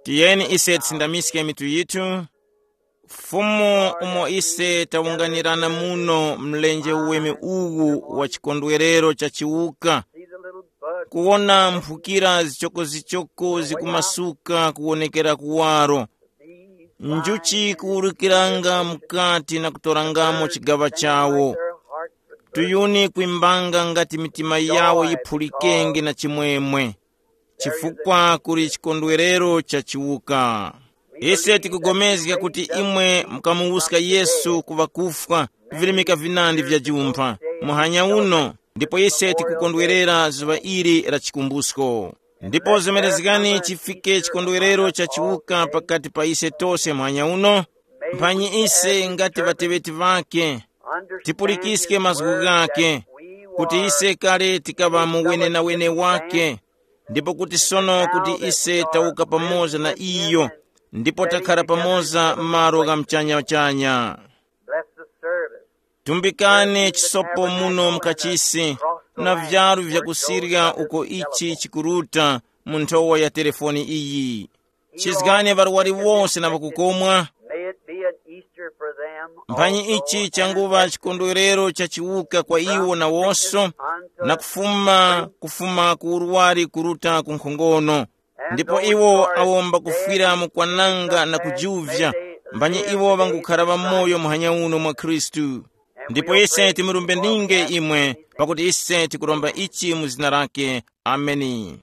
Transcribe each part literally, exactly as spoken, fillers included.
Tiyeni ise tisindamiske mitu yithu. Fumu, umo ise tawunganirana muno mlenje uweme uwu wa chikondwerero cha chiwuka, kuwona mphukira zichokozichoko zikumasuka kuwonekera kuwaro, njuchi kuwurukiranga mukati na kutorangamo chigaŵa chawo, tuyuni kwimbanga ngati mitima yawo yiphulikenge na chimwemwe, chifukwa kuli chikondwerero cha chiwuka. Ise tikugomezga kuti imwe mukamuwuska Yesu ku ŵakufwa, virimika vinandi vya jumpha, muhanya uno, ndipo ise tikukondwerera zuŵa ili la chikumbusko. Ndipo zemerezgani chifike chikondwerero cha chiwuka pakati pa ise tose muhanya uno, mphanyi ise ngati ŵateŵeti ŵake, tipulikiske mazgu ghake, kuti ise kale tikaŵa mu wenenawene wake, ndipo kuti sono kuti ise tawuka pamoza na iyo, ndipo takhara pamoza m'malo gha mchanya-chanya. Bless the service. Tumbikani chisopo muno mukachisi, na vyalu vyakusirya uko ichi chikuruta mu nthowa ya telefoni iyi. Chizgani ŵarwari wose na ŵakukomwa. May it be an Easter for them. Mphanyi ichi changuŵa chikondwerero cha chiwuka kwa iwo nawonso, na kufuma kufuma ku urwari kuruta ku nkhongono. Ndipo iwo awo mbakufwira mu kwananga na kujuvya, mphanyi iwo ŵangukhara ŵamoyo muhanya uno mwa Khristu. Ndipo ise timurumbe ninge imwe, pakuti ise tikuromba ichi mu zina lake. Ameni.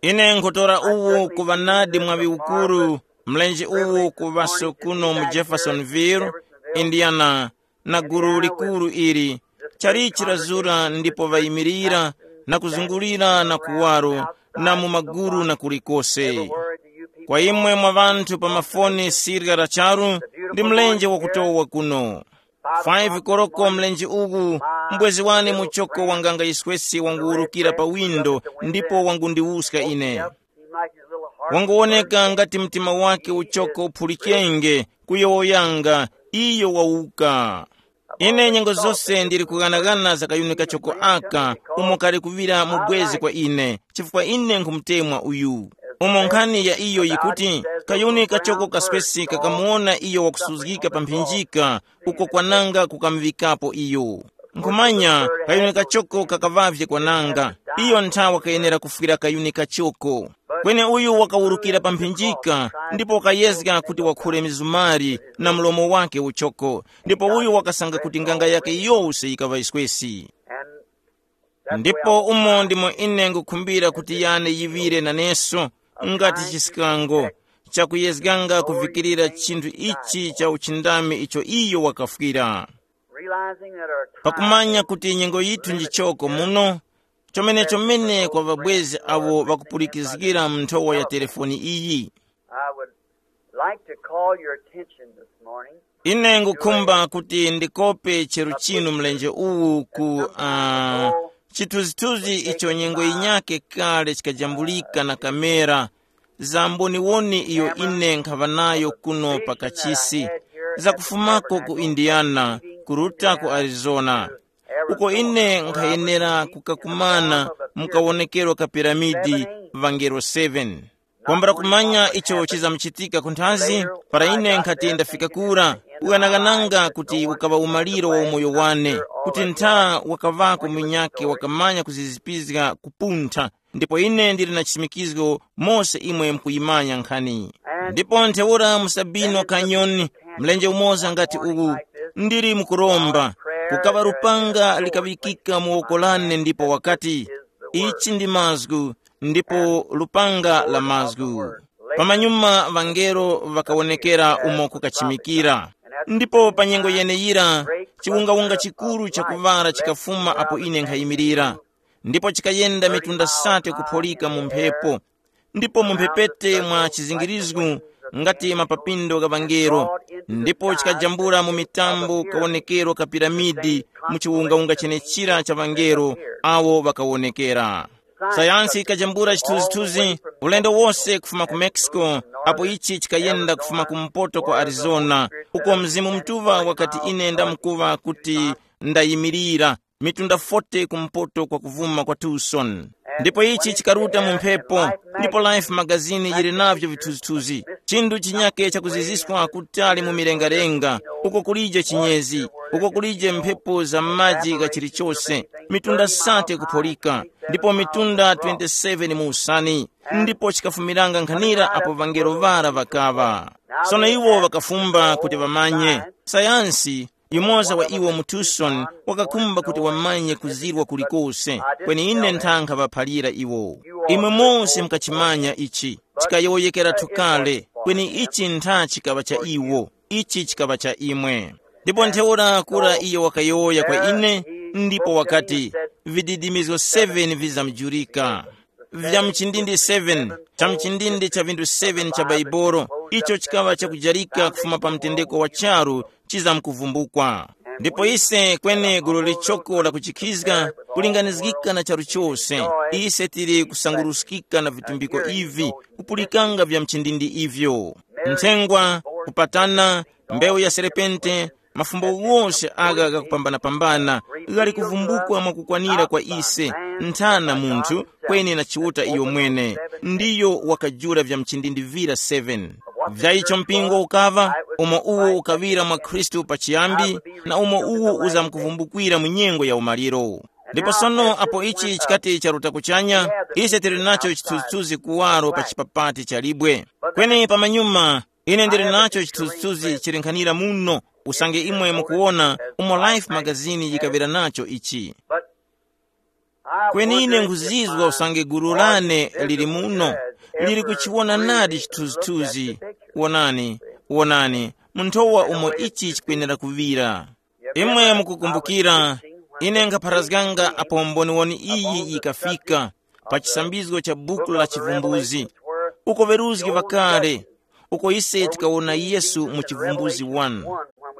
Ine nkhutora uwu kuŵa nadi mwaŵi ukuru, mlenje uwu kuŵaso kuno mu Jeffersonville, Indiana, na gulu likuru ili, chalichi lazura ndipo ŵayimirira na kuzungulira na kuwaro na mu maguru na kulikose. Kwa imwe mwa ŵanthu pa mafoni sirya la charu, ndi mlenje wakutowa kuno. Five koloko mlenje uwu, mbwezi wane muchoko wanganga yiswesi wanguwurukira pa windo ndipo wangundiwuska ine. Wanguwoneka ngati mtima wake uchoko uphulikenge, kuyowoyanga, iyo wawuka. Ine nyengo zose ndili kughanaghana za kayuni kachoko aka, umo kali kuŵira mu bwezi kwa ine, chifukwa ine nkhumutemwa uyu. Umo nkhani ya iyo yikuti, kayuni kachoko kaswesi kakamuwona iyo wakusuzgika pa mphinjika, uko kwananga kukamuŵikapo iyo. Nkhumanya, kayuni kachoko kakaŵavye kwananga. Iyo nthawa kayenera kufwira kayuni kachoko. Kweni uyu wakawurukira pa mphinjika, ndipo wakayezga kuti wakhule mizumari na mlomo wake uchoko, ndipo uyu wakasanga kuti nganga yake yose yikaŵa yiswesi. Ndipo umo ndimo ine ngukhumbira kuti yane yiŵire naneso, ngati chiskango, chakuyezganga kuvikirira chinthu ichi cha uchindami icho iyo wakafwira. Realizing that our time pakumanya kuti nyengo yithu ndi choko muno, chomene chomene kwa ŵabwezi avo ŵakupulikizgira mu nthowa ya telefoni iyi. I would like to call your attention this morning. Ine ngukhumba kuti ndikope cheru chinu mlenje uwu ku uh, chithunzithunzi icho nyengo yinyake kale chikajambulika na kamera, za mboniwoni iyo ine nkhaŵa nayo kuno pa kachisi, zakufumako ku Indiana, kuruta ku Arizona, uko ine nkhayenera kukakumana mu kawonekero ka piramidi, vangelo seven. Kwambula kumanya icho chizamuchitika kunthazi, para ine nkhati ndafika kura, ughanagananga kuti ukaŵa umaliro wa umoyo wane, kuti ntha wakaŵako munyakhe wakamanya kuzizipizga kupuntha, ndipo ine ndili na chisimikizgo mose imwe mukuyimanya nkhani. Ndipo ntheura mu Sabino Canyon, mlenje umoza ngati uwu, ndili mukuromba, kukaŵa lupanga likaŵikika mu woko lane ndipo wakati, ichi ndi mazgu, ndipo lupanga la mazgu. Pamanyuma ŵangelo ŵakawonekera umo kukachimikira. Ndipo pa nyengo yeneyira, chiwungawunga chikuru chakuŵala chikafuma apo ine nkhayimirira, ndipo chikayenda mitunda sate kupholika mu mphepo, ndipo mu mphepete mwa chizingirizgu ngati mapapindo gha ŵangelo, ndipo chikajambula mu mitambo kawonekero ka piramidi mu chiwungawunga chenechira cha ŵangelo awo ŵakawonekera. Sayansi ikajambula chithunzithunzi ulendo wose kufuma ku Mexico, apo ichi chikayenda kufuma kumpoto kwa Arizona, uko Mzimu Mutuŵa wakati ine ndamkuŵa kuti ndayimirira, mitunda forty kumpoto kwa kuvuma kwa Tucson. Ndipo ichi chikaruta mu mphepo, ndipo Life magazini yili navyo vithunzithunzi. Chinthu chinyake chakuziziswa kutali mu milengalenga, uko kulije chinyezi, uko kulije mphepo za maji gha chilichose, mitunda sate kupholika, ndipo mitunda twenty-seven mu usani. Ndipo chikafumiranga nkhanira apo ŵangelo ŵara ŵakaŵa. Sono iwo ŵakafumba kuti ŵamanye. Sayansi, yumoza wa iwo mu Tucson, wakakhumba kuti wamanye kuzirwa kulikose. Kweni ine nthankha ŵaphalira iwo, imwe mose mukachimanya ichi, chikayowoyekeratu kale. Kweni ichi ntha chikaŵa cha iwo, ichi chikaŵa cha imwe. Ndipo ntheura kura iyo wakayowoya kwa ine, ndipo wakati, vididimizgo seven vizamjurika, vya mchindindi seven, cha mchindindi cha vindu seven cha Baibolo, icho chikaŵa chakujarika kufuma pa mtendeko wa charu, chizamkuvumbukwa. Ndipo ise kweni gulu lichoko la kuchikhizga, kulinganizgika na charu chose, ise tili kusanguruskika na vitumbiko ivi, kupulikanga vya mchindindi ivyo, nthengwa, kupatana, mbewu ya serepente, mafumbo ghose agha ghakupambana-pambana, ghali kuvumbukwa mwakukwanira kwa ise, nthana munthu, kweni na Chiuta iyo mwene, ndiyo wakajula vya mchindindivira seven. Vya icho mpingo ukaŵa, umo uwo ukaŵira mwa Khristu pachiyambi, na umo uwo uzamkuvumbukira mu nyengo ya umaliro. Ndipo sono apo ichi chikati charuta kuchanya, ise tili nacho chithunzithunzi kuwaro pa chipapati cha libwe. Kweni pamanyuma, ine ndili nacho chithunzithunzi chilinkhanira muno, usange imwe mukuwona umo Life magazini yikaŵira nacho ichi. Kweni ine nkhuzizwa usange gulu lane lili muno, lili kuchiwona nadi chithunzithunzi. Wonani, wonani, munthowa umo ichi chikwenera kuŵira. Imwe mukukumbukira, ine nkhapharazganga apo mboniwoni iyi yikafika, pa chisambizgo cha buku la Chivumbuzi, uko ŵeruzgi ŵakale, uko ise tikawona Yesu mu Chivumbuzi one.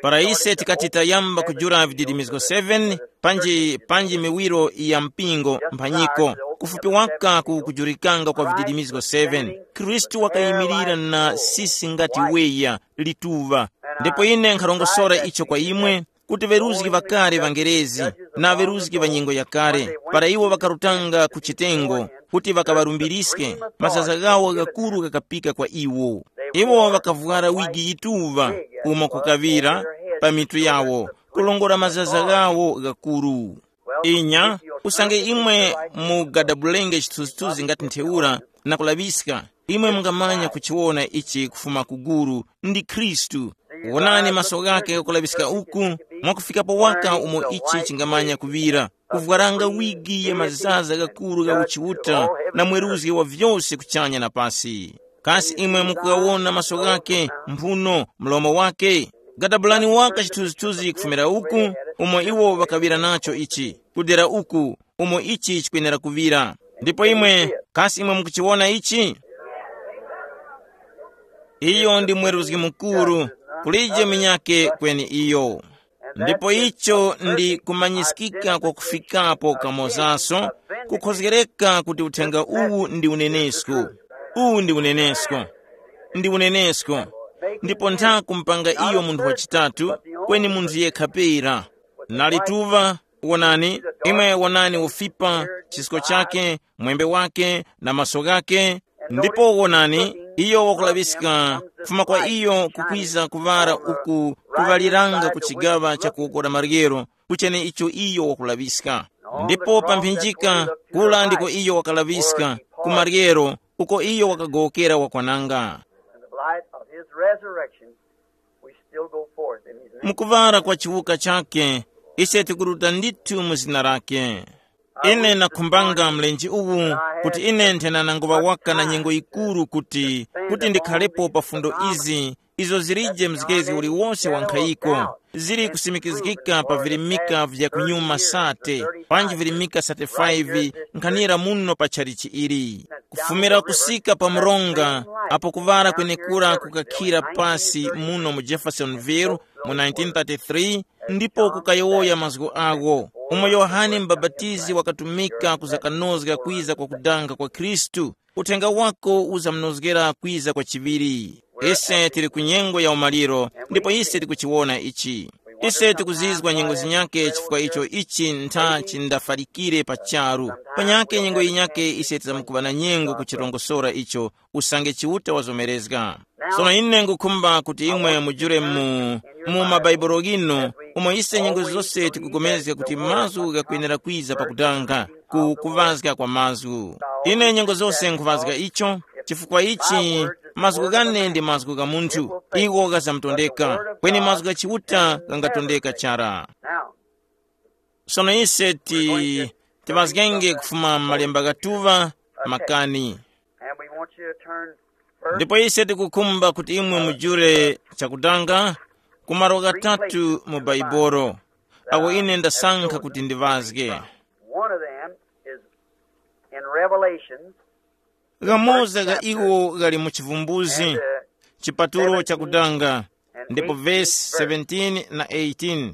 Para ise tikati tayamba kujula vididimizgo seven, panji panji miwiro ya mpingo mphanyiko, kufupi waka ku kujulikanga kwa vididimizgo seven, Khristu wakayimirira na sisi ngati weya, lituŵa. Ndipo ine nkharongosora icho kwa imwe, kuti ŵeruzgi ŵakale ŵangerezi, na ŵeruzgi ŵa nyengo yakale, para iwo ŵakarutanga ku chitengo, kuti ŵakaŵalumbiriske, mazaza ghawo ghakuru ghakapika kwa iwo. Iwo ŵakavwara wigi yituŵa, umo kukaŵira, pa mitu yawo, kulongora mazaza ghawo ghakuru. Inya, usange imwe mugadabulenge chithunzithunzi ngati ntheura, na kulaŵiska, imwe mungamanya kuchiwona ichi kufuma ku guru, ndi Khristu. Wonani maso ghake ghakulaŵiska uku, mwakufikapo waka umo ichi chingamanya kuŵira, kuvwaranga wigi ya mazaza ghakuru gha uchiuta, na mweruzgi wa vyose kuchanya na pasi. Kasi imwe mukughawona maso ghake, mphuno, mlomo wake? Gadabulani waka chithunzithunzi kufumira uku, umo iwo ŵakaŵira nacho ichi, kudera uku, umo ichi chikwenera kuŵira. Ndipo imwe, kasi imwe mukuchiwona ichi? Iyo ndi mweruzgi mukuru, kulije munyakhe kweni iyo. Ndipo icho ndi kumanyiskika kwakufikapo kamozaso, kukhozgereka kuti uthenga uwu ndi unenesko. Uwu ndi unenesko. Ndi unenesko. Ndipo ntha kumpanga iyo munthu wachitatu, kweni munthu yekha pera. Nalituva, wonani, imwe wonani ufipa, chisko chake, mwembe wake, na maso ghake. Ndipo wonani, iyo wakulaŵiska kufuma kwa iyo kukwiza kuŵala uku kuŵaliranga ku chigaŵa cha kuwoko la maryero, kuchene icho iyo wakulaŵiska. Ndipo pa mphinjika, kula ndiko iyo wakalaŵiska, ku maryero, uko iyo wakagowokera wakwananga. In the light of his resurrection, we still go forth in his name. Mukuŵala kwa chiwuka chake, ise tikuruta ndithu mu zina lake. Ine nakhumbanga mlenje uwu, kuti ine nthena nangoŵa waka na nyengo yikuru kuti, kuti ndikhalepo pa fundo izi, izo zilije mzgezi uliwonse wa nkhayiko, zili kusimikizgika pa virimika vya kunyuma sate, panji virimika thirty-five, nkhanira muno pa tchalichi ili. Kufumira kusika pa mronga, apo kuŵala kwenekura kukakhira pasi muno mu Jeffersonville mu nineteen thirty-three, ndipo kukayowoya mazgu agho, umo Yohane Mubapatizi wakatumika kuzakanozga kwiza kwa kudanga kwa Khristu, uthenga wako uzamunozgera kwiza kwa chiŵiri. Ise tili ku nyengo ya umaliro, ndipo ise tikuchiwona ichi. Ise tikuzizwa nyengo zinyake chifukwa icho ichi ntha chindafalikire pa charu. Panyake nyengo yinyake ise tizamkuŵa na nyengo kuchirongosora icho usange Chiuta wazomerezga. Sono ine ngukhumba kuti imwe mujule mu, mu mabaibulo ghinu umo ise nyengo zose tikupulikana kuti mazgu ghakwenera kwiza pakudanga ku kuŵazga kwa mazgu. Ine nyengo zose nkhuŵazga icho, chifukwa ichi mazgu ghane ndi mazgu gha munthu, iwo ghazamtondeka, kweni mazgu gha Chiuta ghangatondeka chara. Now, sono ise ti tiŵazgenge kufuma m'malemba ghatuŵa makani. And we want you to turn first. Ndipo ise tikukhumba kuti imwe mujule chakudanga ku malo ghatatu mu Baibolo, awo ine ndasankha kuti ndiŵazge. One of them is in Revelations. Ghamoza ga iwo ghali mu Chivumbuzi, chipatulo chakudanga, ndipo vesi seventeen na eighteen.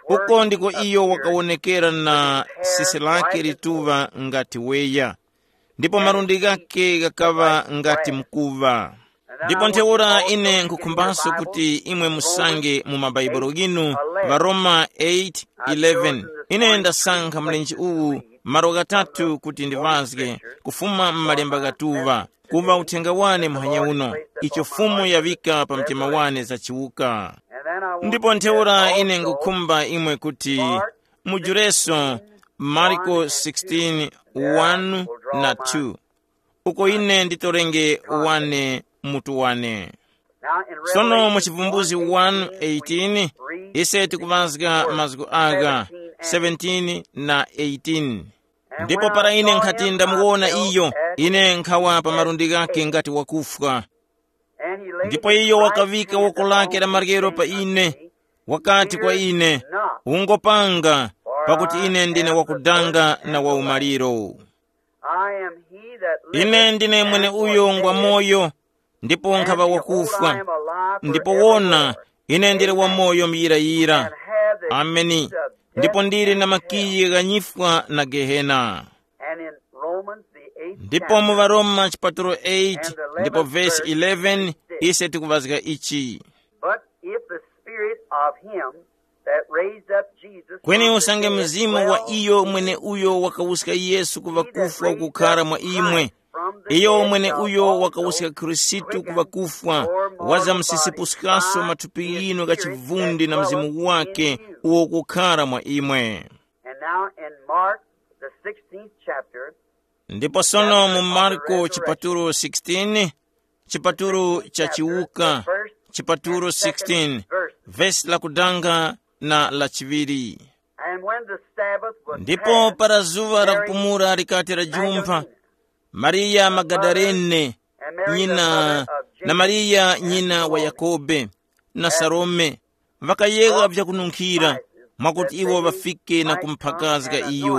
Uko ndiko iyo wakawonekera na sisi lake lituŵa ngati weya, ndipo malundi ghake ghakaŵa ngati mkuŵa. Ndipo ntheura ine nkhukhumbanso kuti imwe musange mu mabaibulo ghinu, Varoma eight eleven. Ine ndasankha mlenje uwu malo ghatatu kuti ndiŵazge kufuma m'malemba ghatuŵa, kuŵa uthenga wane muhanya uno, icho Fumu yaŵika pa mtima wane za chiwuka. Ndipo ntheura ine ngukhumba imwe kuti mujureso Marko sixteen one na two, uko ine nditorenge wane mutu wane. Sono mu Chivumbuzi one eighteen, ise tikuŵazga mazgu agha seventeen na eighteen. Ndipo para ine nkhati ndamuwona iyo, ine nkhawa pa malundi ghake ngati wakufwa. Ndipo iyo wakaŵika woko lake la maryero pa ine, wakati kwa ine, ungopanga, pakuti ine ndine wakudanga na waumaliro. Ine ndine mwene uyo ngwa moyo, ndipo nkhaŵa wakufwa, ndipo wona, ine ndili wamoyo muyirayira. Ameni. Ndipo ndili na makiyi gha nyifwa na Gehena. And in Romans, the eighth ndipo mu chapter, Varoma chipatulo eight and the ndipo eleventh vesi verse, eleven, ise tikuŵazga ichi. But if the spirit of him that raised up Jesus kweni from the usange dead mzimu wa dwell iyo in mwene you, uyo wakawuska Yesu kuva kufwa ukukhara mwa imwe, iyo mwene uyo wakawuska Khristu kuva kufwa, wazamsisipuskaso mathupi yinu gha chivundi na mzimu wake uwo ukukhara mwa imwe. And now in Mark, the sixteenth chapter, ndipo sono mu Marko chipatulo sixteen, chipatulo cha chiwuka, chipatulo sixteen, vesi la kudanga na la chiŵiri. And when the Sabbath was ndipo past, para zuŵa la Mary kupumula likati lajumpha, Magdalene, Mariya Magadalene, and Mary the nyina mother of na James Mariya and nyina wa Salome, Yakobe na Salome, ŵakayegha vyakununkhira mwakuti iwo ŵafike na kumphakazga iyo.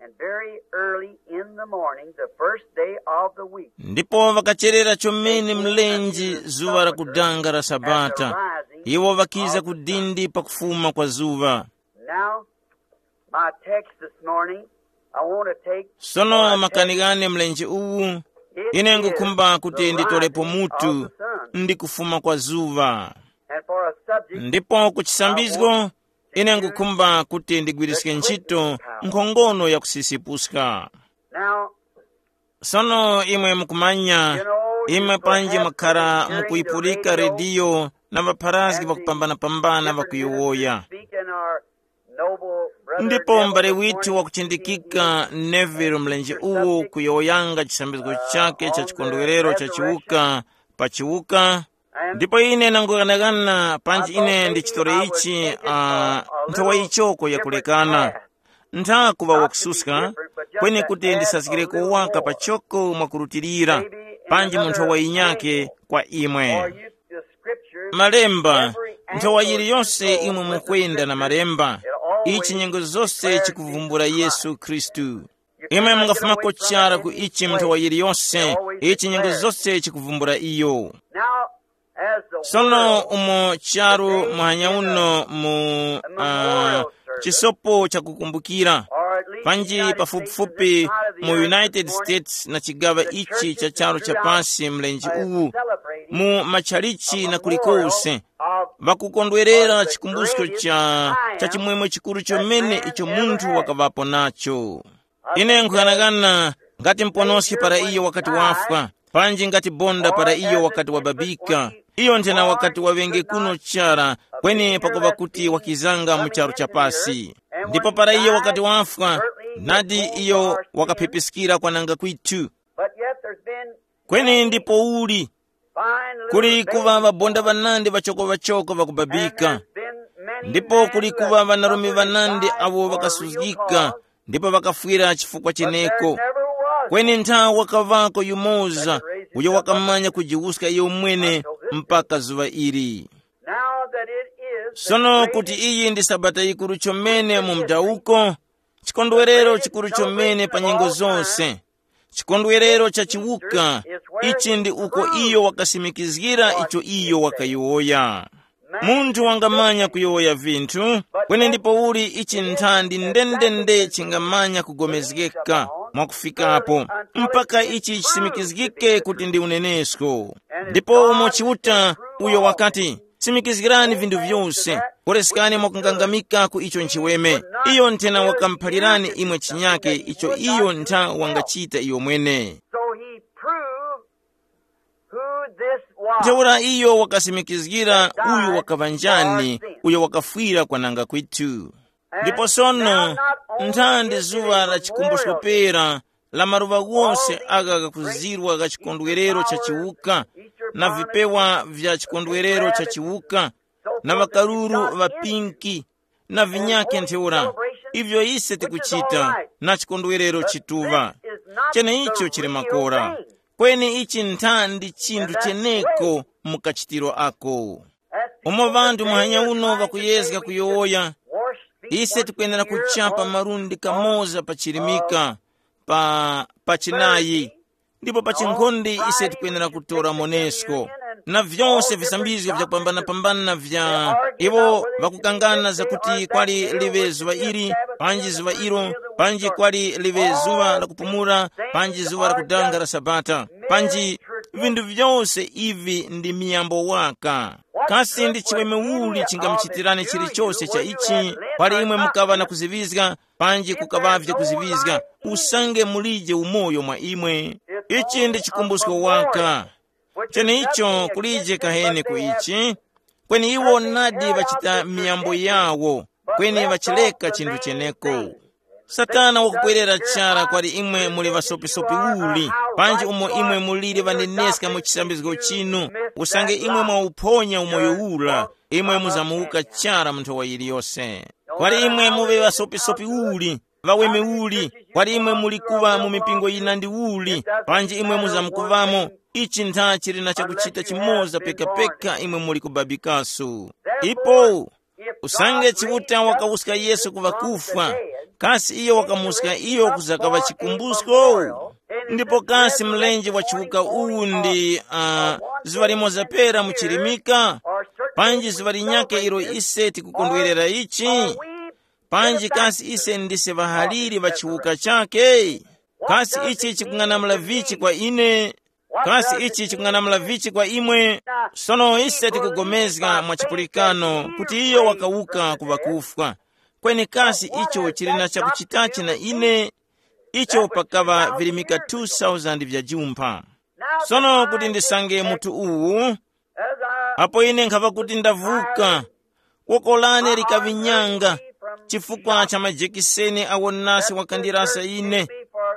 And very early in the morning, the first day of the week, ndipo ŵakacherera chomene mlenje zuŵa la kudanga la Sabata, iwo ŵakiza ku dindi pakufuma kwa zuŵa. Now, my text this morning, I want to take sono makani ghane mlenje uwu, ine ngukhumba kuti nditolepo mutu ndi kufuma kwa zuŵa. And for a subject, ndipo ku chisambizgo ine ngukhumba kuti ndigwiriske ntchito nkhongono ya kusisipuska. Now, sono imwe mukumanya, imwe panji mwakhara mukuyipulika rediyo na ŵapharazgi ŵakupambanapambana ŵakuyowoya. Ndipo mbale withu wakuchindikika Neville mlenje uwu kuyowoyanga chisambizgo chakhe cha chikondwerero cha chiwuka pa chiwuka. Ndipo ine nangoghanaghana panji ine ndichitore ichi, uh, nthowa yichoko yakulekana. Ntha kuŵa wakususka, kweni kuti ndisazgireko waka pachoko mwakurutilira, panji mu nthowa yinyake kwa imwe. Malemba, nthowa yiliyonse imwe mukwenda na malemba, ichi nyengo zose chikuvumbula Yesu Khristu. Imwe mungafumako chara ku ichi mu nthowa yiliyonse, ichi nyengo zose chikuvumbula iyo. Sono umo charu muhanya uno mu uh, chisopo chakukumbukira, panji pafupifupi mu United States na chigaŵa ichi cha charu cha pasi mlenje uwu, mu matchalichi na kulikose, Ŵakukondwerera chikumbusko cha cha chimwemwe chikuru chomene icho munthu wakaŵapo nacho. Ine nkuyang'ana ngati mponoski para iyo wakati wafwa, panji ngati bonda para iyo wakati wababika, iyo nthena wakati waŵenge kuno chara, kweni pakuŵa kuti wakizanga mu charu cha pasi. Ndipo para iyo wakati wafwa, nadi iyo wakaphepiskira kwananga kwithu. But yet there's been kweni ndipo uli fine little kuli kuŵa ŵabonda ŵanandi ŵachoko ŵachoko ŵakubabika. Ndipo kuli kuŵa ŵanarume ŵanandi awo ŵakasuzgika ndipo ŵakafwira chifukwa cheneko. Kweni nthawi wakaŵako yumoza uyo wakamanya kujiwuska iyo mwene mpaka zuŵa ili. Sono kuti iyi ndi sabata yikuru chomene mu mdawuko, chikondwerero chikuru chomene pa nyengo zonse, chikondwerero cha chiwuka. Ichi ndi uko iyo wakasimikizgira icho iyo wakayowoya. Munthu wangamanya kuyowoya vinthu, kweni ndipo uli ichi nthandi ndendende chingamanya kugomezgeka mwakufikapo, mpaka ichi chisimikizgike kuti ndi unenesko. Ndipo umo Chiuta uyo wakati, simikizgirani vinthu vyose, koreskani mwakungangamika ku icho nchiweme. Iyo nthena wakamuphalirani imwe chinyake icho iyo ntha wangachita iyo mwene. So he proved who this was. Ntheura iyo wakasimikizgira uyu wakaŵa njani, uyo wakafwira kwananga kwithu. Ndipo sono, nthandi zuŵa la chikumbusko pera la maluŵa ghose agha ghakuzirwa gha chikondwerero cha chiwuka, na vipewa vya chikondwerero cha chiwuka, na ŵakaruru ŵa pinki, na vinyakhe ntheura, ivyo ise tikuchita na chikondwerero chituŵa. Cheneicho chili makora. Kweni ichi nthandi chinthu cheneko mu kachitiro ako. Umo ŵanthu muhanya uno ŵakuyezga kuyowoya, ise tikwenera kuchapa malundi kamoza pa chilimika, pa pa chinayi, ndipo pa chinkhonde ise tikwenera kutora monesko, na vyose visambizgo vyakupambanapambana vya iwo ŵakukangana zakuti kwali liŵe zuŵa ili, panji zuŵa ilo, panji kwali liŵe zuŵa la kupumula, panji zuŵa la kudanga la sabata, panji vinthu vyose ivi ndi miyambo waka. Kasi ndi chiweme uli chingamuchitirani chilichose cha ichi? Kwali imwe mukaŵa na kuziŵizga, panji kukaŵavye kuziŵizga, usange mulije umoyo mwa imwe. Ichi ndi chikumbusko waka. Cheneicho kulije kaheni ku ichi, kweni iwo nadi ŵachita miyambo yawo, kweni ŵachileka chinthu cheneko. Satana wakupwerera chara kwali imwe muli ŵasopisopi uli, panji umo imwe muliri ŵaneneska mu chisambizgo chinu, usange imwe mwawuphonya umoyo ura, imwe muzamuwuka chara mu nthowa yiliyose. Kwali imwe muŵe ŵasopisopi uli, ŵaweme uli, kwali imwe muli kuŵa mu mipingo yina ndi uli, panji imwe muzamukuŵamo, ichi ntha chili na chakuchita chimoza pekapeka imwe muli kubabikaso. Ipo usange Chiuta wakawuska Yesu ku ŵakufwa, kasi iyo wakamuska iyo kuzakaŵa chikumbusko? Ndipo kasi mlenje wa chiwuka uwu ndi uh, zuŵa limoza pera mu chilimika? Panji zuŵa linyakhe ilo ise tikukondwerera ichi? Panji kasi ise ndise ŵahaliri ŵa chiwuka chakhe? Kasi ichi chikung'anamula vichi kwa ine? Kasi ichi chikung'anamula vichi kwa imwe? Sono ise tikugomezga mwa chipulikano kuti iyo wakawuka ku ŵakufwa. Kweni kasi icho chili na chakuchitachi na ine? Icho pakaŵa virimika two thousand vya jumpha. Sono kuti ndisange mutu uwu, apo ine nkhava kuti ndavuka, woko lane likaŵinyanga chifukwa cha majekiseni awo nasi wakandirasa ine,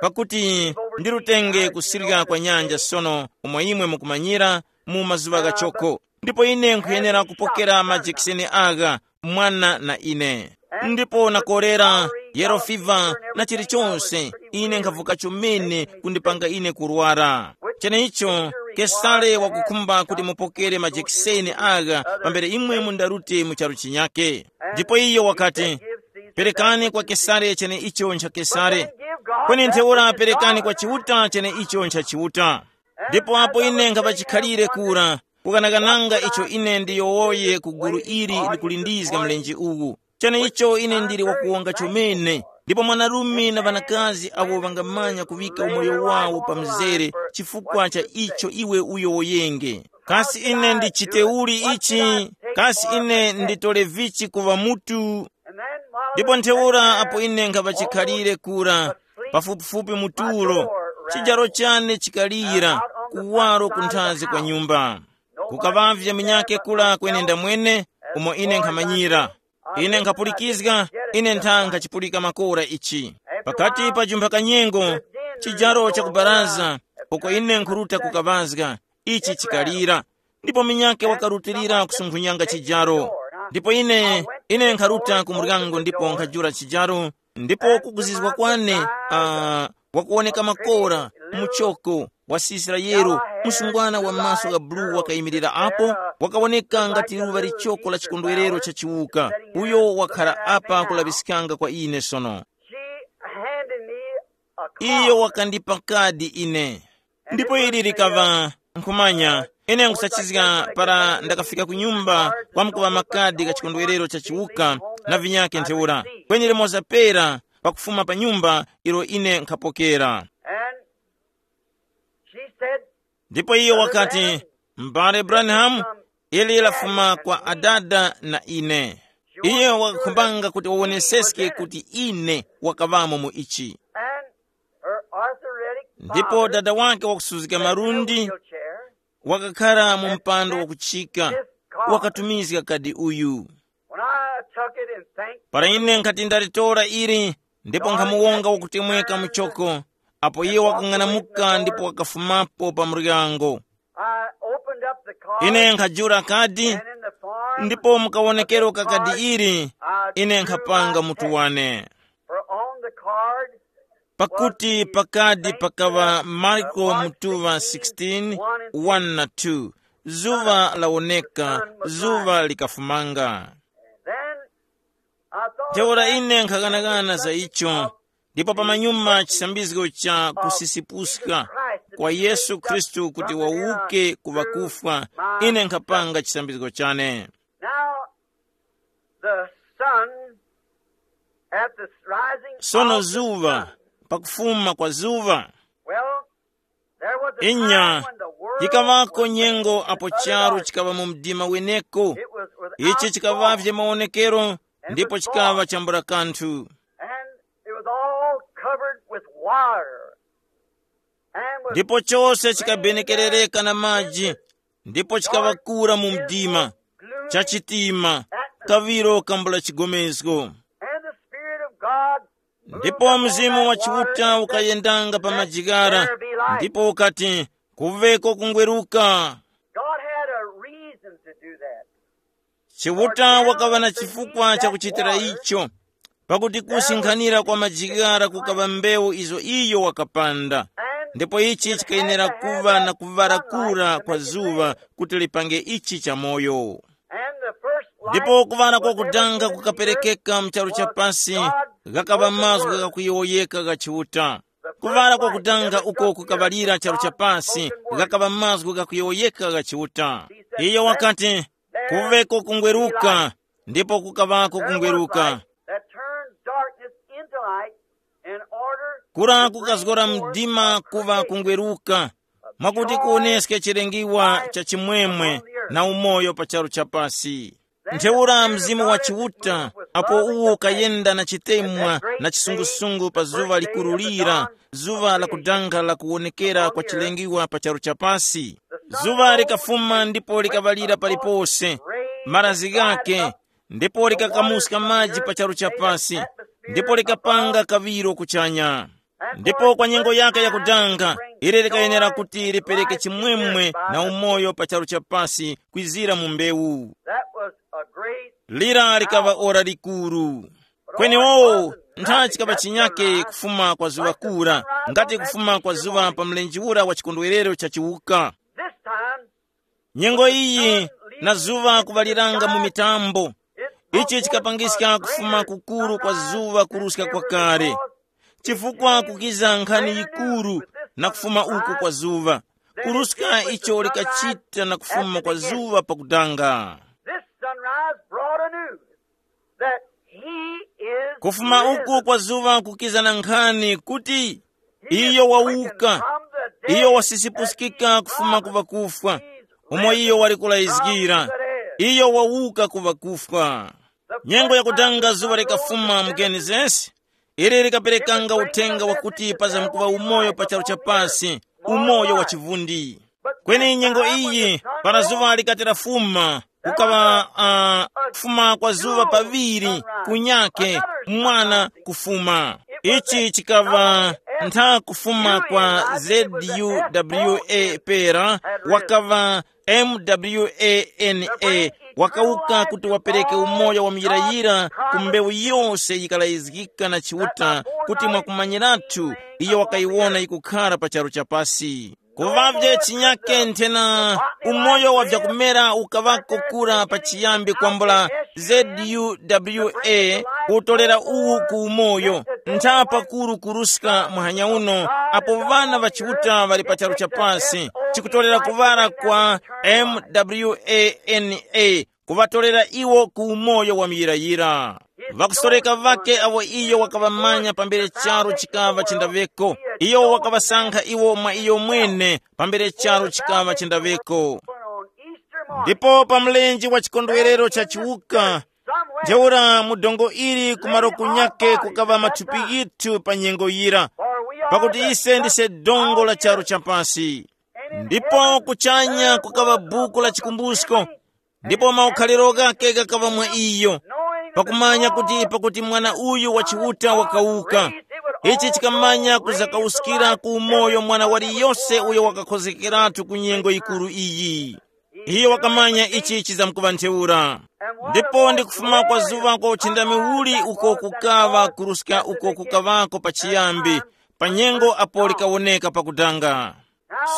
pakuti ndirutenge kusirya kwa nyanja sono, umo imwe mukumanyira, mu mazuŵa ghachoko. Ndipo ine nkhuyenera kupokera majekiseni agha, mwana na ine. Ndipo nakorera, yellow fever na chilichonse, ine nkhavuka chomene kundipanga ine kurwara. Cheneicho, Kesare wakukhumba kuti mupokere majekiseni agha pambere imwe mundarute mu charu chinyake. Ndipo iyo wakati, perekani kwa Kesare cheneicho ncha Kesare, kweni ntheura perekani kwa Chiuta cheneicho ncha Chiuta. Ndipo apo ine nkhapa chikhalire kura, kukanakananga icho ine ndiyowoye ku gulu ili likulindizga mlenje uwu. Cheneicho ine ndili wakuwonga chomene, ndipo mwanarume na ŵanakazi awo ŵangamanya kuŵika umoyo wawo pa mzere chifukwa cha icho iwe uyowoyenge. Kasi ine ndichite uli ichi? Kasi ine nditole vichi kuŵa mutu? Ndipo ntheura apo ine nkhaŵa chikhalire kura, pafupifupi mu tulo, chijaro chane chikalira, kuwaro kunthazi kwa nyumba. Kukaŵavye munyake kula kwenenda mwene, umo ine nkhamanyira. Ine nkhapulikizga, ine ntha nkhachipulika makora ichi. Pakati pa jumpha kanyengo, chijaro cha kubaraza, uko ine nkhuruta kukaŵazga, ichi chikalira. Ndipo munyake wakarutilira kusunkhunyanga chijaro. Ndipo ine, ine nkharuta ku muryango ndipo nkhajula chijaro, ndipo kuguzizwa kwane, uh, wakuwoneka makora, muchoko, wasisira yero, msungwana wa maso gha bulu wakayimirira apo, wakawoneka ngati luŵa lichoko la chikondwerero cha chiwuka, uyo wakhala apa kulaŵiskanga kwa ine sono. She handed me a card. Iyo wakandipa kadi ine. Ndipo ili likaŵa, nkhumanya, ine nkusachizga para ndakafika ku nyumba, kwamkuŵa makadi ka chikondwerero cha chiwuka na vinyake ntheura, kweni limoza pera pakufuma pa nyumba ilo ine nkhapokera. And she said, ndipo iyo wakati, "M'bale Branham, ili lafuma kwa adada na ine." Iye wakakhumbanga kuti wawoneseske kuti ine wakaŵamo mu ichi. And her arthritic ndipo father dada wake wakusuzika marundi wheelchair, wakakhala mu mpando wakuchika, wakatumizga kadi uyu. When I took it and thanked para ine nkhati ndalitora ili, ndipo nkhamuwonga wakutemweka muchoko, apo iye wakang'anamuka ndipo wakafumapo pa muryango. I opened up the card, ine nkhajula kadi, and in the form ndipo mukawonekero ka kadi ili, ine nkhapanga mutu wane. For on the card, pakuti pakadi pakaŵa Marko mutuŵa sixteen, one na two, zuŵa lawoneka, zuŵa likafumanga. Then I thought ntheura about ine nkhaghanagana za icho, ndipo pamanyuma chisambizgo cha kusipuska kwa Yesu Khristu kuti wawuke ku ŵakufwa, ine nkhapanga chisambizgo chane. Now, the sun at the rising sono of the zuva sun. Pakufuma kwa zuva. Well, there was a inya time when the world yikawako was nyengo apo utter charu darkness. Chikawa mu mdima weneko. It was without ichi chikawavye form. Maonekero. Ndipo chikawa chambula kanthu. And it was all covered with water. And was ndipo chose chikabenekerereka na maji. Ndipo chikawakura mu mdima, chachitima, kaviro kambula chigomezgo. And the Spirit of God ndipo mzimu wa chiuta ukayendanga pa majigara, ndipo ukati, "Kuveko kungweruka." God had a reason to do that. Chiuta wakaŵa na chifukwa chakuchitira icho, pakuti kusinkhanira kwa majigara kukaŵa mbewu izo iyo wakapanda. Ndipo ichi chikayenera kuŵa na kuŵala kura kwa zuŵa kuti lipange ichi chamoyo. Ndipo kuŵala kwakudanga kukaperekeka mu charu cha pasi, ghakaŵa mazgu ghakuyowoyeka gha Chiuta. Kuŵala kwakudanga uko kukaŵalira charu cha pasi, ghakaŵa mazgu ghakuyowoyeka gha Chiuta. Iyo wakati, "Kuveko kungweruka," ndipo kukaŵako kungweruka. That turns darkness into light in order kura kukazgora mdima kuva kungweruka, mwakuti kuwoneske chilengiwa cha chimwemwe na umoyo pa charu cha pasi. Ntheura mzimu wa Chiuta, apo uwo ukayenda na chitemwa na chisungusungu pa zuŵa likuru lira, zuŵa lakudanga la kuwonekera kwa chilengiwa pa charu cha pasi. Zuŵa likafuma ndipo likaŵalira palipose, marazi ghake, ndipo likakamuska maji pa charu cha pasi, ndipo likapanga kaŵiro kuchanya. Ndipo kwa nyengo yake yakudanga, ili likayenera kuti lipereke chimwemwe na umoyo pa charu cha pasi kwizira mu mbewu. That was a great lira likaŵa ora likuru. Kweni wowo, ntha chikaŵa chinyake kufuma kwa zuŵa kura, ngati kufuma kwa zuŵa pa mlenje ura wa chikondwerero cha chiwuka. This time, nyengo iyi, na zuŵa kuŵaliranga mu mitambo, ichi chikapangiska kufuma kukuru kwa zuŵa kuruska kwakale. Chifukwa kukiza nkhani yikuru na kufuma uku kwa zuŵa, kuruska icho likachita na kufuma kwa zuŵa pakudanga. This sunrise brought a news that he is kufuma risen. Uku kwa zuŵa kukiza na nkhani kuti iyo wawuka, iyo wasisipusikika kufuma ku ŵakufwa, umo iyo wali kulayizgira. Iyo wawuka ku ŵakufwa. Nyengo yakudanga zuŵa likafuma mu Genesis, ili likaperekanga uthenga wakuti pazamkuŵa umoyo pa charu cha pasi, umoyo wa chivundi. Kweni nyengo iyi, para zuŵa likati lafuma, kukaŵa uh, kufuma kwa zuŵa paŵiri, kunyake, mwana kufuma. Ichi chikaŵa ntha kufuma kwa zuwa pera, wakaŵa mwana, wakawuka kuti wapereke umoyo wa muyirayira ku mbewu yose yikalayizgika na Chiuta, kuti mwakumanyiratu iyo wakayiwona yikukhara pa charu cha pasi. Kuŵavye chinyake nthena, umoyo wa vyakumera ukaŵako kura pachiyambi kwambula, zuwa, kuwutolera uwu ku umoyo, ntha pakuru kuruska muhanya uno, apo ŵana ŵa Chiuta ŵali pa charu cha pasi, chikutolera kuŵala kwa mwana, kuŵatolera iwo ku umoyo wa muyirayira. Ŵakusoreka ŵakhe awo iyo wakaŵamanya pambere charu chikaŵa chindaŵeko, iyo wakaŵasankha iwo mwa iyo mwene pambere charu chikaŵa chindaŵeko. Ndipo pa mlenje wa chikondwerero cha chiwuka, ntheura mu dongo ili kumaro kunyake kukaŵa mathupi ghithu pa nyengo yira, pakuti ise ndise dongo la charu cha pasi. Ndipo kuchanya kukaŵa buku la chikumbusko, ndipo maukhaliro ghakhe ghakaŵa mwa iyo, pakumanya kuti pakuti mwana uyu wa Chiuta wakawuka, ichi chikamanya kuzakawuskira ku umoyo mwana waliyose uyo wakakhozekeratu ku nyengo yikuru iyi. Iyo wakamanya ichi chizamkuŵa ntheura. Ndipo ndi kufuma kwa zuŵa kwa uchindami uli uko kukaŵa kuruska uko kukaŵako pachiyambi, pa nyengo apo likawoneka pakudanga.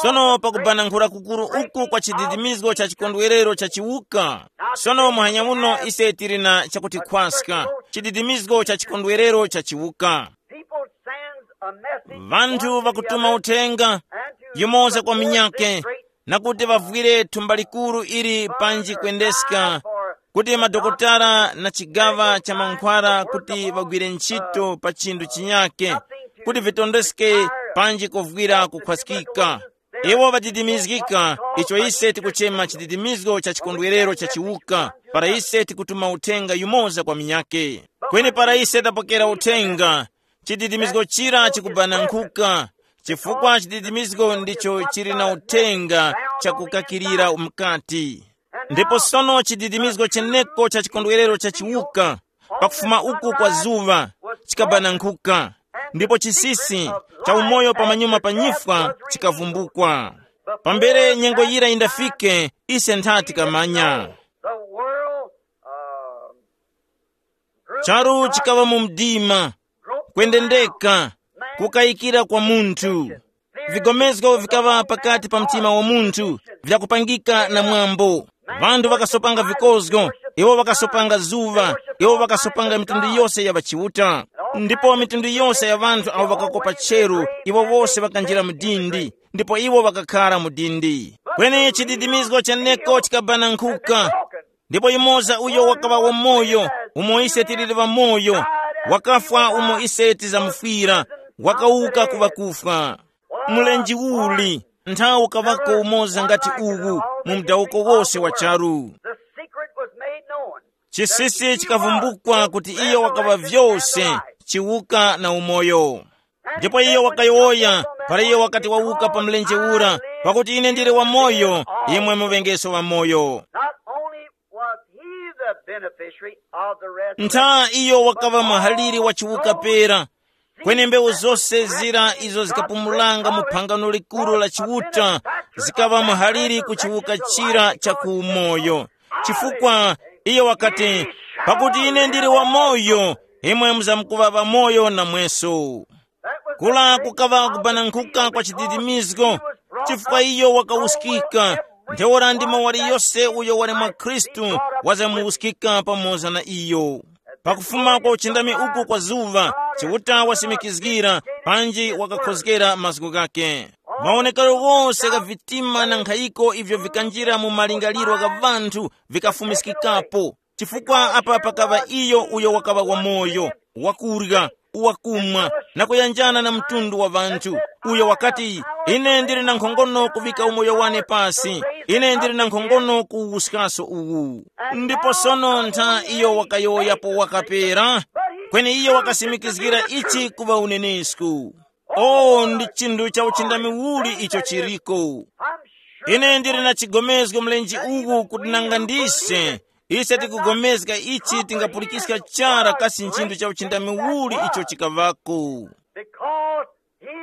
Sono pakubanankhula kukuru uku kwa chididimizgo cha chikondwerero cha chiwuka, sono muhanya uno ise tili na chakuti khwaska, chididimizgo cha chikondwerero cha chiwuka. People sends a message. Vanthu vakutuma uthenga, yumoza kwa minyake, na kuti vavwire thumba likuru ili panji kwendeska, kuti madokotala na chigaŵa cha mankhwala kuti vagwire ntchito pa chinthu chinyake, kuti vitondeske panji kovwira kukhwaskika. Iwo ŵadidimizgika, icho ise tikuchema chididimizgo cha chikondwerero cha chiwuka, para ise tikutuma uthenga yumoza kwa minyake. Kweni para ise tapokera uthenga, chididimizgo chira chikubanankhuka, chifukwa chididimizgo ndicho chili na uthenga chakukakirira mkati. Ndipo sono chididimizgo cheneko cha chikondwerero cha chiwuka, pakufuma uku kwa zuŵa, chikabanankhuka, ndipo chisisi cha umoyo pamanyuma pa nyifwa chikavumbukwa. Pambere nyengo yira yindafike, ise ntha tikamanya. The world, uh, Charu chikaŵa mu mdima, kwendendeka, kukayikira kwa munthu. Vigomezgo vikaŵa pakati pa mtima wa munthu, vyakupangika na mwambo. Vanthu vakasopanga vikozgo, iwo vakasopanga zuŵa, iwo vakasopanga mitundu yose ya ŵachiuta. Ndipo mitundu yose ya vanthu awo vakakopa cheru, iwo wose vakanjira mu dindi, ndipo iwo vakakhara mu dindi. Kweni chididimizgo cheneko chikabanankhuka. Ndipo yumoza uyo wakaŵa wamoyo, umo ise tiliri ŵamoyo, wakafwa umo ise tizamufwira, wakawuka ku ŵakufwa. Mlenje uli, nthawi ukaŵako umoza ngati uwu mu mdawuko wose wa charu. The secret was made known. Chisisi chikavumbukwa kuti iyo wakaŵa vyose, chiwuka na umoyo. Ndipo iyo wakayowoya, para iyo wakati wawuka pa mlenje ura, pakuti ine ndili wamoyo, imwe muŵengeso wamoyo. Not only was he the beneficiary of the resurrection, ntha iyo wakaŵa muhaliri wa chiwuka pera, kweni mbewu zose zira izo zikapumulanga mu phangano likuru la chiuta, zikaŵa muhaliri ku chiwuka chira cha ku umoyo. Chifukwa iyo wakati, pakuti ine ndili wamoyo, imwe muzamkuŵa ŵamoyo namweso. Kula kukaŵa kubanankuka kwa chididimizgo, chifukwa iyo wakawuskika. Ntheura ndi mawali yose uyo wali mwa Khristu wazamuwuskika pamoza na iyo. Pakufuma kwa uchindami uku kwa zuŵa, Chiuta wasimikizgira panji wakakhozgera mazgu ghake. Mawonekero ghose gha vitima na nkhayiko ivyo vikanjira mu malingaliro gha vanthu vikafumiskikapo. Chifukwa apa pakaŵa iyo uyo wakaŵa wamoyo, wakurya, wakumwa, na kuyanjana na mtundu wa ŵanthu, uyo wakati, Ine ndili na nkhongono kuvika umoyo wane pasi. Ine ndili na nkhongono kuwuskaso uwu. Ndipo sono ntha iyo wakayowoyapo wakapera, kweni iyo wakasimikizgira ichi kuŵa unenesku. O, ndi chinthu cha uchindami uli icho chiriko. Ine ndili na chigomezgo mlenji uwu kuti nanga ndise, ise tikugomezga ichi tingapulikiska chara kasi nchinthu cha uchindami uli icho chikaŵako. Because he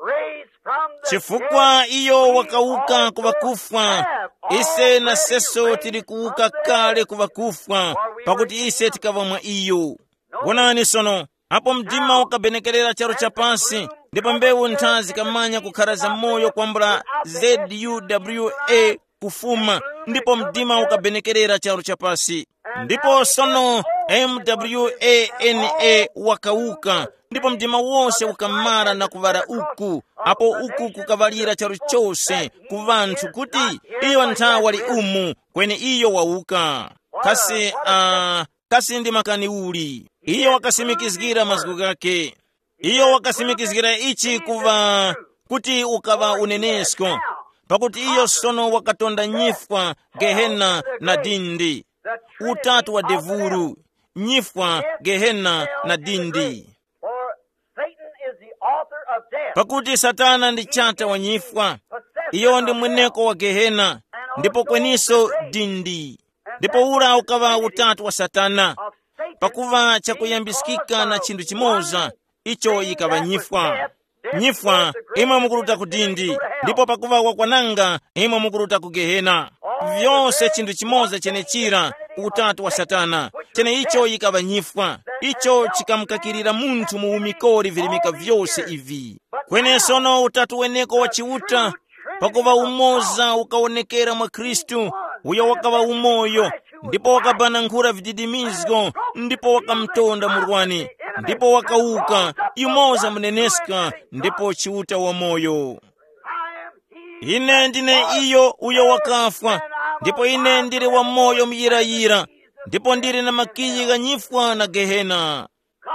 raised from the chifukwa dead, iyo we wakauka also ku ŵakufwa, have ise already naseso raised tili kuwuka from the kale dead. Ku ŵakufwa, pakuti ise tikaŵa mwa iyo. Wonani sono, apo mdima ukabenekerera charu chapansi, ndipo mbewu ntha zikamanya kukhara za moyo kwambula zuwa kufuma, ndipo mdima ukabenekerera charu chapansi. Ndipo sono mwana wakauka, ndipo mdima wose ukamara na kuŵala uku, apo uku kukaŵalira charu chose ku ŵanthu kuti iyo ntha wali umu, kweni iyo wauka. Kasi uh, kasi ndi makani uli? Iyo wakasimikizgira mazgu ghake. Iyo wakasimikizgira ichi kuva kuti ukaŵa unenesko, pakuti iyo sono wakatonda nyifwa, gehena na dindi, utatu wa devulu, nyifwa, gehena na dindi. For Satan is the author of death. Pakuti Satana ndi chata wa nyifwa, iyo ndi mweneko wa gehena, ndipo kweniso dindi. Ndipo ura ukaŵa utatu wa Satana, pakuva chakuyambiskika na chinthu chimoza, icho yikaŵa nyifwa. Nyifwa, imwe mukuruta ku dindi, ndipo pakuva wakwananga, imwe mukuruta ku gehena. Vyose chinthu chimoza chenechira, utatu wa Satana, chene icho yikaŵa nyifwa, icho chikamukakirira munthu mu umikori virimika vyose ivi. Kwenesono utatu weneko wa Chiuta, pakuva umoza ukawonekera mwa Khristu, uyo wakaŵa umoyo, ndipo wakabanankhula vididimizgo, ndipo wakamtonda murwani, ndipo wakauka, yumoza muneneska, ndipo Chiuta wamoyo. Ine ndine iyo uyo wakafwa, ndipo ine ndili wamoyo muyirayira, ndipo ndili na makiyi gha nyifwa na gehena.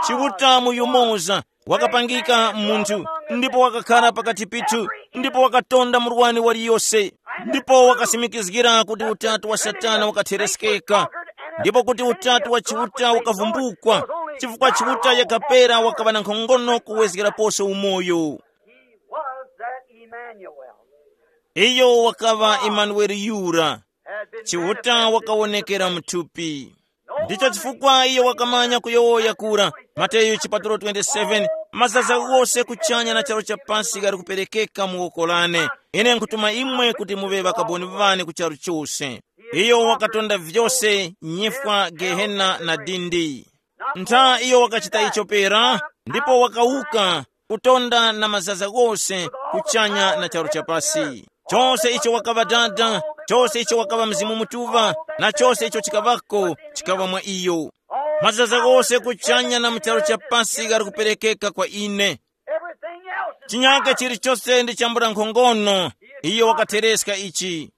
Chiuta mu yumoza wakapangika munthu, ndipo wakakhara pakati pithu, ndipo wakatonda murwani waliyose, ndipo wakasimikizgira kuti utatu wa Satana wakatheresekeka, ndipo kuti utatu wa Chiuta ukavumbukwa, chifukwa Chiuta yakapera wakaŵa na nkhongono kuwezgeraposo umoyo. He was that Emmanuel. Iyo wakaŵa Emanueli yura. Chiuta wakawonekera mthupi. Ndicho chifukwa iyo wakamanya kuyowoya kura. Mateyu chipatulo twenty-seven, mazaza wose kuchanya na chalo cha pansi ghali kuperekeka mu woko lane. Ine nkutuma imwe kuti muŵe ŵakaboni ŵane ku charu chose. Iyo wakatonda vyose, nyifwa, gehena na dindi. Ntha iyo wakachita icho pera, ndipo wakawuka, kutonda na mazaza ghose kuchanya na charu chapasi. Chose icho wakaŵa Dada, chose icho wakaŵa Mzimu Mutuŵa, na chose icho chikaŵako, chikaŵa mwa iyo. Mazaza ghose kuchanya na mu charu chapasi ghali kuperekeka kwa ine. Chinyake chilichose ndi chambula nkhongono, iyo wakathereska ichi.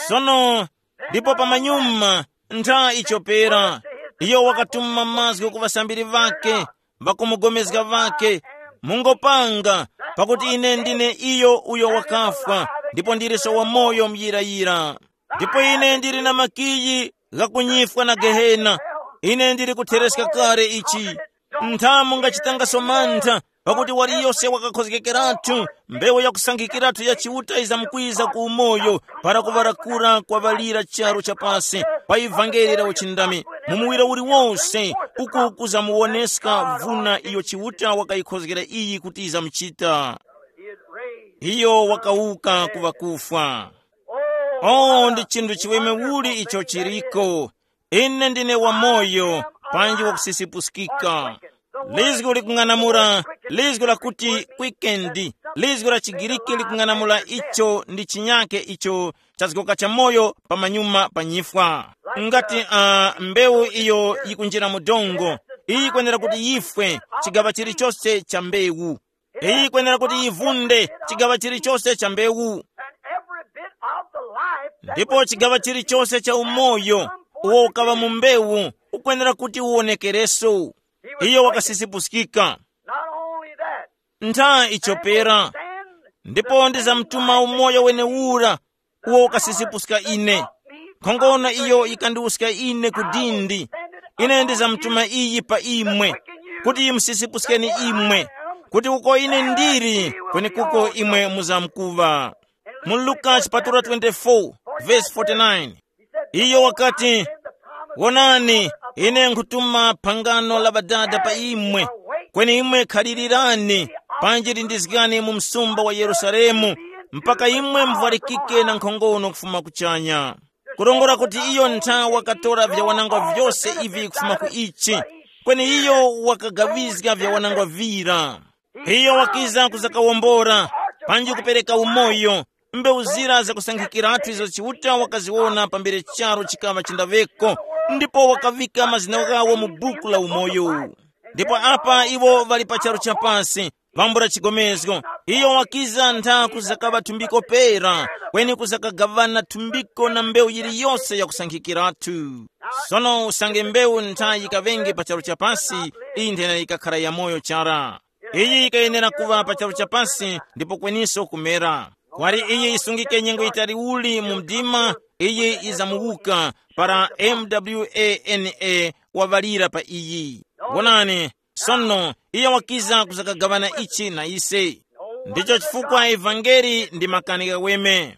Sono, ndipo pamanyuma, ntha ichopera, iyo wakatuma mazgu ku ŵasambiri ŵake, ŵakumugomezga ŵake, mungopanga, pakuti ine ndine iyo uyo wakafwa, ndipo ndiliso wamoyo muyirayira. Ndipo ine ndili na makiyi ghakunyifwa na gehena. Ine ndili kuthereska kale ichi. Ntha mungachitangaso mantha, pakuti waliyose wakakhozgekeratu, mbewu yakusankhikiratu ya Chiuta yizamkwiza ku umoyo, para kuŵarakura kwaŵalira charu cha pasi, pa ivangeli la uchindami, mu muwiro uliwose, uku kuzamuwoneska vuna iyo Chiuta wakayikhozgera iyi kuti yizamuchita. Iyo wakawuka ku ŵakufwa. Oh, ndi chinthu chiweme uli icho chiriko. Ine ndine wamoyo, panji wakusisipuskika. Lizgu likung'anamula, lizgu lakuti kwikendi, lizgu la Chigiriki likung'anamula icho ndi chinyake icho chazgoka cha moyo pamanyuma pa nyifwa. Ngati uh, mbewu iyo yikunjira mu dongo, iyi yikwenera kuti yifwe, chigaŵa chilichose cha mbewu. Iyi yikwenera kuti yivunde, chigaŵa chilichose cha mbewu. And every bit of the life that ndipo was chigaŵa chilichose cha umoyo uwo ukaŵa mu mbewu ukwenera kuti uwonekereso. Iyo wakasisipuskika. Not only that, ntha icho pera, Ndipo ndizamtuma umoyo wenewura uwo ukasisipuska ine. Nkhongono iyo yikandiwuska ine ku dindi. Ine ndizamtuma iyi pa imwe, kuti yimusisipuskeni imwe, kuti uko ine ndili, kwenekuko imwe muzamkuŵa. Mu Luka chipatula twenty-four, verse forty-nine. Iyo wakati, "Wonani, ine nkhutuma phangano la Ŵadada pa imwe, kweni imwe khalilirani, panji lindizgani mu msumba wa Yerusalemu, mpaka imwe muvwarikike na nkhongono kufuma kuchanya." Kurongora kuti iyo ntha wakatora vyawanangwa vyose ivi kufuma ku ichi, kweni iyo wakagawizga vyawanangwa vira. Iyo wakiza kuzakawombora, panji kupereka umoyo, mbewu zira zakusankhikiratu izo Chiuta wakaziwona pambere charu chikaŵa chindaweko, ndipo wakavika mazina ghawo mu buku la umoyo. Ndipo apa iwo ŵali pa charu chapasi, pambula chigomezgo. Iyo wakiza ntha kuzakaŵa thumbiko pera, kweni kuzakagaŵana thumbiko na mbewu yiliyose yakusankhikiratu. Sono usange mbewu ntha yikaŵenge pa charu chapasi, iyi nthena yikakhara yamoyo chara. Iyi yikayenera kuŵa pa charu chapasi ndipo kweniso kumera. Kwali iyi yisungike nyengo yitali uli mu mdima, iyi yizamuwuka para mwana waŵalira pa iyi. Wonani, sono iyo wakiza kuzakagaŵana ichi na ise. Ndicho chifukwa evangeli ndi makani ghaweme.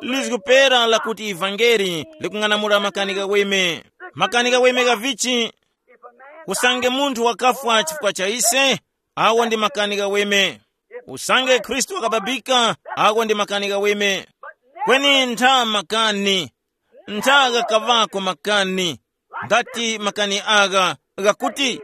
Lizgu pera lakuti evangeli likung'anamula makani ghaweme. Makani ghaweme ghavichi? Usange munthu wakafwa chifukwa cha ise, awo ndi makani ghaweme. Usange Khristu wakababika, awo ndi makani ghaweme. Kweni ntha makani, ntha ghakaŵako makani, ngati makani agha ghakuti,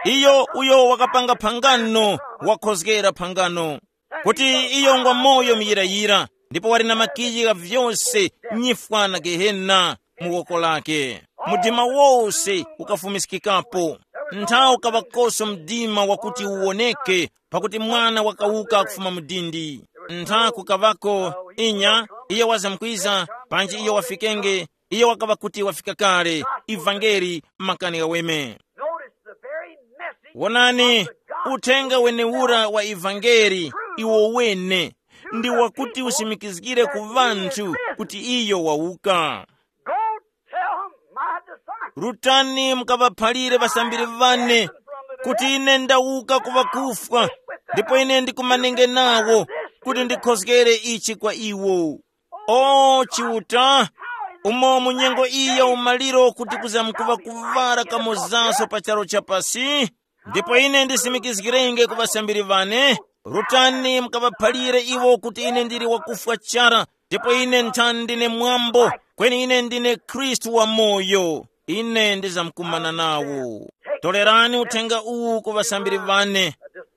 iyo uyo wakapanga phangano wakhozgera phangano, kuti iyo ngwa moyo muyirayira, ndipo wali na makiyi gha vyose, nyifwa na gehena mu woko lake. Mdima wose ukafumiskikapo. Ntha ukaŵakoso mdima wakuti uwoneke, pakuti mwana wakawuka kufuma mu dindi. Ntha kukaŵako, inya, iyo wazamkwiza, panji iyo wafikenge, iyo wakaŵa kuti wafika kale. Ivangeli makani ghaweme. Notice the very message. Wonani, uthenga wenewura wa ivangeli iwo wene ndi wakuti usimikizgire ku ŵanthu kuti iyo wawuka. Go tell my disciples. Rutani mukaŵaphalire ŵasambiri ŵane kuti ine ndawuka ku ŵakufwa, ndipo ine ndikumanenge nawo kuti ndikhozgere ichi kwa iwo. O Chiuta, umo mu nyengo iyi ya umaliro kuti kuzamkuŵa kuŵala kamozaso pa charu chapasi, ndipo ine ndisimikizgirenge ku ŵasambiri ŵane, rutani mukaŵaphalire iwo kuti ine ndili wakufwa chara, ndipo ine nthani ndine mwambo, kweni ine ndine Khristu wamoyo. Ine ndizamkumana nawo. Tolerani uthenga uwu ku ŵasambiri ŵane,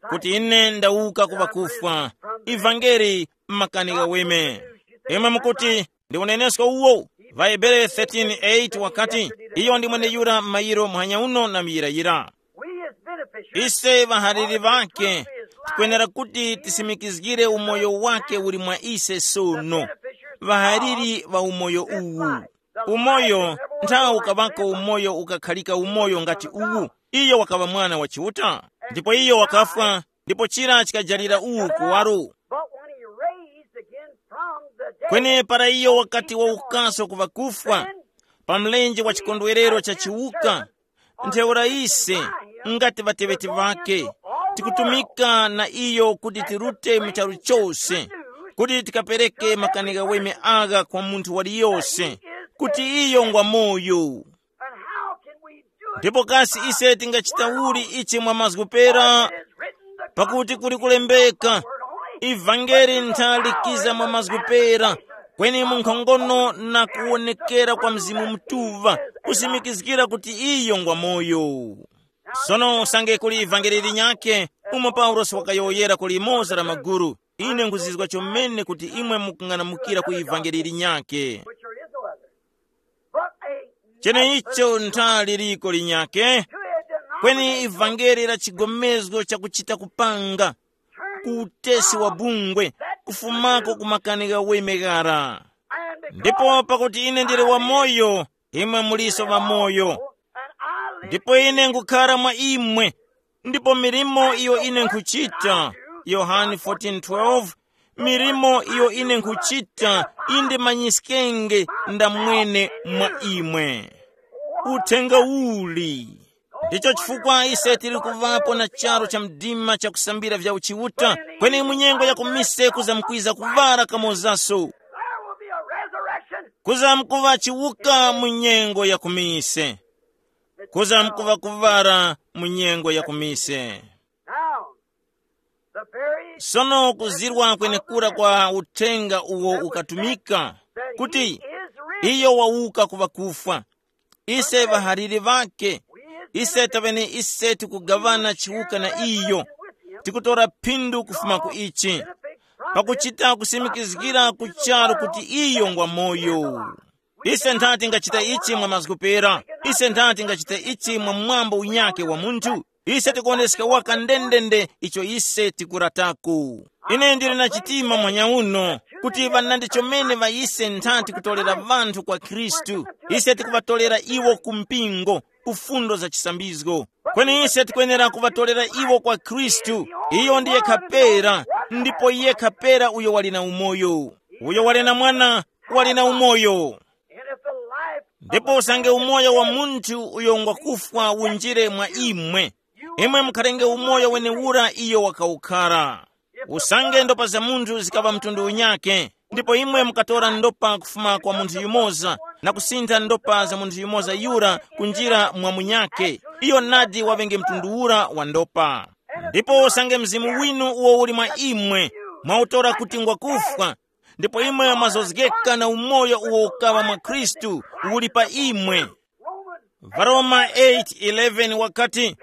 kuti ine ndawuka ku ŵakufwa. Ivangeli makani ghaweme. Imwe mukuti, ndi unenesko uwo? Vahebere thirteen eight wakati, iyo ndi mweneyura m'mayiro muhanya uno na muyirayira. Ise ŵahaliri ŵakhe tikwenera kuti tisimikizgire umoyo wake uli mwa ise sono, ŵahaliri ŵa umoyo uwu. Umoyo nthawi ukaŵako umoyo ukakhalika umoyo ngati uwu. Iyo wakaŵa mwana wa Chiuta, ndipo iyo wakafwa, ndipo chira chikajalira uwu kuwaro. But when he raised again from the dead, kweni para iyo wakati wawukaso ku ŵakufwa, pa mlenje wa chikondwerero cha chiwuka, ntheura ise, ngati ŵateŵeti ŵake, tikutumika na iyo kuti tirute mu charu chose, kuti tikapereke makani ghaweme agha kwa munthu waliyose, kuti iyo ngwa moyo. And how can we do it? Ndipo kasi ise tingachita uli ichi mwa mazgu pera? Pakuti kuli kulembeka, ivangeli nthalikiza mwa mazgu pera, kweni mu nkhongono na kuwonekera kwa Mzimu Mutuŵa, kusimikizgira kuti iyo ngwa moyo. Sono usange kuli ivangeli linyakhe, umo Paulosi wakayowoyera ku limoza la maguru, ine nkhuzizwa chomene kuti imwe mukung'anamukira ku ivangeli linyakhe. Cheneicho ntha liliko linyakhe, kweni ivangeli la chigomezgo chakuchita kupanga, ku utesi wa bungwe, kufumako ku makani ghaweme ghara. Ndipo pakuti ine ndili wamoyo, imwe muliso ŵamoyo. Ndipo ine nkukhara mwa imwe, ndipo milimo iyo ine nkhuchita, Yohane fourteen twelve, Milimo iyo ine nkhuchita, inde manyiskenge ndamwene mwa imwe. Uthenga uli. Ndicho chifukwa ise tili kuvapo na charu cha mdima chakusambira vya uchiuta, kweni mu nyengo ya kumise kuzamkwiza kuvara kamozaso. There will be a resurrection. Kuzamkuva chiwuka mu nyengo ya kumise. Kuzamkuva kuvara mu nyengo ya kumise. Now, the very sono kuzirwa kwenekura kwa uthenga uwo ukatumika kuti iyo wawuka ku ŵakufwa. Ise ŵahaliri ŵakhe, ise tavene ise tikugaŵana chiwuka na iyo, tikutora phindu kufuma ku ichi, pakuchita kusimikizgira ku charu kuti iyo ngwa moyo. Ise nthati ngachita ichi mwa mazgu pera, ise nthati ngachita ichi mwa mwambo unyake wa munthu. Ise tikuwoneska waka ndendende icho ise tikurataku. Ine ndili na chitima mwanya uno kuti ŵanandi chomene ŵa ise nthati kutolera ŵanthu kwa Khristu. Ise tikuŵatolera iwo ku mpingo, ku fundo za chisambizgo. Kweni ise tikwenera kuŵatolera iwo kwa Khristu. Iyo ndi yekha pera, ndipo yekha pera uyo wali na umoyo. Uyo wali na mwana wali na umoyo. Ndipo usange umoyo wa munthu uyo ngwakufwa unjire mwa imwe, imwe mukharenge umoyo wenewura iyo wakawukhara. Usange ndopa za munthu zikaŵa mtundu unyake, ndipo imwe mukatora ndopa kufuma kwa munthu yumoza na kusintha ndopa za munthu yumoza yura kunjira mwa munyake, iyo nadi waŵenge mtundu ura wa ndopa. Ndipo usange mzimu winu uwo uli mwa imwe mwautora kuti ngwakufwa, ndipo imwe mwazozgeka na umoyo uwo ukaŵa mwa Khristu uli pa imwe. Varoma eight eleven wakati,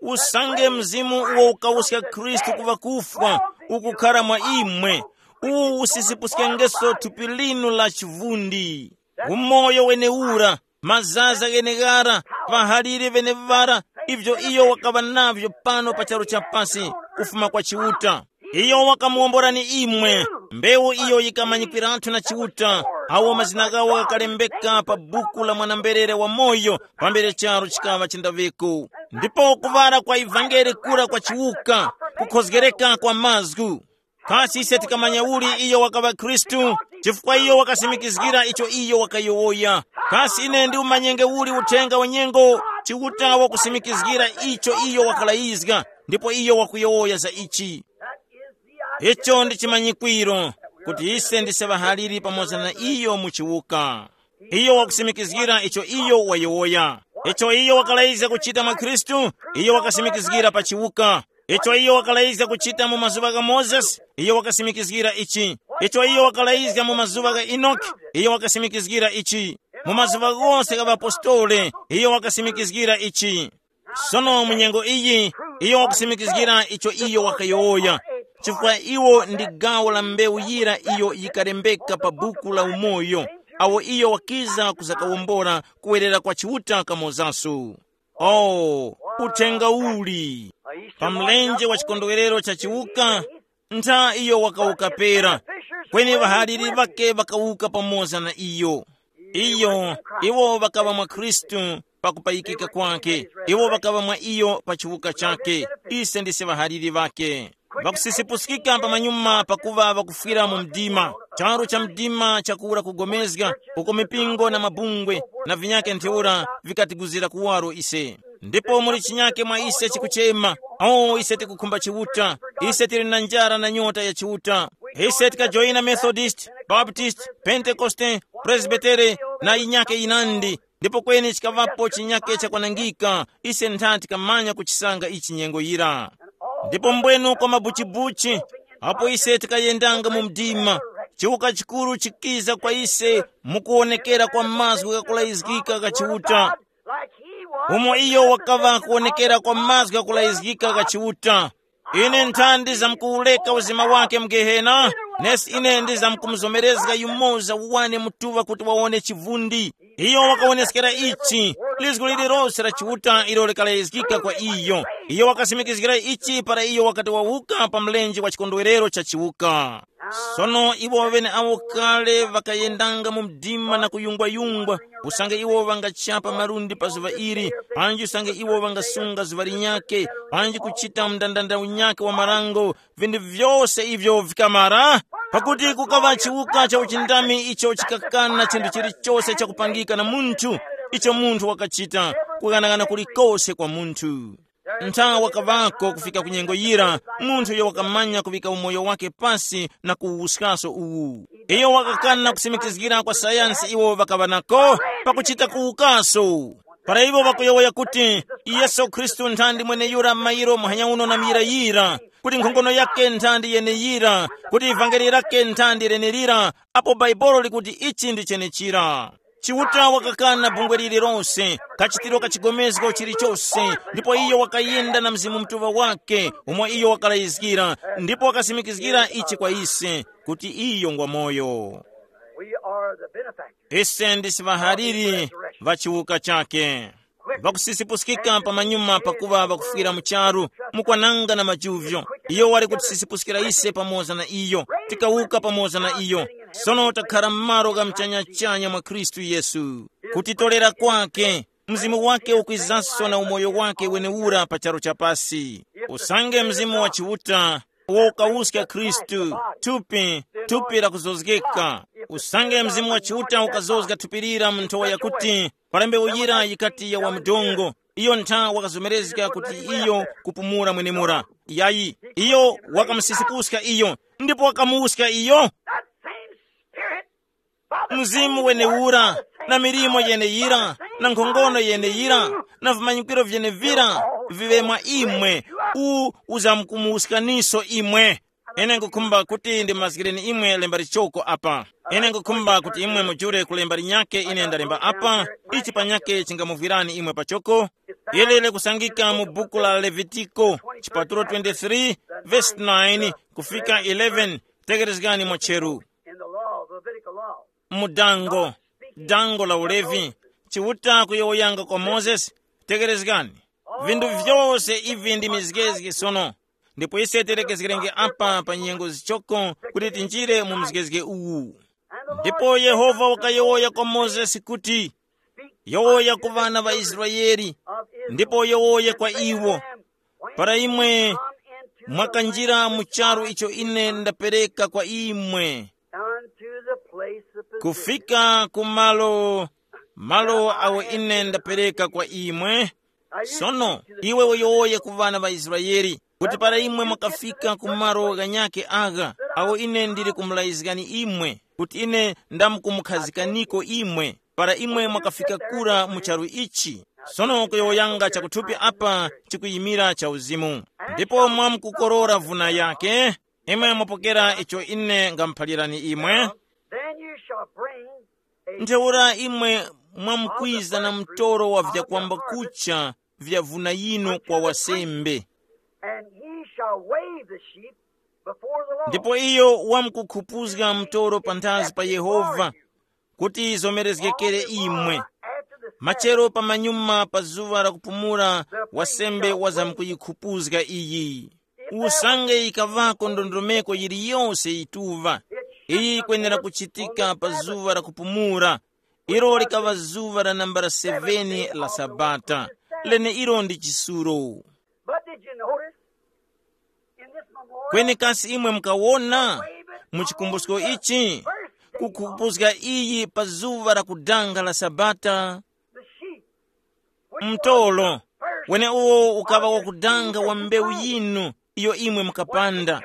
usange mzimu uwo ukawuska Khristu ku ŵakufwa ukukhara mwa imwe, uwu usisipuskengeso thupi linu la chivundi. Umoyo wenewura, mazaza gheneghara, ŵahalire ŵeneŵara, ivyo iyo wakaŵa navyo pano pa charu cha pasi, kufuma kwa Chiuta. Iyo wakamuwomborani imwe, mbewu iyo yikamanyikwiratu na Chiuta, awo mazina ghawo ghakalembeka pa buku la mwana-mberere wamoyo pambere charu chikaŵa chindaŵiko. Ndipo kuŵala kwa ivangeli kura kwa chiwuka, kukhozgereka kwa mazgu. Kasi ise tikamanya uli iyo wakaŵa Khristu? Chifukwa iyo wakasimikizgira icho iyo wakayowoya. Kasi ine ndiumanyenge uli uthenga wa nyengo? Chiuta wakusimikizgira icho iyo wakalayizga, ndipo iyo wakuyowoya za ichi. Icho ndi chimanyikwiro, kuti ise ndise ŵahaliri pamoza na iyo mu chiwuka. Iyo wakusimikizgira icho iyo wayowoya. Icho iyo wakalayizga kuchita mwa Khristu, iyo wakasimikizgira pa chiwuka. Icho iyo wakalayizga kuchita mu mazuŵa gha Mozesi, iyo wakasimikizgira ichi. Icho iyo wakalayizga mu mazuŵa gha Enoki, iyo wakasimikizgira ichi. Mu mazuŵa ghose gha ŵapostoli, iyo wakasimikizgira ichi. Sono mu nyengo iyi, iyo wakusimikizgira icho iyo wakayowoya, chifukwa iwo ndi gawo la mbewu yira iyo yikalembeka pa buku la umoyo, awo iyo wakiza kuzakawombora kuwerera kwa Chiuta kamozaso. Oh, uthenga uli! Pa mlenje wa chikondwerero cha chiwuka, ntha iyo wakawuka pera, kweni ŵahaliri ŵake ŵakawuka pamoza na iyo. Iyo, iwo ŵakaŵa mwa Khristu pa kupayikika kwake, iwo ŵakaŵa mwa iyo pa chiwuka chake. Ise ndise ŵahaliri ŵake. Ŵakusisipuskika pamanyuma pakuŵa ŵakufwira mu mdima. Charu cha mdima chakura kugomezga, uko mipingo na mabungwe na vinyake ntheura vikatiguzira kuwaro ise. Ndipo muli chinyake mwa ise chikuchema, o ise tikukhumba Chiuta, ise tili na njara na nyota ya Chiuta. Ise tikajoyina Methodist, Baptist, Pentekoste, Presbytere, na yinyake yinandi, ndipo kweni chikaŵapo chinyake chakwanangika, ise ntha tikamanya kuchisanga ichi nyengo yira. Ndipo mbwenu kwa mabuchibuchi, apo ise tikayendanga mu mdima, chiwuka chikuru chikiza kwa ise mukuwonekera kwa mazgu ghakulayizgika gha Chiuta. Umo iyo wakaŵa kuwonekera kwa mazgu ghakulayizgika gha Chiuta. Ine nthandi zamkuwureka uzima wake mu Gehena, nesi ine ndizamkumuzomerezga yumoza uwane mutuŵa kuti wawone chivundi. Iyo wakawoneskera ichi, lizgu lililose la Chiuta ilo likalayizgika kwa iyo. Iyo wakasimikizgira ichi para iyo wakati wawuka pa mlenje wa chikondwerero cha chiwuka. Sono iwo ŵeneawo kale ŵakayendanga mu mdima na kuyungwayungwa, usange iwo ŵangachapa malundi pa zuŵa ili, panji usange iwo ŵangasunga zuŵa linyakhe, panji kuchita mndandanda unyakhe wa marango, vinthu vyose ivyo vikamara. Pakuti kukaŵa chiwuka cha uchindami icho chikakana chinthu chilichose chakupangika na munthu, icho munthu wakachita, kughanagana kulikose kwa munthu. Nthawi wakaŵako kufika ku nyengo yira, munthu uyo wakamanya kuŵika umoyo wake pasi na kuwuskaso uwu. Iyo wakakana kusimikizgira kwa sayansi iwo ŵakaŵa nako pakuchita kuwukaso. Para iwo ŵakuyowoya kuti, Yesu Khristu nthandi mweneyura mairo muhanya uno na miyira yira, kuti nkhongono yake nthandi yeneyira, kuti ivangeli lake nthandi lenelira, apo Bhaibuli likuti ichi ndi chenechira. Chiuta wakakana bungwe lililonse, kachitiro ka chigomezgo chilichose, ndipo iyo wakayenda na Mzimu Mutuŵa wake, umo iyo wakalayizgira, ndipo wakasimikizgira ichi kwa ise, kuti iyo ngwa moyo. We are the benefactors. Ise ndisi ŵahaliri ŵa chiwuka chake. Ŵakusisipuskika pamanyuma pakuŵa ŵakufwira mu charu, mukwananga na majuvyo. Iyo wali kutisisipuskira ise pamoza na iyo, tikawuka pamoza na iyo. Sono takhara m'malo gha muchanyachanya mwa Khristu Yesu. Kutitorera kwake, Mzimu wake ukwizanso na umoyo wake wenewura pa charu cha pasi. Usange Mzimu wa Chiuta, uwo ukawuska Khristu, thupi, thupi lakuzozgeka. Usange Mzimu wa Chiuta ukazozga thupi lira mu nthowa yakuti, para mbewu yira yikati ya wa mdongo, iyo ntha wakazomerezga kuti iyo kupumula mwenemura. Yayi, iyo wakamusisipuska iyo, ndipo wakamuwuska iyo. That same spirit, Mzimu wenewura, na milimo yeneyira, na nkhongono yeneyira, na vimanyikiro vyenevira, viŵe mwa imwe, u uzamkumuwuskaniso imwe. Ine nkukhumba kuti ndimazgireni imwe lemba lichoko apa. Ine nkukhumba kuti imwe mujule kulemba linyake ine ndalemba apa, ichi panyake chingamuvwirani imwe pachoko. Ili likusangika mu buku la Levitiko, chipatulo twenty-three, verse nine kufika eleven. Tekerezgani mwacheru. In the law, the Levitical law. Mu dango, dango la ulevi, Chiuta kuyowoyanga kwa Mozesi, tekerezgani. Vinthu vyose ivi ndi mizgezge sono. Ndipo ise terekezgerenge apa pa nyengo zichoko kuti tinjire mu mzgezge uwu. Ndipo Yehova wakayowoya kwa Mozesi kuti, yowoya ku ŵana ŵa Israele, ndipo yowoya kwa iwo, para imwe mwakanjira mu charu icho ine ndapereka kwa imwe, unto the place of position. Kufika ku malo, malo awo ine ndapereka kwa imwe. Sono iwe uyowoye ku ŵana ŵa Israele, kuti para imwe mwakafika ku malo ghanyakhe agha, awo ine ndili kumulayizgani imwe, kuti ine ndamkumukhazikaniko imwe, para imwe mwakafika kura mu charu ichi. Sono kuyowoyanga chakuthupi apa chikuyimira cha uzimu. Ndipo mwamkukorora vuna yake, imwe mwapokera icho ine ngamuphalirani imwe. Then you shall bring a ntheura imwe mwamkwiza na mtoro wa vyakwamba kucha vya vuna yinu kwa wasembe. And he shall wave the sheep before the Lord. Ndipo iyo wamkukhupuzga mtoro panthazi pa Yehova, kuti izomerezgekere imwe. Machero pamanyuma pa zuŵa la kupumula, wasembe wazamkuyikhupuzga iyi. Usange yikaŵako ndondomeko yiliyose yituŵa, iyi yikwenera kuchitika pa zuŵa la kupumula, ilo likaŵa zuŵa la nambala seveni la Sabata, leneilo ndi chisulo. But did you notice in this memorial? Kweni kasi imwe mukawona mu chikumbusko ichi, kukhupuzga iyi pa zuŵa la kudanga la Sabata? The sheep, which was mtolo, the first wene uwo ukaŵa wakudanga wa mbewu yinu, iyo imwe mukapanda,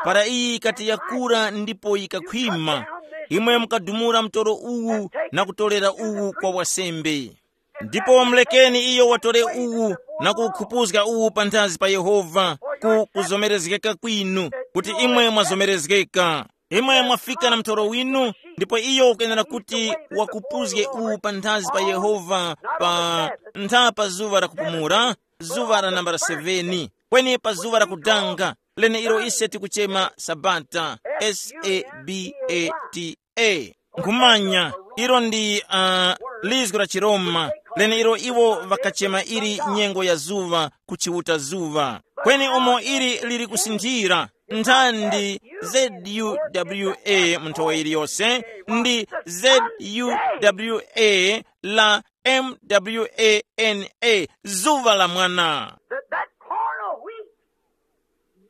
para iyi ikati yakura ndipo yikakhwima, imwe mukadumula mtolo uwu na kutolera uwu kwa wasembe. Ndipo mulekeni iyo watore uwu na kuwukhupuzga uwu panthazi pa Yehova, ku kuzomerezgeka kwinu, kuti imwe mwazomerezgeka. Imwe mwafika na mtoro winu, ndipo iyo ukuyenera kuti wakupuzge uwu panthazi pa Yehova pa ntha pa zuŵa la kupumula, zuŵa la nambala seveni, kweni pa zuŵa la kudanga, leneilo ise tikuchema Sabata, S A B A T A. Nkhumanya, ilo ndi uh, lizgu la chiRoma, leneilo iwo ŵakachema ili nyengo ya zuŵa ku Chiuta zuŵa. Kweni umo ili lili kusinthira, nthandi Z U W A mu nthowa iliyonse, ndi Z U W A la M W A N A, zuŵa la mwana. That, that corn of wheat,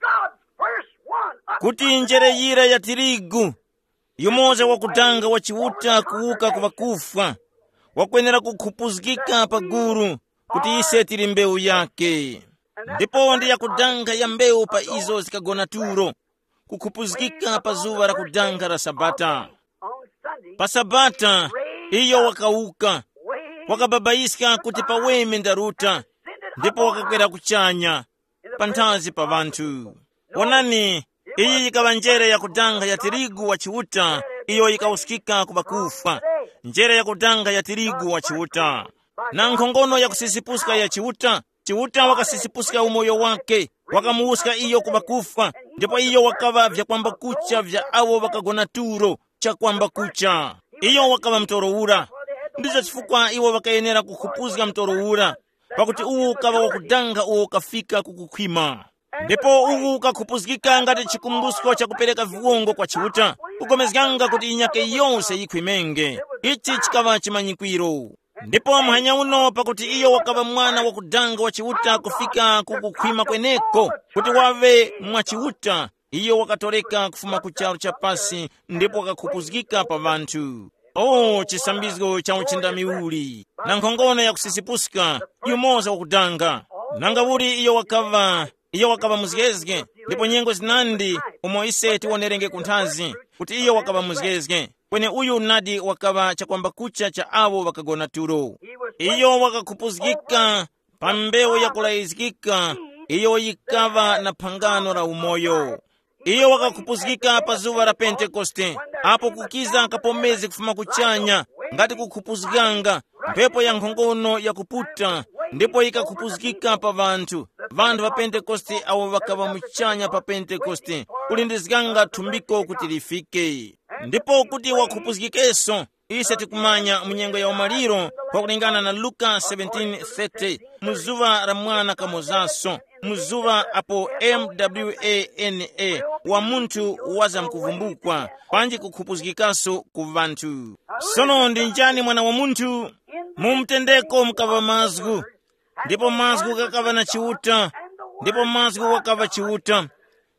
God's first one, kuti njere yira ya tirigu, yumoza wakudanga wa Chiuta kuwuka ku ŵakufwa, wakwenera kukhupuzgika pa guru, kuti ise tili mbewu yake. Ndipo ndi yakudanga ya mbewu pa izo zikagona tulo, kukhupuzgika pa zuŵa la kudanga la Sabata. On Sunday, pa Sabata, iyo wakawuka, wakababayiska kuti paweme ndaruta, ndipo wakakwera kuchanya panthazi pa ŵanthu. Wonani, iyi yikaŵa njere yakudanga ya tirigu wa Chiuta, iyo yikawuskika ku ŵakufwa. Njere yakudanga ya tirigu wa Chiuta, na nkhongono ya kusisipuska ya Chiuta. Chiuta wakasisipuska umoyo wake, wakamuwuska iyo ku ŵakufwa, ndipo iyo wakaŵa vyakwamba kucha vya awo ŵakagona tulo, chakwamba kucha. Iyo wakaŵa mtoro ura. Ndizo chifukwa iwo ŵakayenera kukhupuzga mtoro ura, pakuti uwu ukaŵa wakudanga uwo ukafika ku kukhwima. Ndipo uwu ukakhupuzgika ngati chikumbusko chakupereka viwongo kwa Chiuta, kugomezganga kuti inyake yose yikhwimenge. Ichi chikaŵa chimanyikwiro. Ndipo muhanya uno, pakuti iyo wakaŵa mwana wakudanga wa Chiuta kufika ku kukhwima kweneko, kuti waŵe mwa Chiuta, iyo wakatoreka kufuma ku charu cha pasi ndipo wakakhupuzgika pa ŵanthu. O, chisambizgo cha uchindami uli, na nkhongono ya kusisipuska, yumoza wakudanga. Nanga uli iyo wakaŵa, iyo wakaŵa muzgezge, ndipo nyengo zinandi umo ise tiwonerenge kunthazi, kuti iyo wakaŵa muzgezge, kweni uyu nadi wakaŵa chakwamba kucha cha awo ŵakagona tulo. Iyo wakakhupuzgika pa mbewu yakulayizgika, iyo yikaŵa na phangano la umoyo. Iyo wakakhupuzgika pa zuŵa la Pentekoste, apo kukiza kapomezi kufuma kuchanya, ngati kukhupuzganga, mphepo ya nkhongono yakuputa, ndipo yikakhupuzgika pa ŵanthu. Ŵanthu ŵa Pentekoste awo ŵakaŵa muchanya pa Pentekoste, kulindizganga thumbiko kuti lifike. Ndipo kuti wakhupuzgikeso, ise tikumanya mu nyengo ya umaliro, pakulingana na Luka seventeen thirty, mu zuŵa la mwana kamozaso, mu zuŵa apo mwana wa munthu wazamkuvumbukwa, panji kukhupuzgikaso ku ŵanthu. Sono ndi njani mwana wa munthu? Mu mtendeko mukaŵa mazgu, ndipo mazgu ghakaŵa na Chiuta, ndipo mazgu wakaŵa Chiuta,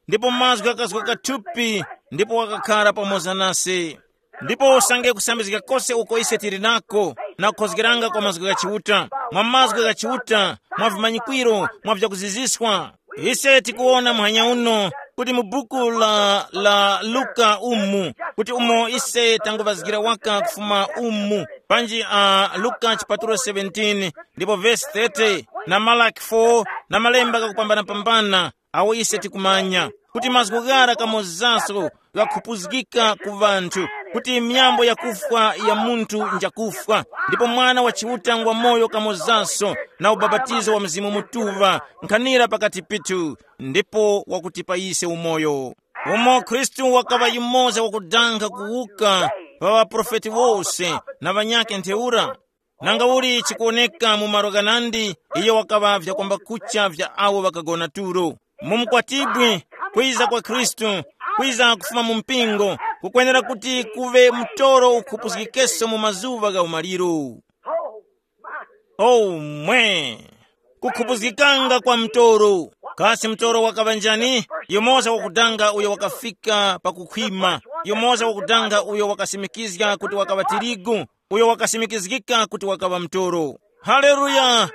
ndipo mazgu ghakazgoka thupi, ndipo wakakhara pamoza nase. Ndipo usange kusambizga kose uko ise tili nako, na kukhozgeranga kwa mazgu gha Chiuta, mwa mazgu gha Chiuta, mwa vimanyikwiro, mwa vyakuziziswa. Ise tikuwona muhanya uno kuti mu buku la, la Luka umu, kuti umo ise tanguvazgira waka kufuma umu, panji a Luka chipatulo seventeen, ndipo vesi thirty, na Malaki four, na malemba kakupambana-pambana, awo ise tikumanya kuti mazgu ghara kamozaso ghakhupuzgika ku ŵanthu, kuti miyambo yakufwa ya munthu njakufwa, ndipo Mwana wa Chiuta ngwa moyo kamozaso, na ubapatizo wa Mzimu Mutuŵa nkhanira pakati pithu, ndipo wakutipa ise umoyo. Umo Khristu wakaŵa yumoza wakudanga kuwuka pa ŵaprofeti wose na ŵanyakhe ntheura. Nanga uli chikuwoneka mu malo ghanandi, iyo wakaŵa vyakwamba kucha vya awo ŵakagona tulo. Mu mkwatibwi, kwiza kwa Khristu, kwiza kufuma mu mpingo, kukwenera kuti kuŵe mtoro ukhupuzgikeso mu mazuŵa gha umaliro. Oh mwe! Kukhupuzgikanga kwa mtoro. Kasi mtoro wakaŵa njani? Yumoza wakudanga uyo wakafika pakukhwima, yumoza wakudanga uyo wakasimikizga kuti wakaŵa tirigu, uyo wakasimikizgika kuti wakaŵa mtoro. Haleluya!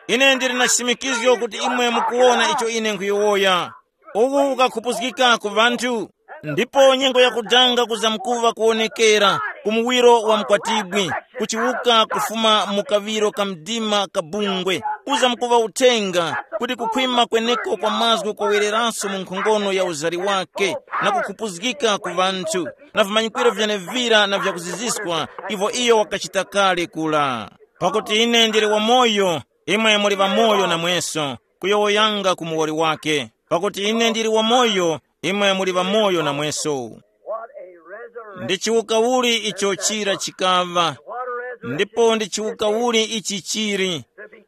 Ine ndili na chisimikizgo kuti imwe mukuwona icho ine nkhuyowoya. Uwu ukakhupuzgika ku ŵanthu, ndipo nyengo yakudanga kuzamkuŵa kuwonekera ku muwiro wa mkwatibwi, kuchiwuka kufuma mu kaŵiro ka mdima ka bungwe, kuzamkuŵa uthenga, kuti kukhwima kweneko kwa mazgu kwawereranso mu nkhongono ya uzari wake, na kukhupuzgika ku ŵanthu, na vimanyikwiro vyenevira na vyakuziziswa, ivo iyo wakachita kale kula. Pakuti ine ndili wamoyo, imwe muli ŵamoyo namweso, kuyowoyanga ku muwoli wake. Pakuti ine ndili wamoyo, imwe muli ŵamoyo namweso. What a resurrection. Ndi chiwuka uli icho chira chikaŵa, ndipo ndi chiwuka uli ichi chiri,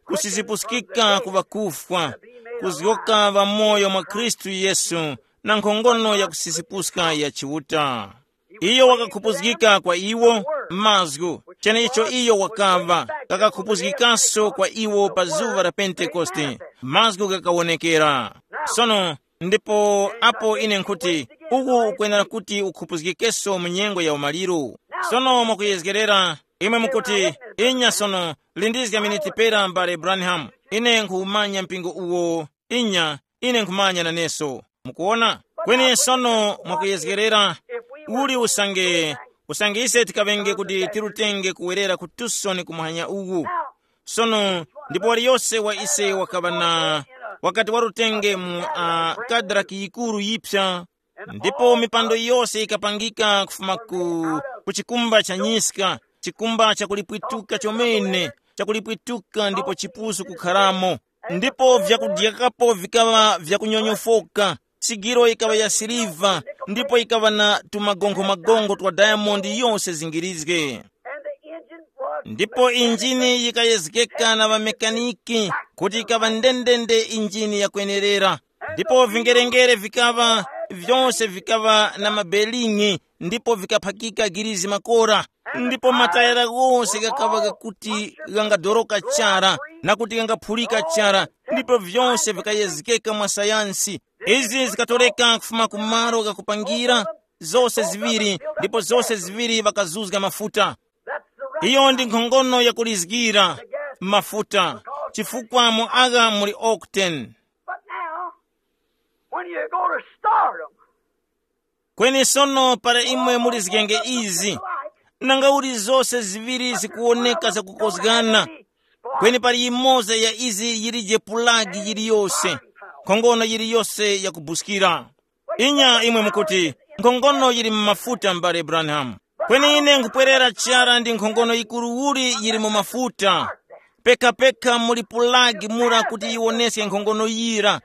kusizipuskika ku ŵakufwa, kuzgoka ŵamoyo mwa Khristu Yesu, na nkhongono ya kusisipuska ya Chiuta. Iyo wakakhupuzgika kwa iwo mazgu, cheneicho iyo wakaŵa, kakakhupuzgikanso kwa iwo pa zuŵa la Pentekoste, mazgu ghakawonekera. Sono, ndipo apo ine nkhuti, uku ukwenera kuti ukhupuzgikenso mu nyengo ya umaliro. Sono mwakuyezgerera, imwe mukuti, inya sono, lindizga miniti pera mbale Branham, ine nkhumanya mpingo uwo, inya, ine nkhumanya naneso. Mukuona? Kweni sono mwakuyezgerera, uli usange, usange ise tikaŵenge kuti tirutenge kuwerera ku Tucson ku muhanya uwu. Sono, ndipo waliyose wa ise wakaŵa na, wakati warutenge mu uh, kadrak yikuru yipsa, ndipo mipando yose yikapangika kufuma ku, ku chikumba cha nyiska, chikumba chakulipwituka chomene, chakulipwituka ndipo chipusu kukharamo. Ndipo vyakudyakapo vikaŵa vyakunyonyofoka, sigiro yikaŵa ya siliva, ndipo yikaŵa na tumagonkhomagonkho twa diamond yose zingirizge. Ndipo injini yikayezgeka na ŵamekaniki kuti yikaŵa ndendende injini yakwenerera. Ndipo vingerengere vikaŵa, vyose vikaŵa na mabeling'i, ndipo vikaphakika girizi makora. Ndipo matayara ghose ghakaŵa ghakuti ghangadoroka chara, na kuti ghangaphulika chara, ndipo vyose vikayezgeka mwa sayansi. Izi zikatoreka kufuma ku malo ghakupangira, zose ziŵiri, ndipo zose ziŵiri ŵakazuzga mafuta. Iyo ndi nkhongono yakulizgira mafuta, chifukwa mu agha muli octane. But now, when you go to stardom, kweni sono para imwe mulizgenge izi, nanga uli zose ziŵiri zikuwoneka zakukozgana, kweni pali yimoza ya izi yilije pulagi yiliyose, nkhongono yiliyose yakubuskira. Inya imwe mukuti, nkhongono yili mu mafuta, m'bale Branham. Kweni ine nkhupwerera chara ndi nkhongono yikuru uli yili mu mafuta. Pekapeka muli pulagi mura kuti yiwoneske nkhongono yira.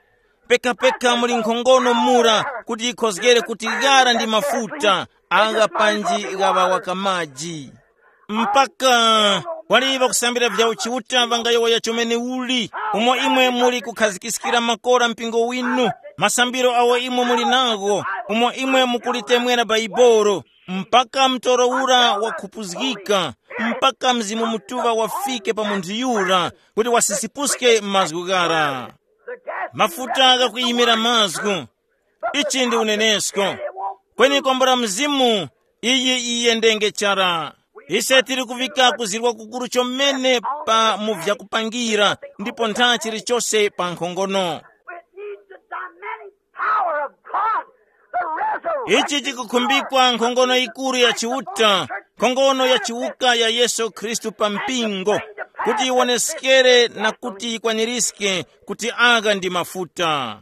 Pekapeka muli nkhongono mura kuti yikhozgere kuti ghara ndi mafuta, agha panji ghaŵa waka maji. Mpaka wali ŵakusambira vya uchiuta ŵangayowoya chomene uli, umo imwe muli kukhazikiskira makora mpingo winu, masambiro awo imwe muli nagho, umo imwe mukulitemwera Baibolo, mpaka mtoro ura wakhupuzgika, mpaka Mzimu Mutuŵa wafike pa munthu yura, kuti wasisipuske mazgu ghara. Mafuta ghakuyimira mazgu. Ichi ndi unenesko. Kweni kombo la Mzimu, iyi iyendenge chara. Ise tili kuvika kuzirwa kukuru chomene pa mu vyakupangira, ndipo ntha chilichose pa nkhongono. It needs the dynamic power of God, the resurrection. Ichi chikukhumbikwa nkhongono yikuru ya Chiuta, nkhongono ya chiwuka ya Yesu Khristu pa mpingo, kuti yiwoneskere na kuti yikwanirizike kuti agha ndi mafuta.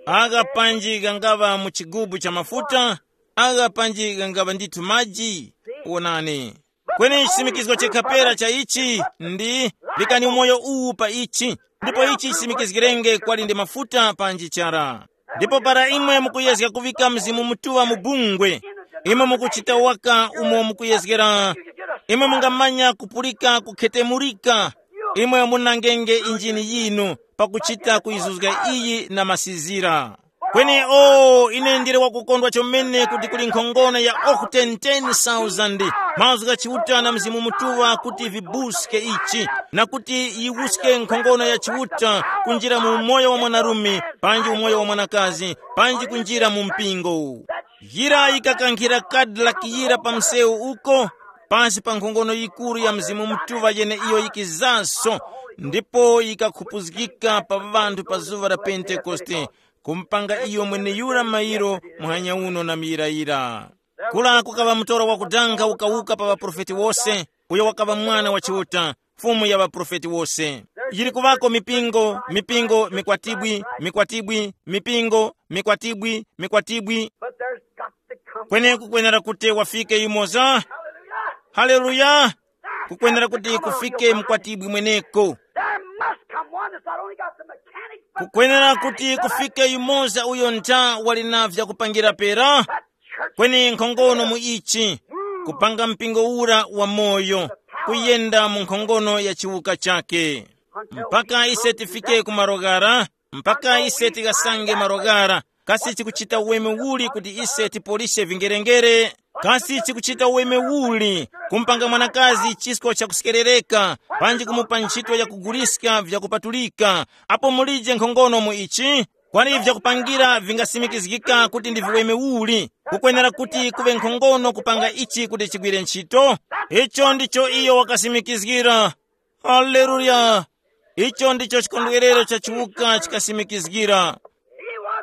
Agha panji ghangaŵa mu chigubu cha mafuta, agha panji ghangaŵa ndithu maji. Wonani. Kweni chisimikizgo chikapera cha ichi ndi, likani umoyo uwu pa ichi, ndipo ichi chisimikizgirenge kwali ndi mafuta panji chara. Ndipo para imwe mukuyezga kuvika Mzimu Mutuŵa mu bungwe, imwe mukuchita waka umo mukuyezgera, imwe mungamanya kupulika kukhetemulika, imwe munangenge injini yinu pakuchita kuyizuzga iyi na masizira. Kweni o, ine ndili wakukondwa chomene kuti kuli nkhongono ya okute ten thousand mazgu gha Chiuta na Mzimu Mutuŵa kuti vibuske ichi, na kuti yiwuske nkhongono ya Chiuta kunjira mu umoyo wa mwanarume, panji umoyo wa mwanakazi, panji kunjira mu mpingo. Yira yikakankhira Cadillac yira pa msewu uko, pasi pa nkhongono yikuru ya Mzimu Mutuŵa yeneiyo yikizaso, ndipo yikakhupuzgika pa ŵanthu pa zuŵa la Pentekoste, kumpanga iyo mweneyura mairo muhanya uno na miyirayira. Kula kukaŵa mtoro wakudanga ukawuka pa ŵaprofeti wose, uyo wakaŵa mwana wa Chiuta, Fumu ya ŵaprofeti wose. Yili kuŵako mipingo, mipingo, mikwatibwi, mikwatibwi, mipingo, mikwatibwi, mikwatibwi. But there's got to come. Kweneko kwenera kuti wafike yumoza. Hallelujah. Haleluya. Kukwenera kuti kufike mkwatibwi mweneko. There must come one that's not only got the mechanics, but the Kukwenera mind kuti of God. Kufike yumoza uyo ntha wali na vyakupangira pera. Kweni nkhongono mu ichi, kupanga mpingo ura wa moyo, kuyenda mu nkhongono ya chiwuka chake. Mpaka ise tifike ku maroghara, mpaka ise tikasange maroghara, Kasi chikuchita uweme uli kuti ise tipolishe vingerengere? Kasi chikuchita uweme uli kumupanga mwanakazi chisko chakusekerereka, panji kumupa ntchito yakuguliska vyakupatulika? Apo mulije nkhongono mu ichi, kwali vyakupangira vingasimikizgika kuti ndi viweme uli. Kukwenera kuti kuŵe nkhongono kupanga ichi kuti chigwire ntchito. Icho ndicho iyo wakasimikizgira. Haleluya! Icho ndicho chikondwerero cha chiwuka chikasimikizgira.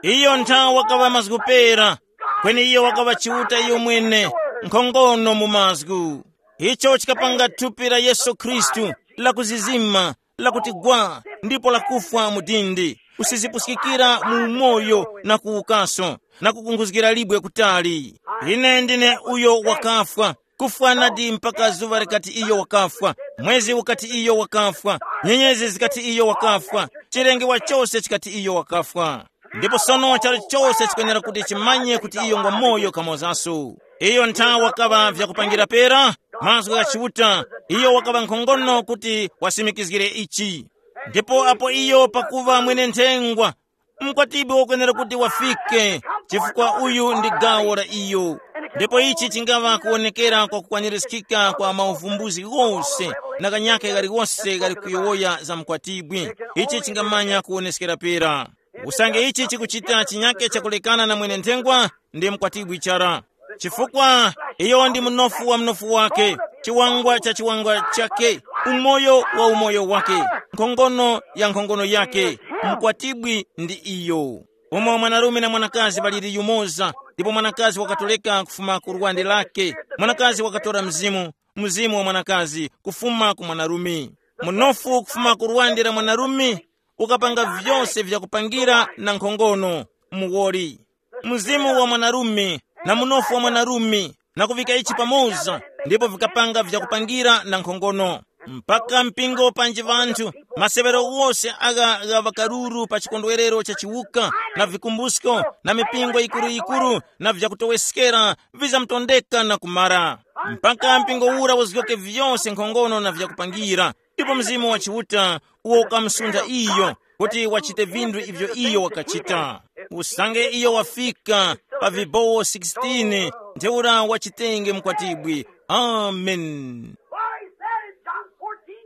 Iyo nthawa wakaŵa mazgu pera, kweni iyo wakaŵa Chiuta iyo mwene, nkhongono mu mazgu. Icho chikapanga thupi la Yesu Khristu, lakuzizima, lakuti gwa, ndipo lakufwa mu dindi, kusizipuskikira mu umoyo na kuwukaso, na kukunkhuzgira libwe kutali. Ine ndine uyo wakafwa, kufwa nadi mpaka zuŵa likati iyo wakafwa, mwezi ukati iyo wakafwa, nyenyezi zikati iyo wakafwa, chilengewa chose chikati iyo wakafwa. Ndipo sono charo chose chikwenera kuti chimanye kuti iyo ngwa moyo kamozaso. Iyo nthawi wakaŵa vyakupangira pera, mazgu gha Chiuta, iyo wakaŵa nkhongono kuti wasimikizgire ichi. Ndipo apo iyo pakuŵa mwene nthengwa, mkwatibwi wakwenera kuti wafike, chifukwa uyu ndi gawo la iyo. Ndipo ichi chingaŵa kuwonekera kwa kukwanirizgika kwa mauvumbuzi ghose na kanyake kaliwose kali kuyowoya za mkwatibwi. Ichi chingamanya kuwoneskera pera. Usange ichi chikuchita chinyake chakulekana na mwene nthengwa, ndi mkwatibwi chara. Chifukwa iyo ndi mnofu wa mnofu wake, chiwangwa cha chiwangwa chake, umoyo wa umoyo wake, nkhongono ya nkhongono yake. Mkwatibwi ndi iyo. Umo mwanarume na mwanakazi ŵaliri yumoza, ndipo mwanakazi wakatoleka kufuma ku lwande lake, mwanakazi wakatora mzimu, mzimu wa mwanakazi kufuma ku mwanarume, munofu kufuma ku lwande la mwanarume, ukapanga vyose vyakupangira na nkhongono, muwoli, mzimu wa mwanarume na munofu wa mwanarume, na kuvika ichi pamoza, ndipo vikapanga vyakupangira na nkhongono. Mpaka mpingo panji vanthu, masewero wose agha gha ŵakaruru pa chikondwerero cha chiwuka, na vikumbusko, na mipingo yikuru-yikuru, na vyakutoweskera, vizamtondeka na kumara. Mpaka mpingo ura uzgoke vyose nkhongono na vyakupangira, ndipo Mzimu wa Chiuta uwo ukamusuntha iyo, kuti wachite vinthu ivyo iyo wakachita. Usange iyo wafika pa vibowo sixteen, ntheura wachitenge mkwatibwi. Amen.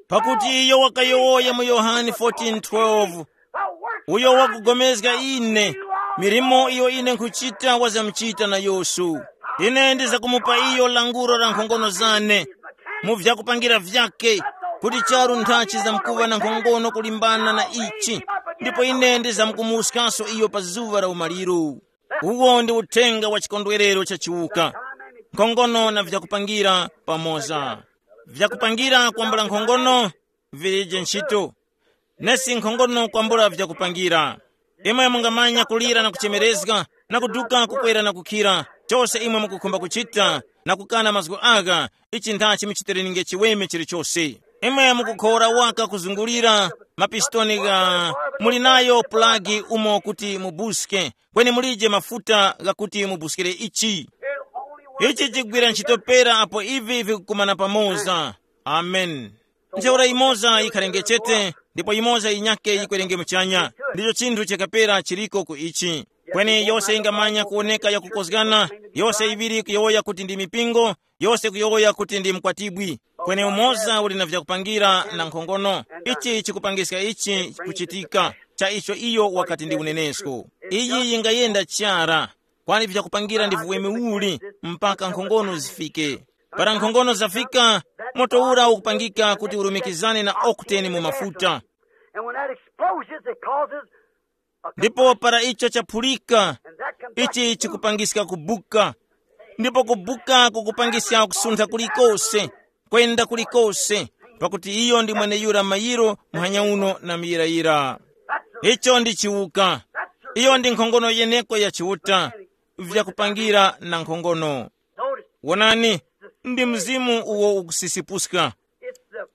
Pakuti iyo wakayowoya mu Yohane fourteen twelve, uyo wakugomezga ine, milimo iyo ine nkhuchita wazamuchita na Yesu. Ine ndizakumupa iyo languro la nkhongono zane mu vyakupangira vyake, kuti charu nthachi zamkuŵa na nkhongono kulimbana na ichi, ndipo ine ndizamkumuwuskaso iyo pa zuŵa la umaliro. Uwo ndi uthenga wa chikondwerero cha chiwuka, nkhongono na vyakupangira pamoza. Vyakupangira kwambula nkhongono vilije ntchito, nesi nkhongono kwambula vyakupangira. Imwe mungamanya kulira na kuchemerezga, na kuduka kukwera na kukhira, chose imwe mukukhumba kuchita, na kukana mazgu agha, ichi nthachi muchitereninge chiweme chilichose. Imwe mukukhora waka kuzungulira mapistoni gha, muli nayo pulagi umo kuti mubuske, kweni mulije mafuta ghakuti mubuskire ichi. Ichi chigwira ntchito pera apo ivi vikukumana pamoza. Amen. Ntheura imoza yikhale ngechete, ndipo imoza yinyake yikwerenge muchanya. Ndicho chinthu chakapera chiriko ku ichi. Kweni yose ingamanya kuwoneka yakukozgana, yose iŵiri kuyowoya kuti ndi mipingo, yose kuyowoya kuti ndi mkwatibwi. Kweni umoza uli na vyakupangira na nkhongono. Ichi chikupangiska ichi kuchitika, cha icho iyo wakati ndi unenesko. Iyi yingayenda chara, kwani vyakupangira ndi vuweme uli mpaka nkhongono zifike. Para nkhongono zafika, moto ura ukupangika kuti urumikizane na okuteni mu mafuta. And when that explodes, it causes a ndipo para icho chaphulika, ichi chikupangiska kubuka, ndipo kubuka kukupangiska kusuntha kulikose, kwenda kulikose, pakuti iyo ndi mweneyura mayiro muhanya uno na muyirayira. Icho ndi chiwuka. Iyo ndi nkhongono yeneko ya Chiuta, vyakupangira na nkhongono. Wonani, ndi mzimu uwo ukusisipuska.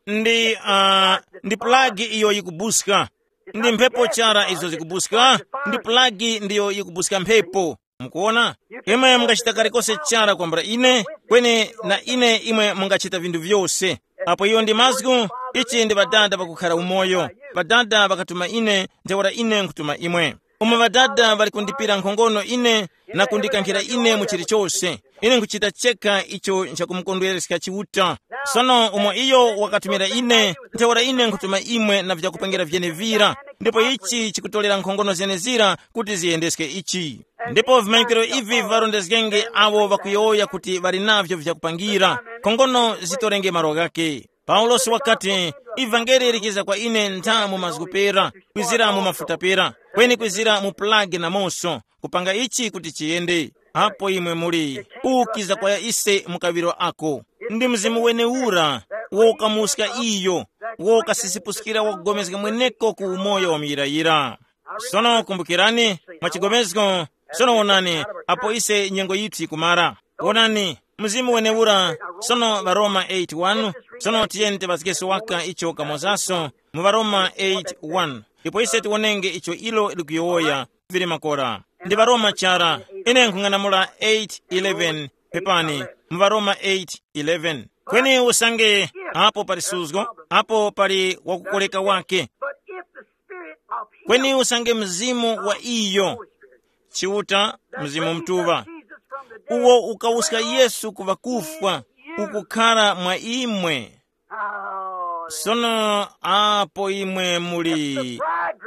Ndi uh, ndi pulagi iyo yikubuska. Ndi mphepo chara izo zikubuska. Ndi pulagi ndiyo yikubuska mphepo. Mukuona, imwe mungachita kalikose chara kwambula ine, kweni na ine imwe mungachita vinthu vyose. Apo iyo ndi mazgu, ichi ndi Ŵadada pakukhala umoyo. Ŵadada ŵakatuma ine, ntheura ine nkutuma imwe. Umo ŵadada ŵali kundipira nkhongono ine na kundikankhira ine mu chilichose, ine nkhuchita cheka icho nchakumukondwereska Chiuta. Sono umo iyo wakatumira ine, ntheura ine nkhutuma imwe na vyakupangira vyenevira, ndipo ichi chikutorera nkhongono zenezira kuti ziyendeske ichi. Ndipo vimanyikwiro ivi viŵarondezgenge awo ŵakuyowoya kuti ŵali navyo vyakupangira, nkhongono zitorenge malo ghake. Paulosi wakati, ivangeli likiza kwa ine ntha mu mazgu pera, kwizira mu mafuta pera, kweni kwizira mu plage na moso, kupanga ichi kuti chiyende. Apo imwe muli, ukiza kwa ise mu kaŵiro ako. Ndi mzimu wenewura wokamuska iyo, wokasisipuskira wakugomezga mweneko ku umoyo wa muyirayira. Sono kumbukirani, mwa chigomezgo, sono wonani, apo ise nyengo yithu yikumara. Wonani, mzimu wenewura, sono ŵaroma eight one, sono tiyeni tiŵazgeso waka icho kamozaso mu ŵaroma eight one, ndipo ise tiwonenge icho ilo likuyowoya. Vili makora. Ndi ŵaroma chara, ine nkhung'anamula eight eleven, pepani, mu ŵaroma eight eleven. Kweni usange, apo pali suzgo, apo pali wakukoleka wake. But if the spirit of him kweni usange mzimu wa iyo, Chiuta, Mzimu Mtuŵa, uwo ukawuska Yesu ku ŵakufwa, ukukhara mwa imwe. Sono apo imwe muli,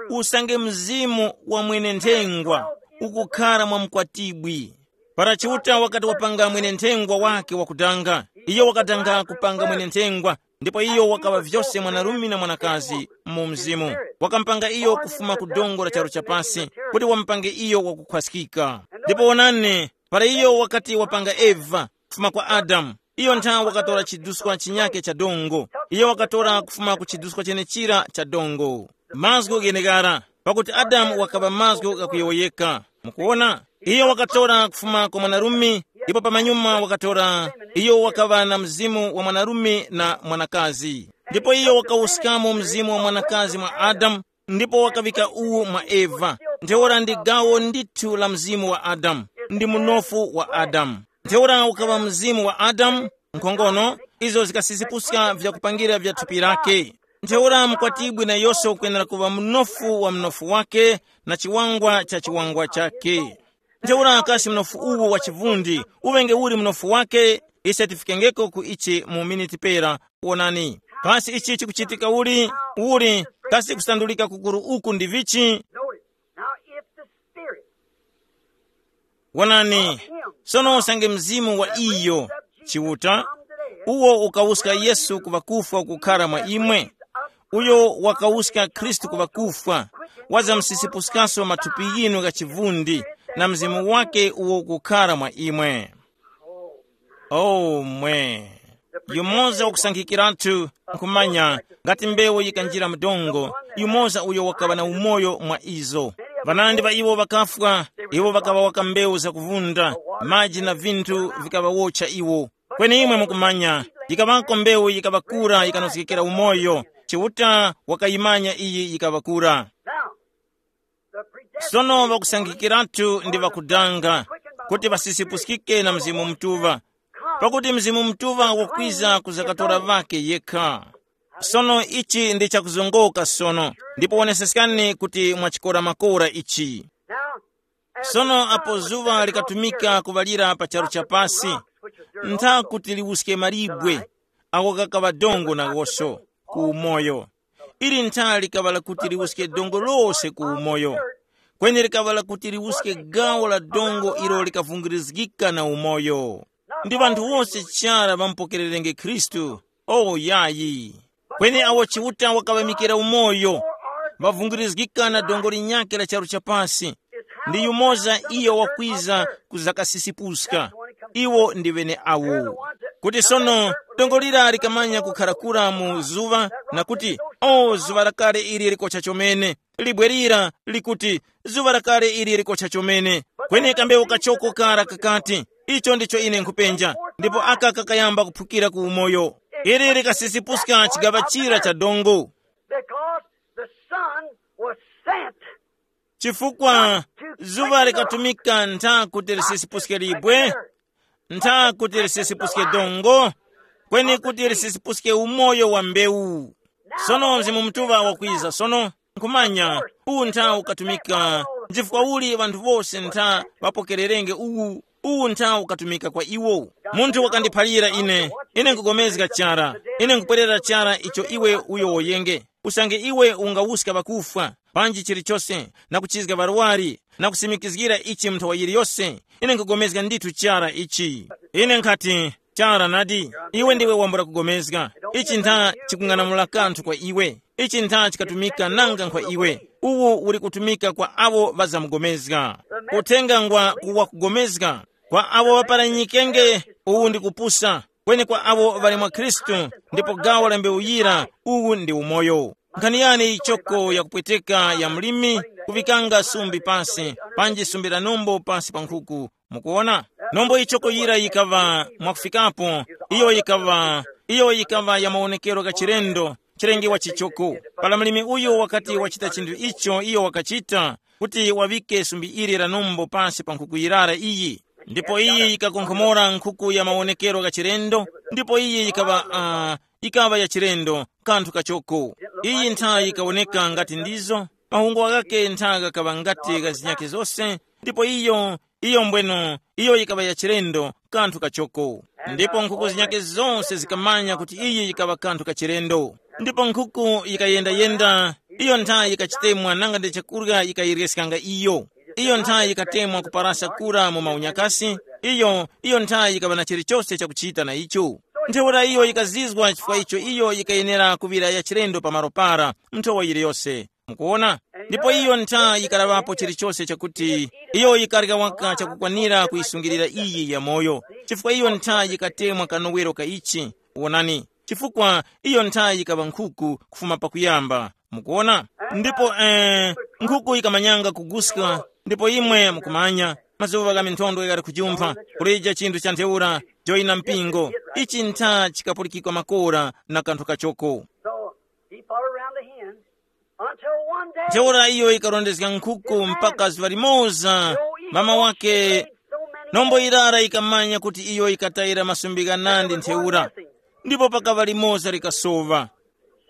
usange mzimu wa mwene-nthengwa ukukhara mwa mkwatibwi. Para Chiuta wakati wapanga mwene-nthengwa wake wakudanga, iyo wakadanga kupanga mwene-nthengwa, ndipo iyo wakaŵa vyose mwanarume na mwanakazi mu mzimu. Wakamupanga iyo kufuma ku dongo la charu chapasi, kuti wamupange iyo wakukhwaskika. Ndipo wonani, para iyo wakati wapanga Eva kufuma kwa Adamu, iyo ntha wakatora chiduskwa chinyake cha dongo. Iyo wakatora kufuma ku chiduskwa chenechira cha dongo. Mazgu gheneghara, pakuti Adamu wakaŵa mazgu ghakuyowoyeka. Mukuwona? Iyo wakatora kufuma kwa mwanarume, ndipo pamanyuma wakatora, iyo wakaŵa na mzimu wa mwanarume na mwanakazi. Ndipo iyo wakawuskamo mzimu wa mwanakazi mwa Adamu, ndipo wakaŵika uwu mwa Eva. Ntheura ndi gawo ndithu la mzimu wa Adamu, ndi munofu wa Adamu. Ntheura ukaŵa mzimu wa Adamu, nkhongono, izo zikasisipuska vyakupangira vya thupi lake. Ntheura mkwatibwi nayoso ukwenera kuŵa mnofu wa mnofu wake na chiwangwa cha chiwangwa chake. Ntheura kasi mnofu uwu wa chivundi uŵenge uli mnofu wake? Ise tifikengeko ku ichi mu miniti pera. Wonani, pasi ichi chikuchitika uli, uli, kasi kusandulika kukuru uku ndi vichi? Notice, now if the Spirit, wonani, sono usange mzimu wa iyo, Chiuta, uwo ukawuska Yesu ku ŵakufwa kukhara mwa imwe, uyo wakawuska Khristu ku ŵakufwa, wazamsisipuskaso mathupi yinu gha chivundi na mzimu wake uwo ukukhara mwa imwe. Oh mwe. Yumoza wakusankhikiratu nkhumanya, ngati mbewu yikanjira mdongo, yumoza uyo wakaŵa na umoyo mwa izo. Ŵanandi ŵa iwo ŵakafwa, iwo ŵakaŵa waka mbewu zakuvunda, maji na vinthu vikaŵawotcha iwo. Kweni imwe mukumanya, yikaŵako mbewu yikaŵakura yikanozgekera umoyo. Chiuta wakayimanya iyi yikaŵakura. Sono ŵakusankhikiratu ndi ŵakudanga kuti ŵasisipuskike na Mzimu Mutuŵa, pakuti Mzimu Mutuŵa wakwiza kuzakatora ŵake yekha. Sono ichi ndi chakuzongoka sono, ndipo woneseskani kuti mwachikora makora ichi. Sono apo zuŵa likatumika kuŵalira pa charu cha pasi, ntha kuti liwuske malibwe, ako kakaŵa dongo nawoso ku umoyo. Ili ntha likaŵa lakuti liwuske dongo lose ku umoyo, kweni likaŵa lakuti liwuske gawo la dongo ilo likavungirizgika na umoyo. Ndi ŵanthu wose chara ŵamupokererenge Khristu? O yayi. Kweni awo Chiuta wakaŵamikira umoyo, ŵavungirizgika na dongo linyakhe la charu cha pasi, ndi yumoza iyo wakwiza kuzakasisipuska. Iwo ndi ŵeneawo. Kuti sono dongo lira likamanya kukhara kura mu zuŵa, na kuti, o zuŵa lakale ili likocha chomene, libwe lira likuti, zuŵa lakale ili likocha chomene. Kweni kambewu kachoko kara kakati, icho ndicho ine nkhupenja, ndipo aka kakayamba kuphukira ku umoyo. Ili likasisipuska chigaŵa chira cha dongo. Because the sun was sent. Chifukwa zuŵa likatumika ntha kuti lisisipuske libwe, ntha kuti lisisipuske dongo, kweni kuti lisisipuske umoyo wa mbewu. Sono Mzimu Mutuŵa wakwiza sono, nkhumanya, uwu ntha ukatumika Nchifukwa uli ŵanthu wose ntha ŵapokererenge uwu? Uwu ntha ukatumika kwa iwo. Munthu wakandiphalira ine, ine nkugomezga chara, ine nkupwerera chara icho iwe uyo woyenge. Usange iwe ungawuska ŵakufwa, panji chilichose, na kuchizga ŵarwari, na kusimikizgira ichi mu nthawa yiliyose, ine nkugomezga ndithu chara ichi. Ine nkhati, chara nadi, iwe ndiwe wambula kugomezga. Ichi ntha chikung'anamula kanthu kwa iwe. Ichi ntha chikatumika nanga nkwa iwe. Uwu uli kutumika kwa abo ŵazamugomezga. Uthenga ngwa kuwakugomezga. Kwa abo ŵaparanyikenge, uwu ndi kupusa. Kweni kwa abo ŵali mwa Khristu, ndipo gawo la mbewu yira, uwu ndi umoyo. Nkhani yani ichoko yakupweteka ya mlimi, kuŵikanga sumbi pasi, panji sumbi la nombo pasi pa nkhuku? Mukuona, nombo ichoko yira yikaŵa mwakufikapo, iyo yikaŵa, iyo yikaŵa ya mawonekero gha chilendo, chilengewa chichoko. Para mlimi uyu wakati wachita chinthu icho iyo wakachita, kuti waŵike sumbi ili la nombo pasi pa nkhuku yirara iyi. Ndipo iyi yikakonkhomora nkhuku ya mawonekero gha chilendo, ndipo iyi yikaŵa uh, yikaŵa ya chilendo, kanthu kachoko. Iyi ntha yikawoneka ngati ndizo, mahungo ghake ntha ghakaŵa ngati gha zinyakhe zose. Ndipo iyo, iyo mbweno, iyo yikaŵa ya chilendo, kanthu kachoko. Ndipo nkhuku zinyakhe zonse zikamanya kuti iyi yikaŵa kanthu kachilendo. Ndipo nkhuku yikayendayenda, iyo ntha yikachitemwa nanga ndi chakurya yikayiryeskanga iyo. Iyo ntha yikatemwa kuparasa kura mu maunyakasi. Iyo, iyo ntha yikaŵa na chilichose chakuchita na icho. Ntheura iyo yikazizwa chifukwa icho iyo yikayenera kuŵira ya chilendo pamalo para, nthowa yiliyose. Mukuona? Ndipo iyo ntha yikalaŵapo chilichose chakuti iyo yikarya waka chakukwanira kuyisungirira iyi yamoyo, chifukwa iyo ntha yikatemwa kanowero ka ichi. Wonani, chifukwa iyo ntha yikaŵa nkhuku kufuma pakuyamba. Mukuona? Ndipo eh, nkhuku yikamanyanga kuguska, ndipo imwe mukumanya, mazuŵa gha minthondo ghali kujumpha, kulija chinthu cha ntheura, joyina mpingo. Ichi ntha chikapulikikwa makora na kanthu kachoko. So he followed around the hens until one day. Ntheura iyo ikarondezga nkhuku mpaka zuŵa limoza, mama wake nombo yirara yikamanya kuti iyo yikatayira masumbi ghanandi ntheura, ndipo pakaŵa limoza likasowa.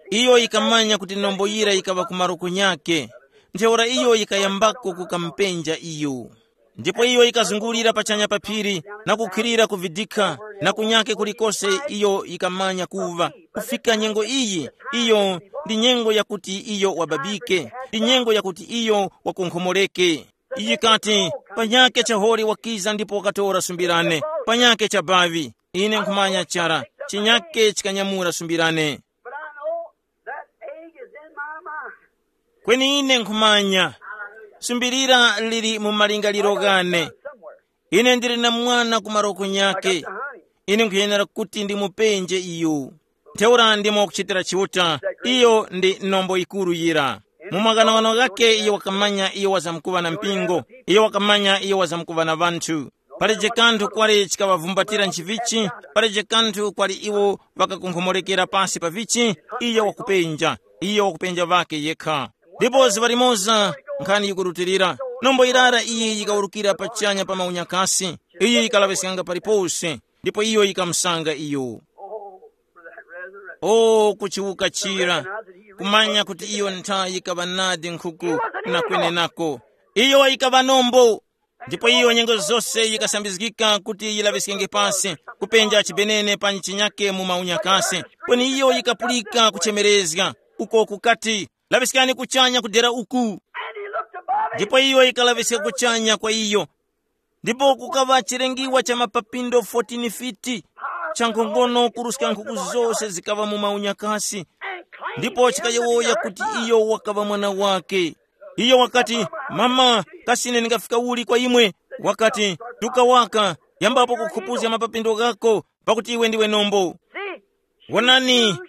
Iyo yikamanya kuti nombo yira yikaŵa ku maroko nyakhe. Ntheura iyo yikayambako kukamupenja iyo. Ndipo iyo yikazungulira pachanya pa phiri, na kukhwirira ku vidikha, na kunyake kulikose iyo yikamanya kuva. Kufika nyengo iyi, iyo ndi nyengo yakuti iyo wababike, ndi nyengo yakuti iyo wakonkhomoreke. Iyi kati, panyake chaholi wakiza ndipo wakatora sumbi lane, panyake chabavi. Ine nkhumanya chara, chinyake chikanyamula sumbi lane. But I know that egg is in my mind. Kweni ine nkhumanya, sumbi lira lili mu malingaliro ghane. Ine ndili na mwana ku maroko nyake. Ine nkhuyenera kuti ndimupenje iyo. Ntheura ndimo kuchitira Chiuta, iyo ndi nombo yikuru yira. Mu maghanoghano ghakhe iyo wakamanya iyo wazamkuŵa na mpingo, iyo wakamanya iyo wazamkuŵa na ŵanthu. Palije kanthu kwali chikaŵavumbatira nchivichi, palije kanthu kwali iwo ŵakakonkhomolekera pasi pa vichi, iyo wakupenja, iyo wakupenja ŵake yekha. Ndipo zuŵa limoza, nkhani yikurutilira, nombo yirara iyi yikawurukira pachanya pa maunyakasi, iyi yikalaŵiskanga palipose, ndipo iyo yikamusanga iyo. Oh, for that resurrection. O kuchiwuka chira, kumanya kuti iyo nthayi yikaŵa nadi nkhuku na kwenenako. Iyo yikaŵa nombo. Ndipo iyo nyengo zose yikasambizgika kuti yilaŵiskenge pasi, kupenja chibenene pa nchinyake mu maunyakase. Kweni iyo yikapulika kuchemerezga, uko kukati, laŵiskani kuchanya kudera uku. Ndipo iyo yikalaŵiska kuchanya kwa iyo. Ndipo kukaŵa chilengiwa cha mapapindo fourteen fiti, cha nkhongono kuruska nkhuku zose zikaŵa mu maunyakasi. Ndipo chikayowoya kuti iyo wakaŵa mwana wake. Iyo wakati, mama, kasi ine ndingafika uli kwa imwe? Wakati, tuka waka, yambapo kukhupuzga mapapindo ghako, pakuti iwe ndiwe nombo. Wonani,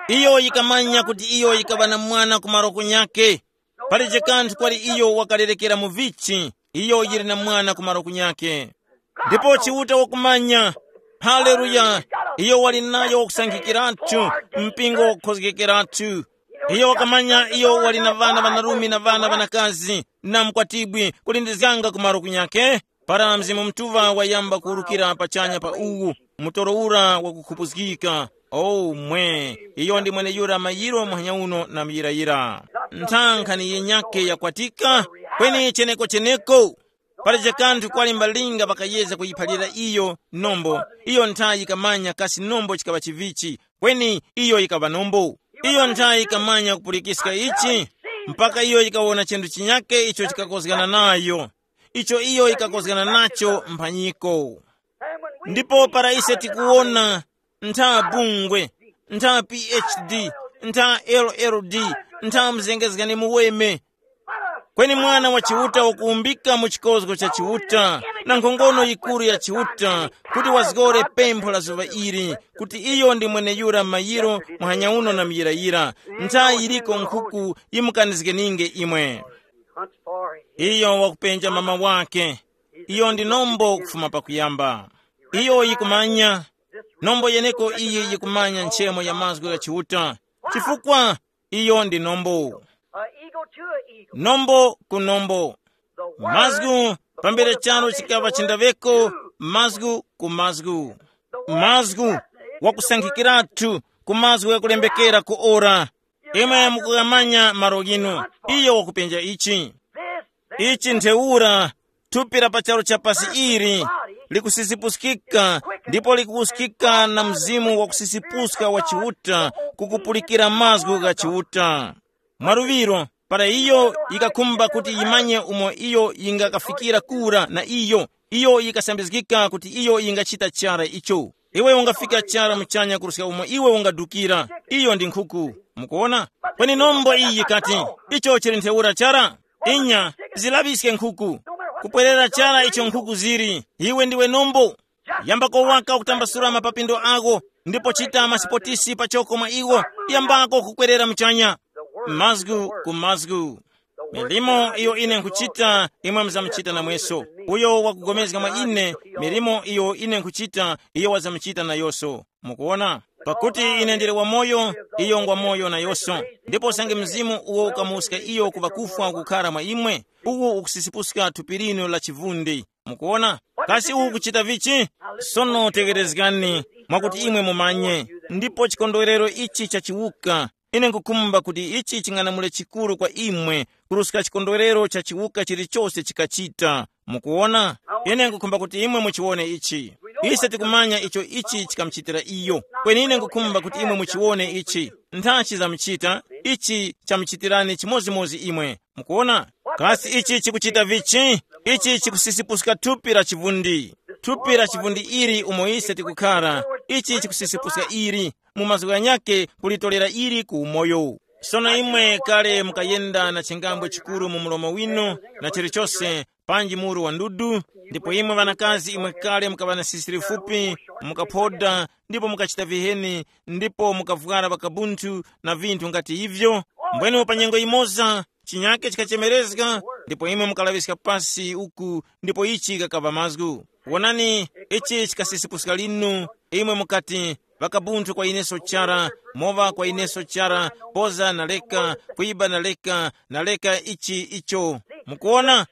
iyo yikamanya kuti iyo yikaŵa na mwana ku maroko nyakhe. Palije kanthu kwali iyo wakalerekera mu vichi, iyo yili na mwana ku maroko nyakhe. Ndipo Chiuta wakumanya, haleluya, iyo wali nayo wakusankhikiratu, mpingo wakukhozgekeratu. Iyo wakamanya iyo wali na ŵana ŵanarume na ŵana ŵanakazi, na mkwatibwi kulindizganga ku maroko nyakhe. Para Mzimu Mutuŵa wayamba kuwurukira pachanya pa uwu, mutoro ura wakukhupuzgika. O mwe, iyo ndi mweneyura mayiro muhanya uno na muyirayira. Nthankha ni yinyakhe yakwatika, Kweni cheneko cheneko, pali jakanthu kwali mbalinga pakayeza kuyiphalira iyo nombo. Iyo nthayi yikamanya kasi nombo chikaŵa chivichi. Kweni iyo yikaŵa nombo. Iyo nthayi yikamanya kupulikiska ichi, mpaka iyo yikawona chinthu chinyake icho chikakozgana nayo, icho iyo yikakozgana nacho mphanyiko. Ndipo para ise tikuwona ntha bungwe, ntha phd, ntha ll, ntha mzengezgani muweme, kweni mwana wa Chiuta wakuwumbika mu chikozgo cha Chiuta na nkhongono yikuru ya Chiuta, kuti wazgore pempho la zuŵa ili, kuti iyo ndi mweneyura mayiro muhanya uno na muyirayira. Nthayi yiliko nkhuku yimukanizgeninge imwe. Iyo wakupenja mama wake. Iyo ndi nombo kufuma pakuyamba. Iyo yikumanya. Nombo yeneko iyi yikumanya nchemo ya mazgu gha Chiuta, chifukwa iyo ndi nombo. A eagle to a eagle. Nombo ku nombo. The word mazgu pambere before the charo foundation chikaŵa of the world chindaveko. Mazgu ku mazgu. Mazgu wakusankhikiratu ku mazgu ghakulembekera ku ora. Imwe mukughamanya malo ghinu. Iyo wakupenja ichi. This ichi ntheura thupi la pachalo cha pasi ili likusisipuskika, ndipo likuwuskika na mzimu wakusisipuska wa Chiuta, kukupulikira mazgu gha Chiuta. Mwaluŵiro, para iyo yikakhumba kuti yimanye umo iyo yingakafikira kura na iyo, iyo yikasambizgika kuti iyo yingachita chara icho. Iwe ungafika chara muchanya kuruska umo iwe ungadukira. Iyo ndi nkhuku. Mukuona? Kweni nombo iyi yikati, icho chili ntheura chara. Inya, zilaŵiske nkhuku. Kupwerera chara icho nkhuku ziri, iwe ndiwe nombo. Yambako waka kutambasula mapapindo ako, ndipo chita masipotisi pachoko mwa iwo. Yambako kukwerera muchanya. Mazgu ku mazgu. Milimo iyo ine nkhuchita, imwe muzamuchita namweso. Uyo wakugomezga mwa ine, milimo iyo ine nkhuchita, iyo wazamuchita nayonso. Mukuona? Pakuti ine ndili wamoyo, iyo ngwamoyo nayonso. Ndipo usange mzimu uwo ukamuska iyo ku ŵakufwa kukhara mwa imwe, uwu ukusisipuska thupi linu la chivundi. Mukuona? Kasi uwu ukuchita vichi? Sono tegherezgani, mwakuti imwe mumanye. Ndipo chikondwerero ichi cha chiwuka, ine nkukhumba kuti ichi ching'anamule chikuru kwa imwe, kuruska chikondwerero cha chiwuka chilichose chikachita. Mukuona? Ine nkukhumba kuti imwe muchiwone ichi. Ise tikumanya icho ichi chikamuchitira iyo. Kweni ine nkukhumba kuti imwe muchiwone ichi. Nthachi zamuchita, ichi chamuchitirani chimodzimodzi imwe. Mukuona? Kasi ichi chikuchita vichi? Ichi chikusisipuska thupi la chivundi. Thupi la chivundi ili umo ise tikukhara, ichi chikusisipuska ili, mu mazgu ghanyakhe kulitolera ili ku umoyo. Sono imwe kale mukayenda na chingambwe chikuru mu mlomo winu, na chilichose, panji muru wa ndudu, ndipo imwe ŵanakazi imwe kale mukaŵa na sisi lifupi, mukaphoda, ndipo mukachita viheni, ndipo mukavwara ŵakabunthu na vinthu ngati ivyo. Mbwene pa nyengo yimoza, chinyake chikachemerezga, ndipo imwe mukalaŵiska pasi uku, ndipo ichi kakaŵa mazgu. Wonani, ichi chikasisipuska linu, imwe mukati, ŵakabunthu kwa ineso chara, mowa kwa ineso chara, poza na leka, kwiba na leka, na leka ichi icho. Mukuona?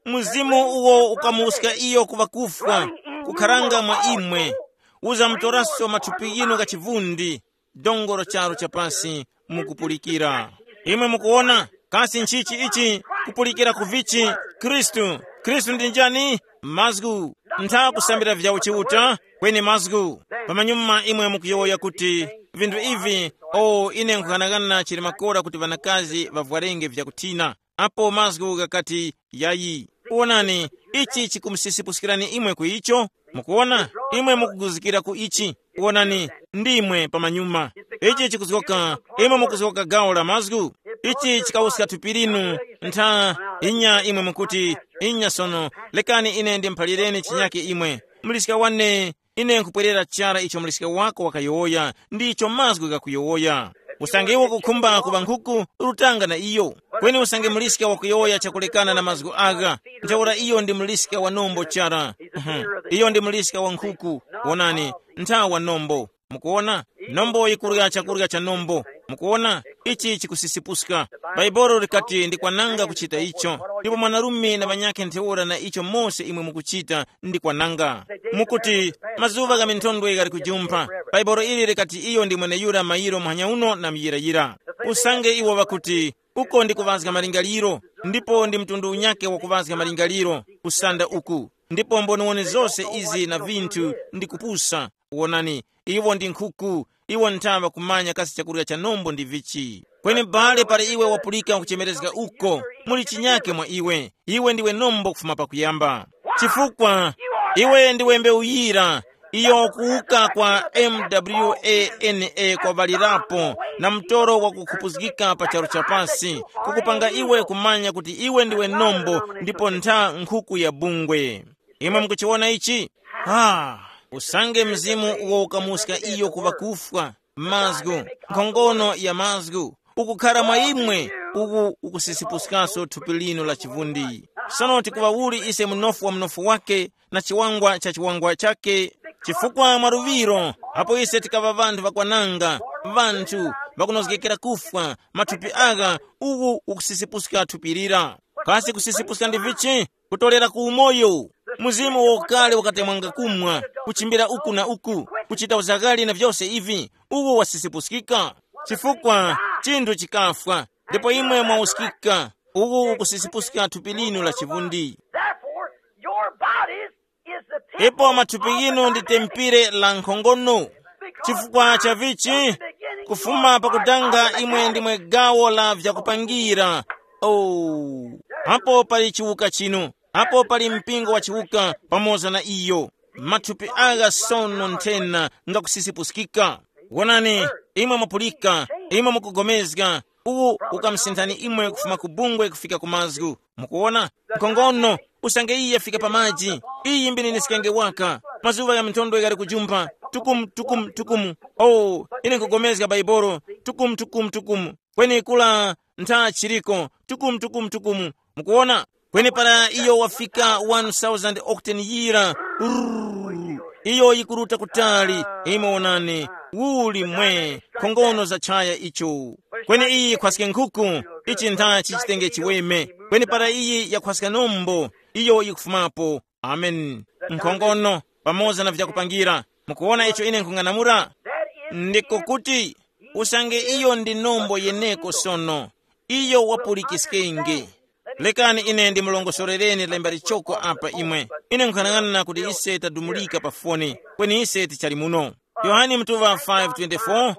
Mzimu uwo ukamuska iyo ku ŵakufwa, kukharanga mwa imwe, uzamutoraso mathupi ghinu gha chivundi, dongoro charo cha pasi, mukupulikira. Imwe mukuona, kasi nchichi ichi? Kupulikira ku vichi? Khristu. Khristu ndi njani? Mazgu. Ntha kusambira vya uchiuta, kweni mazgu. Pamanyuma imwe mukuyowoya kuti, vinthu ivi, o ine nkughanagana chili makora kuti ŵanakazi ŵavwarenge vyakuthina. Apo mazgu ghakati, yayi. Wonani, ichi chikumusisipuskirani imwe ku icho. Mukuona? Imwe mukuguzikira ku ichi. Wonani, ndimwe pamanyuma. Ichi chikuzgoka, imwe mukuzgoka gawo la mazgu. Ichi chikawuska thupi linu. Ntha, inya imwe mukuti, inya sono, lekani ine ndimuphalireni chinyake imwe. Muliska wane, ine nkupwerera chara icho muliska wako wakayowoya, ndicho mazgu ghakuyowoya. Usange iwe ukukhumba kuŵa nkhuku, rutanga na iyo. Kweni usange muliska wakuyowoya chakulekana na mazgu agha, ntheura iyo ndi muliska wa nombo chara. Mhm. Iyo ndi muliska wa nkhuku. Wonani, nthawa nombo. Mukuona? Nombo yikurya chakurya cha nombo. Mukuona? Ichi chikusisipuska. Bhaibuli likati ndi kwananga kuchita icho. Ndipo mwanarume na ŵanyakhe ntheura na icho mose imwe mukuchita ndi kwananga. Mukuti, mazuŵa gha minthondwe ghali kujumpha. Bhaibuli ili likati iyo ndi mweneyura mayiro muhanya uno na muyirayira. Usange iwo ŵakuti, Uko ndi kuŵazga malingaliro, ndipo ndi mtundu unyake wa kuŵazga malingaliro, kusanda uku. Ndipo mboniwoni zose izi na vinthu ndi kupusa. Wonani, iwo ndi nkhuku, iwo nthaŵa kumanya kasi chakurya cha nombo ndi vichi. Kweni bale pali iwe wapulika kuchemerezga uko, muli chinyake mwa iwe. Iwe ndiwe nombo kufuma pakuyamba. Chifukwa iwe ndiwe mbewu yira, iyo kuwuka kwa mwana kwa ŵalirapo, na mtoro wakukhupuzgika pa charu cha pasi, kukupanga iwe kumanya kuti iwe ndiwe nombo, ndipo ntha nkhuku ya bungwe. Imwe mukuchiwona ichi? Ha, usange mzimu uwo ukamuska iyo kuŵa kufwa, mazgu, nkhongono ya mazgu, ukukhara mwa imwe, uku ukusisipuskaso thupi linu la chivundi. Sono tikuŵa uli ise munofu wa munofu wake, na chiwangwa cha chiwangwa chake? Chifukwa mwa luŵiro, apo ise tikaŵa ŵanthu ŵakwananga, ŵanthu ŵakunozgekera kufwa, mathupi agha, uku ukusisipuska thupi lira. Kasi kusisipuska ndi vichi? Kutolera ku umoyo. Mzimu wokale wakatemwanga kumwa, kuchimbira uku na uku, kuchita uzakali na vyose ivi, uwo wasisipuskika. Chifukwa chinthu chikafwa, ndipo imwe mwauskika, uwo ukusisipuska thupi linu la chivundi. Therefore, your bodies is the temple. Ipo mathupi yinu ndi tempire la nkhongono. Chifukwa cha vichi? Kufuma pakutanga imwe ndimwe gawo la vyakupangira. Oh, apo pali chiwuka chinu, apo pali mpingo wa chiwuka pamoza na iyo. Mathupi agha sono nthena ngakusisipuskika. Wonani, imwe mupulika, imwe mukugomezga, uwu ukamsinthani imwe kufuma ku bungwe kufika ku mazgu. Mukuwona? Nkhongono, usange iye yafika pa maji, iyi mbininiskenge waka. Mazuŵa gha minthondo ghali kujumpa, tukumu tukumu tukumu. Oh, ine nkugomezga Baibolo, tukumu tukumu tukumu. Kweni kula ntha chiriko, tukumu tukumu tukumu. Mukuwona? Kweni para iyo wafika one thousand octane yira, rrrr, iyo yikuruta kutali. Imwe wonani, uli mwe, nkhongono za chaya icho. Kweni iyi yikhwaske nkhuku, ichi ntha chichitenge chiweme. Kweni para iyi yakhwaska nombo, iyo yikufumapo. Amen. Nkhongono, pamoza na vyakupangira. Mukuwona icho ine nkhung'anamula? Ndiko kuti, usange iyo ndi nombo yeneko sono, iyo wapulikiskenge. Lekani ine ndimulongosorereni lemba lichoko apa imwe. Ine nkhanang'ana kuti ise tadumulika pa foni, kweni ise tichali muno. Yohane mutuŵa five twenty-four,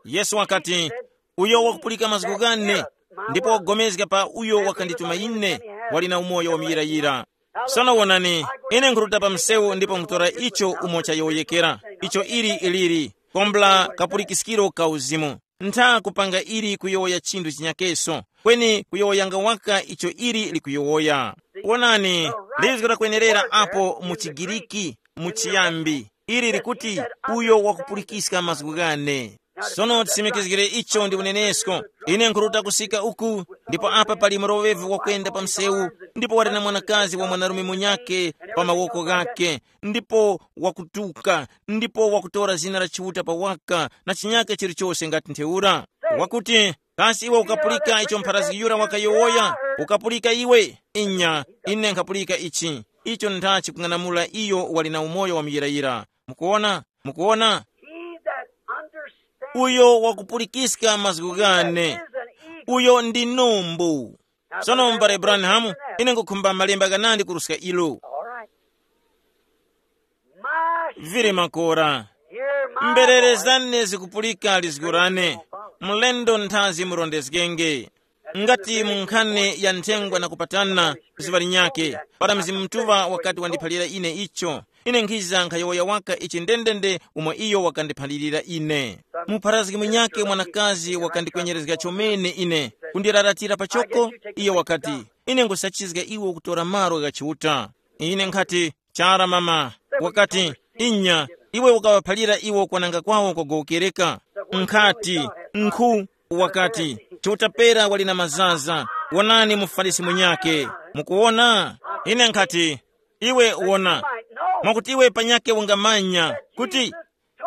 Yesu wakati, uyo wakupulika mazgu ghane, ndipo wakupulikana pa uyo wakandituma ine, wali na umoyo wamuyirayira. Sono wonani, ine nkhuruta pa msewu ndipo nkhutora icho umo chayowoyekera, icho ili iliri, kombla kapulikiskiro ka uzimu. Ntha kupanga ili kuyowoya chinthu chinyakeso, kweni kuyowoyanga waka icho ili likuyowoya. Wonani, lizgo lakwenerera apo mu Chigiriki, mu chiyambi, ili likuti, uyo wakupulikizga mazgu ghane. Sono tisimikizgire icho ndi unenesko. Ine nkhuruta kusika uku, ndipo apa pali mroŵevi wakwenda pa msewu, ndipo wali na mwanakazi wa mwanarume munyakhe pa mawoko ghakhe, ndipo wakutuka, ndipo wakutora zina la Chiuta pa waka na chinyakhe chilichose ngati ntheura. Wakuti, kasi iwe ukapulika icho mpharazgi yura wakayowoya? Ukapulika iwe? Inya, ine nkhapulika ichi. Icho ntha chikung'anamula iyo wali na umoyo wa muyirayira. Mukuwona? Mukuwona? He that understands uyo wakupulikiska mazgu ghane, is an eagle. Uyo ndi numbu. Sono mbale Branham, ine ngukhumba malemba ghanandi kuruska ilo. All right. My vili makora. Hear my mbere voice. Zane zikupulika lizgu lane. Mulendo nthazi murondezgenge. Ngati mu nkhani ya nthengwa na kupatana, zuŵa linyakhe, para Mzimu Mutuŵa wakati wandiphalira ine icho, ine nkhiza nkhayowoya waka ichi ndendende umo iyo wakandiphalirira ine. Mupharazgi munyakhe mwanakazi wakandikwenyerezga chomene ine, kundiraratira pachoko, iyo wakati, ine ngusachizga iwe kutora malo gha Chiuta. Ine nkhati, chara mama, wakati, inya, iwe ukaŵaphalira iwo kwananga kwawo kwagowokereka. Nkhati, nkhu, wakati, Chiuta pera wali na mazaza, wonani muFarisi munyakhe. Mukuwona? Ine nkhati, iwe wona, mwakuti iwe panyakhe ungamanya kuti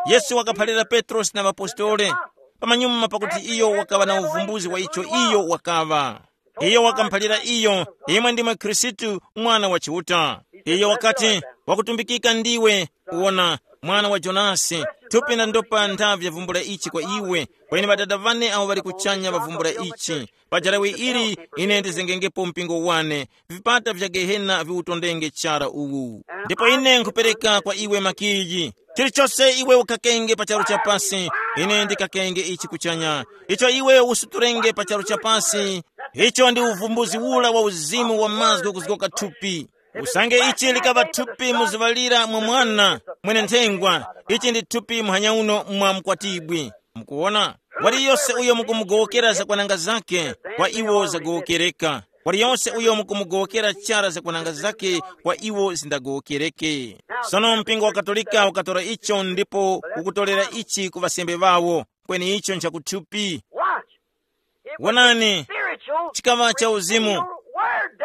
Yesu wakaphalira Petrosi na ŵapostoli, pamanyuma pakuti iyo wakaŵa na uvumbuzi wa icho iyo wakaŵa. Iyo wakamuphalira iyo, imwe ndimwe Khristu, Mwana wa Chiuta. Iyo wakati, wakutumbikika ndiwe, wona, mwana wa Jonasi, thupi na ndopa nthavi vyavumbula ichi kwa iwe, kweni Ŵadada ŵane awo ŵali kuchanya ŵavumbula ichi. Pa jarawe ili, ine ndizengengepo mpingo wane, vipata vya Gehena viwutondenge chara uwu. Ndipo ine nkhupereka kwa iwe makiyi. Chilichose iwe ukakenge pa charu cha pasi, ine ndikakenge ichi kuchanya. Icho iwe usuturenge pa charu cha pasi, icho ndi uvumbuzi ula wa uzimu wa mazgu kuzgoka thupi. Usange ichi likaŵa thupi mu zuŵa lira mwa mwana mwene nthengwa, ichi ndi thupi muhanya uno mwa mkwatibwi. Mukuwona? Waliyose uyo mukumugowokera zakwananga zake, kwa iwo zagowokereka. Waliyose uyo mukumugowokera chara zakwananga zake, kwa iwo zindagowokereke. Sono mpingo wa Katolika ukatora icho ndipo ukutorera ichi ku ŵasembe ŵawo, kweni icho nchakuthupi. Watch. It was Wonani, spiritual chikaŵa cha uzimu.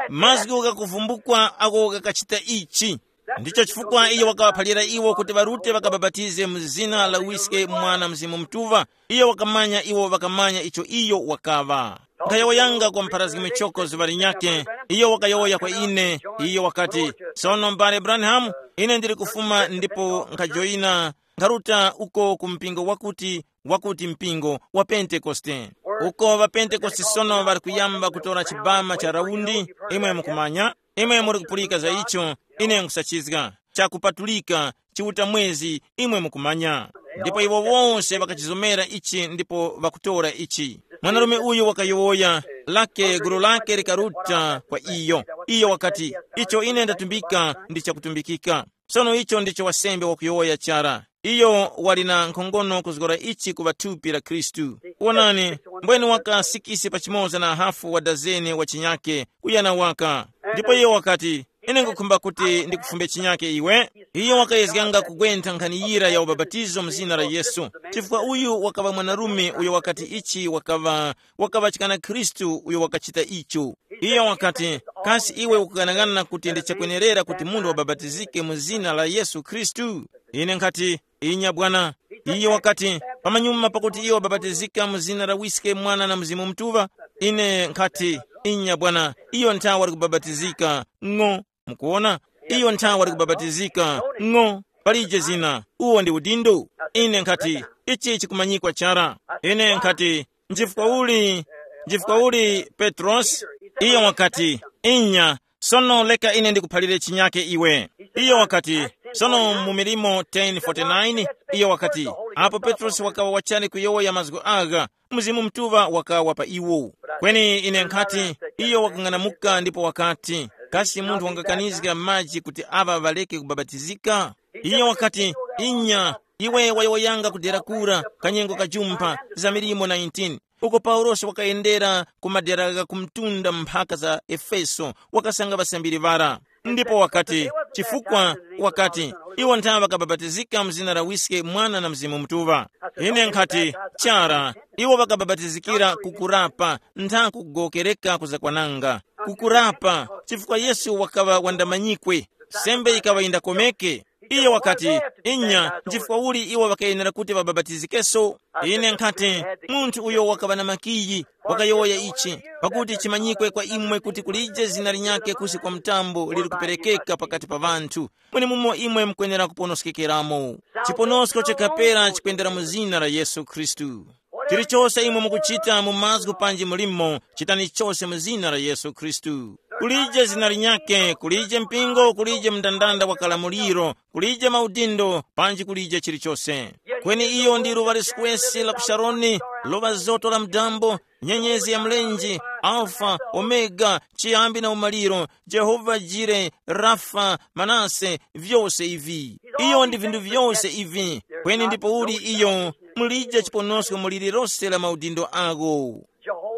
Mazgu ghakuvumbukwa ako ghakachita ichi. Ndicho chifukwa iyo wakawaphalira iwo kuti ŵarute ŵakabapatize mu zina la Wiske, Mwana, Mzimu Mutuŵa. Iyo wakamanya iwo ŵakamanya icho iyo wakaŵa. Nkhayowoyanga kwa mpharazgi michoko zuŵa linyakhe, iyo wakayowoya kwa ine, iyo wakati, sono mbale Branham, ine ndili kufuma ndipo nkhajoyina nkharuta uko ku mpingo wakuti wakuti mpingo wa Pentekoste. Uko ŵapentekoste sono ŵali kuyamba kutora chibama cha raundi, imwe mukumanya, imwe muri kupulika za icho, ine nkusachizga, chakupatulika, chiuta mwezi, imwe mukumanya. Ndipo iwo wonse ŵakachizomera ichi ndipo ŵakutora ichi. Mwanarume uyu wakayowoya, lake gulu lake likaruta kwa iyo. Iyo wakati, icho ine ndatumbika ndi chakutumbikika. Sono icho ndicho wasembe wakuyowoya chara. Iyo wali na nkhongono kuzgora ichi kuŵa thupi la Khristu. Wonani, mbwene waka sikisi pa chimoza na hafu wa dazene wa chinyake kuyana waka. Ndipo iyo wakati, ine ngukhumba kuti ndikufumbe chinyake iwe. Iyo wakayezganga kugwentha nkhani yira ya ubapatizo mu zina la Yesu, chifukwa uyu wakaŵa mwanarume uyo wakati ichi wakaŵa wakaŵachikana Khristu uyo wakachita icho. Iyo wakati, kasi iwe ukughanaghana kuti ndi chakwenerera kuti munthu wabapatizike mu zina la Yesu Khristu? Ine nkhati, inya bwana. Iyo wakati, pamanyuma pakuti iyo wabapatizika mu zina la Wiske, Mwana na Mzimu Mutuŵa? Ine nkhati, inya bwana, iyo nthawe wali kubapatizika. Ng'o. Mukuwona, iyo nthawe wali kubapatizika. Ng'o. Palije zina, uwo ndi udindo. Ine nkhati, ichi chikumanyikwa chara. Ine nkhati, nchifukwa uli, nchifukwa uli Petrosi? Iyo wakati, inya. Sono leka ine ndikuphalire chinyake iwe. Iyo wakati, sono mu milimo ten forty-nine, iyo wakati, apo Petrosi wakawa wachali kuyowoya mazgu agha, Mzimu Mutuŵa wakawa pa iwo. Kweni ine nkhati, iyo wakang'anamuka ndipo wakati, kasi munthu wangakanizga maji kuti aŵa ŵaleke kubapatizika? Iyo wakati, inya, iwe wayowoyanga kudera kura, kanyengo kajumpha, za milimo nineteen, uko Paulosi wakayendera ku madera gha kumtunda mphaka za Efeso, wakasanga ŵasambiri ŵara. Ndipo wakati, chifukwa, wakati, iwo ntha ŵakabapatizika mu zina la Wiske, Mwana na Mzimu Mutuŵa. Ine nkhati, chara, iwo ŵakabapatizikira kukurapa, ntha kugokereka kuzakwananga. Kukurapa, chifukwa Yesu wakaŵa wandamanyikwe, sembe yikaŵa yindakomeke. Iyo wakati, inya, nchifukwa uli iwo ŵakayenera kuti ŵabapatizikenso? Ine nkhati, munthu uyo wakaŵa na makiyi, wakayowoya ichi, pakuti chimanyikwe kwa imwe kuti kulije zina linyakhe kusi kwa mtambo liri kuperekeka pakati pa ŵanthu, mwenemumo imwe mukwenera kuponoskekeramo. Chiponosko cha kapera chikwendera mu zina la Yesu Khristu. Chilichose imwe mukuchita mu mazgu panji mulimo, chitani chose mu zina la Yesu Khristu. Kulije zina linyakhe, kulije mpingo, kulije mndandanda wa kalamuliro, kulije maudindo, panji kulije chilichose. Kweni iyo ndi luŵa liskwesi la ku Sharoni, luŵa zoto la mdambo, nyenyezi ya mlenje, Alfa, Omega, chiyambi na umaliro, Jehova Jire, Rafa, Manase, vyose ivi. Iyo ndi vinthu vyose ivi. Kweni ndipo uli iyo, mulije chiponosko mu lililose la maudindo agho.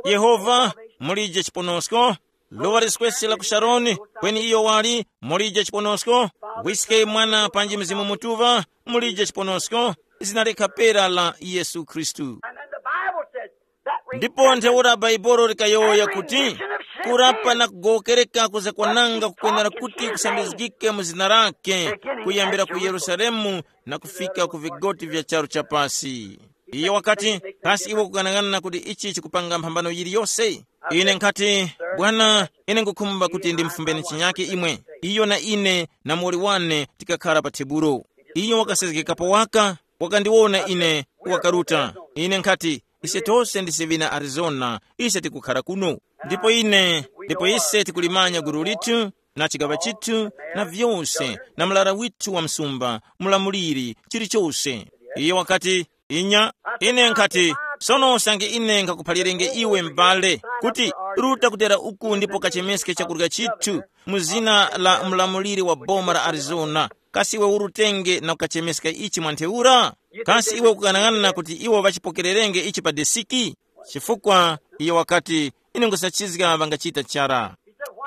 Yehova, mulije chiponosko. Luŵa liskwesi la ku Sharoni, kweni iyo wali, mulije chiponosko. Wiske, Mwana panji Mzimu Mutuŵa, mulije chiponosko. Zina lekha pera la Yesu Khristu. And then the Bible says that ndipo ntheura Bhaibuli likayowoya kuti, kurapa na kugowokereka kuzakwananga kukwenera kuti kusambizgike mu zina lake, kuyambira ku Yerusalemu na kufika ku vigoti vya charu cha pasi. Iyo wakati, kasi iwe kukanang'ana kuti ichi chikupanga mphambano yiliyose? Ine nkhati, bwana, ine ngukhumba kuti ndimfumbeni chinyake imwe. Iyo na ine na muwoli wane tikakhara pa tebulo. Iyo wakasezgekapo waka, wakandiwona ine, wakaruta. Ine nkhati, ise tose ndise ŵina Arizona, ise tikukhara kuno. Ndipo ine, ndipo ise tikulimanya gulu lithu, na chigaŵa chithu, na vyose, na mlara withu wa msumba, mulamuliri, chilichose. Iyo wakati, inya, ine nkhati, sono usange ine nkhakuphalirenge iwe m'bale, kuti ruta kudera uku ndipo kachemeske chakurya chithu, mu zina la mulamuliri wa boma la Arizona, kasi iwe urutenge na kukachemeska ichi mwa ntheura? Kasi iwe ukukanang'ana kuti iwo ŵachipokererenge ichi pa desiki? Chifukwa iyo wakati, ine nkhusachizga ŵangachita chara.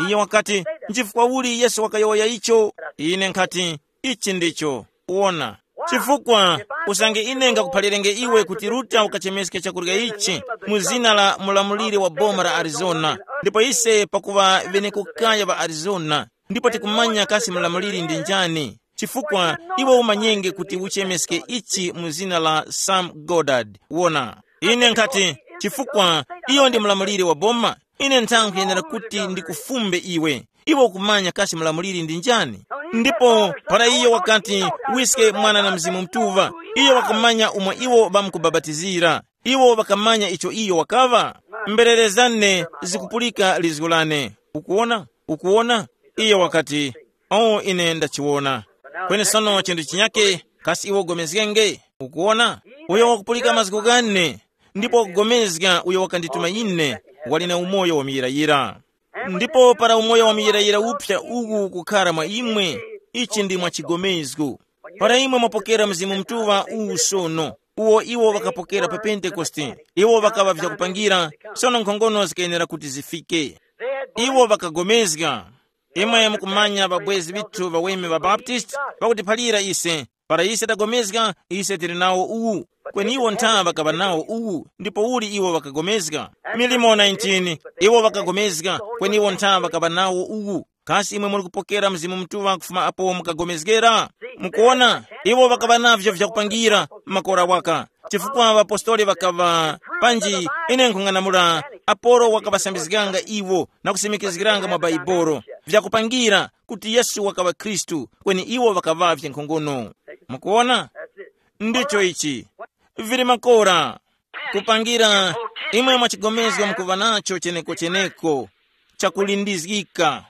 Iyo wakati, nchifukwa uli Yesu wakayowoya icho? Ine nkhati, ichi ndicho. Wona, chifukwa usange ine ngakuphalirenge iwe kuti ruta ukachemeske chakurya ichi mu zina la mulamuliri wa boma la Arizona, ndipo ise pakuŵa ŵenekukaya ŵa Arizona, ndipo tikumanya kasi mulamuliri ndi njani, chifukwa iwe umanyenge kuti uchemeske ichi mu zina la Sam Goddard. Wona, ine nkhati, chifukwa iyo ndi mulamuliri wa boma, ine nthankhu yenera kuti ndikufumbe iwe. Iwe ukumanya kasi mulamuliri ndi njani? Ndipo para iyo wakati, wiske mwana na mzimu mtuŵa, iyo wakamanya umo iwo ŵamkubapatizira. Iwo ŵakamanya icho iyo wakaŵa. Mbererezane zikupulika lizgu lane. Ukuwona? Ukuwona? Iyo wakati, o, ine ndachiwona. Kweni sono chinthu chinyake, kasi iwe ugomezgenge? Ukuwona? Uyo wakupulika mazgu ghane, ndipo wakugomezga uyo wakandituma ine, wali na umoyo wamuyirayira. Ndipo para umoyo wamuyirayira uphya uwu ukukhara mwa imwe, ichi ndi mwa chigomezgo. Para imwe mwapokera Mzimu Mutuŵa uwu sono, uwo iwo ŵakapokera pa Pentekoste, iwo ŵakaŵa vyakupangira, sono nkhongono zikayenera kuti zifike. Iwo ŵakagomezga. Imwe mukumanya ŵabwezi ŵithu ŵaweme ŵa Baptist ŵakutiphalira ise, para ise tagomezga, ise tili nawo uwu. Kweni iwo ntha ŵakaŵa nawo uwu, ndipo uli iwo ŵakagomezga? Milimo nineteen, iwo ŵakagomezga, kweni iwo ntha ŵakaŵa nawo uwu. Kasi imwe muli kupokera Mzimu Mutuŵa kufuma apo mukagomezgera? Mukuwona, iwo ŵakaŵa navyo vyakupangira makora waka, chifukwa ŵapostoli ŵakaŵa, panji ine nkhung'anamula, Apolo wakaŵasambizganga iwo na kusimikizgiranga mwa Baibolo vyakupangira kuti Yesu wakaŵa Khristu, kweni iwo ŵakaŵavye nkhongono. Mukuwona? Ndicho ichi. Vili makora. Kupangira, imwe mwachigomezgo mukuŵa nacho cheneko-cheneko, chakulindizgika.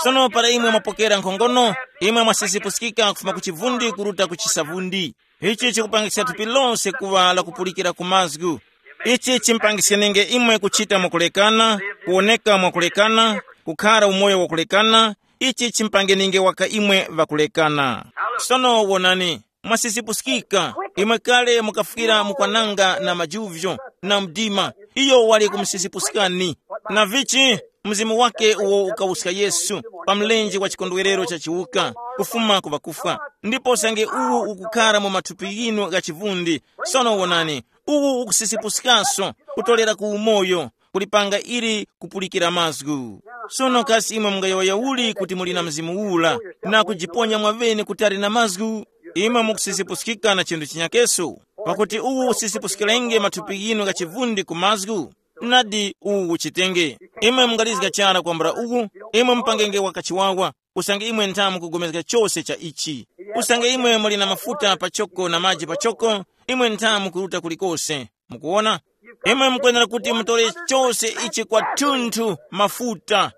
Sono para imwe mwapokera nkhongono, imwe mwasisipuskika kufuma ku chivundi kuruta ku chisavundi. Ichi chikupangisa thupi lose kuŵa lakupulikira ku mazgu. Ichi chimpangiskenge imwe kuchita mwakulekana, kuwoneka mwakulekana, kukhara umoyo wakulekana. Ichi chimpangeninge waka imwe ŵakulekana. Sono wonani, mwasisipuskika. Imwe kale mukafwira mukwananga na majuvyo na mdima, iyo wali kumusisipuskani. Na vichi? Mzimu wake uwo ukawuska Yesu pa mlenje wa chikondwerero cha chiwuka, kufuma ku ŵakufwa. Ndipo usange uwu ukukhara mu mathupi ghinu gha chivundi, sono wonani, uwu ukusisipuskaso, kutolera ku umoyo, kulipanga ili kupulikira mazgu. Sono kasi imwe mungayowoya uli kuti muli na Mzimu ula, na kujiponya mwaŵene kutali na mazgu? Imwe mukusisipuskika na chinthu chinyakeso, pakuti uwu usisipuskirenge mathupi ghinu gha chivundi ku mazgu. Nadi uwu uchitenge. Imwe mungalizga chara kwambula uwu, imwe mupangenge wakachiwawa, usange imwe ntha mukugomezga chose cha ichi. Usange imwe muli na mafuta pachoko na maji pachoko, imwe ntha mukuruta kulikose. Mukuwona? Imwe mukwenera kuti mutore chose ichi kwathunthu mafuta.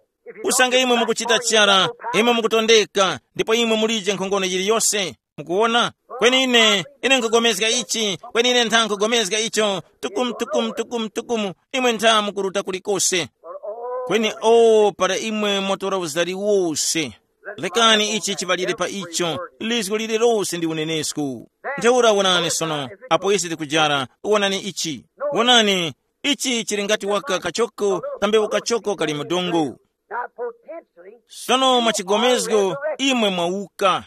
Usange imwe mukuchita chara, imwe mukutondeka, ndipo imwe mulije nkhongono yiliyose. Mukuwona? Kweni ine, ine nkugomezga ichi, kweni ine ntha nkugomezga icho, tukumu, tukumu, tukumu, tukumu, imwe ntha mukuruta kulikose. Kweni o, para imwe mwatora uzari wose, lekani ichi chiŵalire pa icho, lizgu lililose ndi unenesko. Ntheura wonani sono, apo ise tikujara, wonani ichi. Wonani, ichi chili ngati waka kachoko, kambewu kachoko kali mu dongo. Sono mwachigomezgo, imwe mwawuka.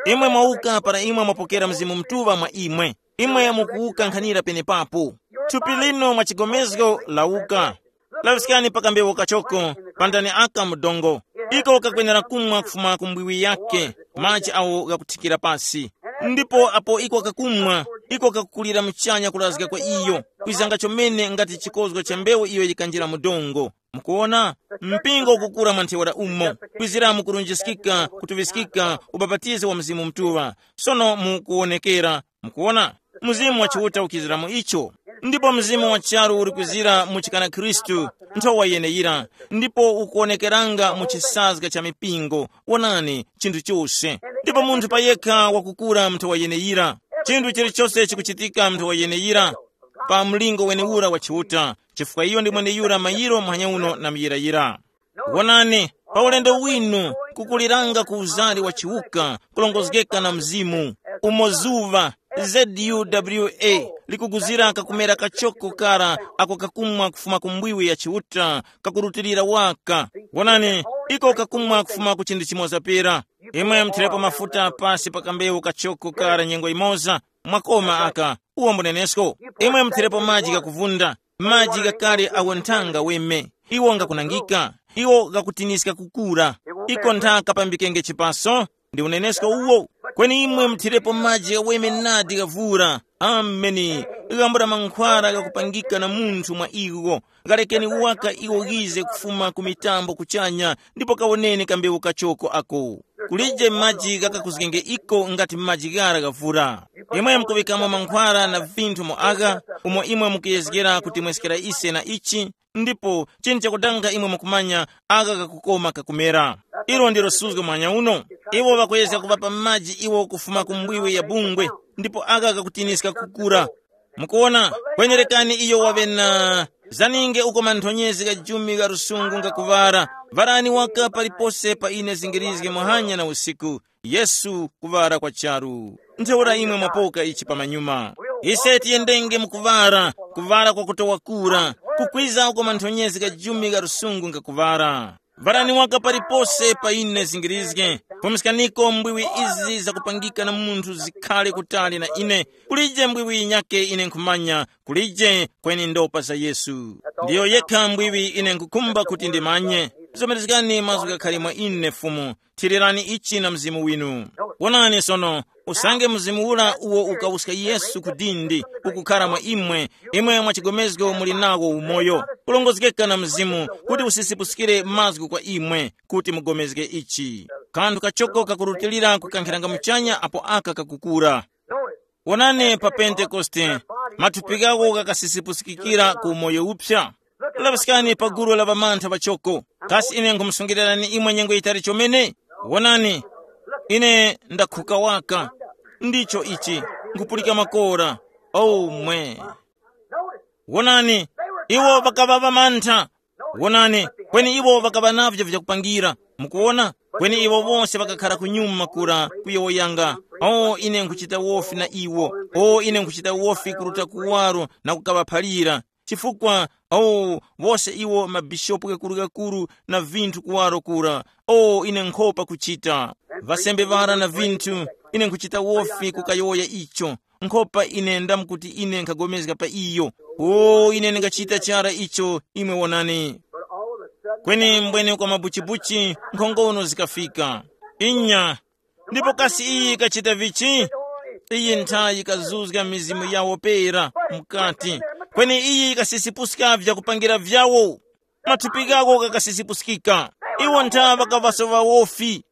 Imwe mwawuka para imwe mwapokera Mzimu Mutuŵa mwa imwe. Imwe mukuwuka nkhanira penepapo. Thupi lino mwachigomezgo lawuka. Laŵiskani pa kambewu kachoko, pandani aka mu dongo. Iko kakwenera kumwa kufuma ku mbwiwi yake, maji awo ghakuthikira pasi. Ndipo apo iko kakumwa, iko kakukulira muchanya kurazga kwa iyo, kwizanga chomene ngati chikozgo cha mbewu iyo yikanjira mu dongo. Mukuona, mpingo ukukura mwa ntheura umo, kwizira mukurunjiskika, kutuŵiskika ubapatizo wa Mzimu Mutuŵa. Sono mukuwonekera, mukuona, Mzimu wa Chiuta ukizira mu icho. Ndipo mzimu wa charu uri kwizira mu chikana Khristu, nthowa yeneyira, ndipo ukuwonekeranga mu chisazga cha mipingo. Wonani, chinthu chose. Ndipo munthu payekha wakukura mu nthowa yeneyira. Chinthu chilichose chikuchitika mu nthowa yeneyira, pa mlingo wenewura wa Chiuta, chifukwa iyo ndi mweneyura mayiro muhanya uno na muyirayira. Wonani, pa ulendo winu, kukuliranga ku uzari wa chiwuka, kulongozgeka na Mzimu, umo zuŵa, Z U W A, likuguzira kakumera kachoko kara ako kakumwa kufuma ku mbwiwi ya Chiuta, kakurutilira waka. Wonani, iko kakumwa kufuma ku chinthu chimoza pera. Imwe muthirepo mafuta pasi pa kambewu kachoko kara nyengo imoza, mwakoma aka, uwo mbunenesko. Imwe muthirepo maji ghakuvunda, maji ghakale awo nthanga weme. Iwo ngakunangika, iwo ghakutiniska kukura. Iko ntha kapambikenge chipaso, ndi unenesko uwo. Kweni imwe muthirepo maji ghaweme nadi ghavura. Ameni. Ghambo la mankhwala ghakupangika na munthu mwa iwo. Ghalekeni waka iwo ghize kufuma ku mitambo kuchanya, ndipo kawoneni kambewu kachoko ako. Kulije maji ghakakuzgenge iko ngati maji ghara ghavura. Imwe mukuŵikamo mankhwala na vinthu mu agha, umo imwe mukuyezgera kuti mweskera ise na ichi, ndipo chinthu chakudanga imwe mukumanya agha kakukoma kakumera. Ilo ndilo suzgo mwanya uno. Iwo ŵakuyezga kuŵapa maji iwo kufuma ku mbwiwe ya bungwe, ndipo agha kakutiniska kukura. Mukuona, kwenerekani iyo waŵe na zaninge uko manthonyezi gha jumi gha lusungu ngakuŵara. Varani waka palipose pa ine zingirizge muhanya na usiku. Yesu kuŵara kwa charu. Ntheura imwe mwapoka ichi pamanyuma. Ise tiyendenge mu kuŵara, kuŵara kwa kutowa kura, kukwiza uko manthonyezi gha jumi gha lusungu ngakuŵara. Varani waka palipose pa ine zingirizge. Pumiskaniko mbwiwi izi zakupangika na munthu zikhale kutali na ine. Kulije mbwiwi yinyake ine nkhumanya, kulije kweni ndopa za Yesu. Ndiyo yekha mbwiwi ine nkhukhumba kuti ndimanye. Zomerezgani mazgu ghakhale mwa ine Fumu. Thirirani ichi na mzimu winu. Wonani sono, usange mzimu ura uwo ukawuska Yesu ku dindi ukukhara mwa imwe, imwe mwa chigomezgo muli nawo umoyo, kulongozgeka na mzimu kuti usisipuskire mazgu kwa imwe, kuti mugomezge ichi. Kanthu kachoko kakurutilira kukankhiranga muchanya apo aka kakukura. Wonani pa Pentekoste, mathupi ghawo ghakasisipuskikira ku umoyo uphya. Laŵiskani pa gulu la ŵamantha ŵachoko. Kasi ine nkhumusungirirani imwe nyengo yitali chomene? Wonani, ine ndakhuka waka. Ndicho ichi, nkhupulika makora. Oh mwe. Wonani, iwo ŵakaŵa ŵamantha. Wonani, kweni iwo ŵakaŵa navyo vyakupangira. Mukuwona? Kweni iwo wose ŵakakhara kunyuma kura kuyowoyanga. O ine nkhuchita wofi na iwo. O ine nkhuchita wofi kuruta kuwaro na kukaŵaphalira. Chifukwa, o, wose iwo mabishopu ghakuru-ghakuru na vinthu kuwaro kura. O ine nkhopa kuchita. Ŵasembe ŵara na vinthu, ine nkhuchita wofi kukayowoya icho. Nkhopa ine ndamu kuti ine nkhagomezga pa iyo. O ine ndingachita chara icho, imwe wonani. Kweni mbwene kwa mabuchibuchi nkhongono zikafika. Inya. Ndipo kasi iyi ikachita vichi? Iyi nthayi ikazuzga mizimu yawo pera mukati. Kweni iyi ikasisipuska vyakupangira vyawo. Mathupi ghawo ghakasisipuskika. Iwo ntha ŵakaŵasowa wofi.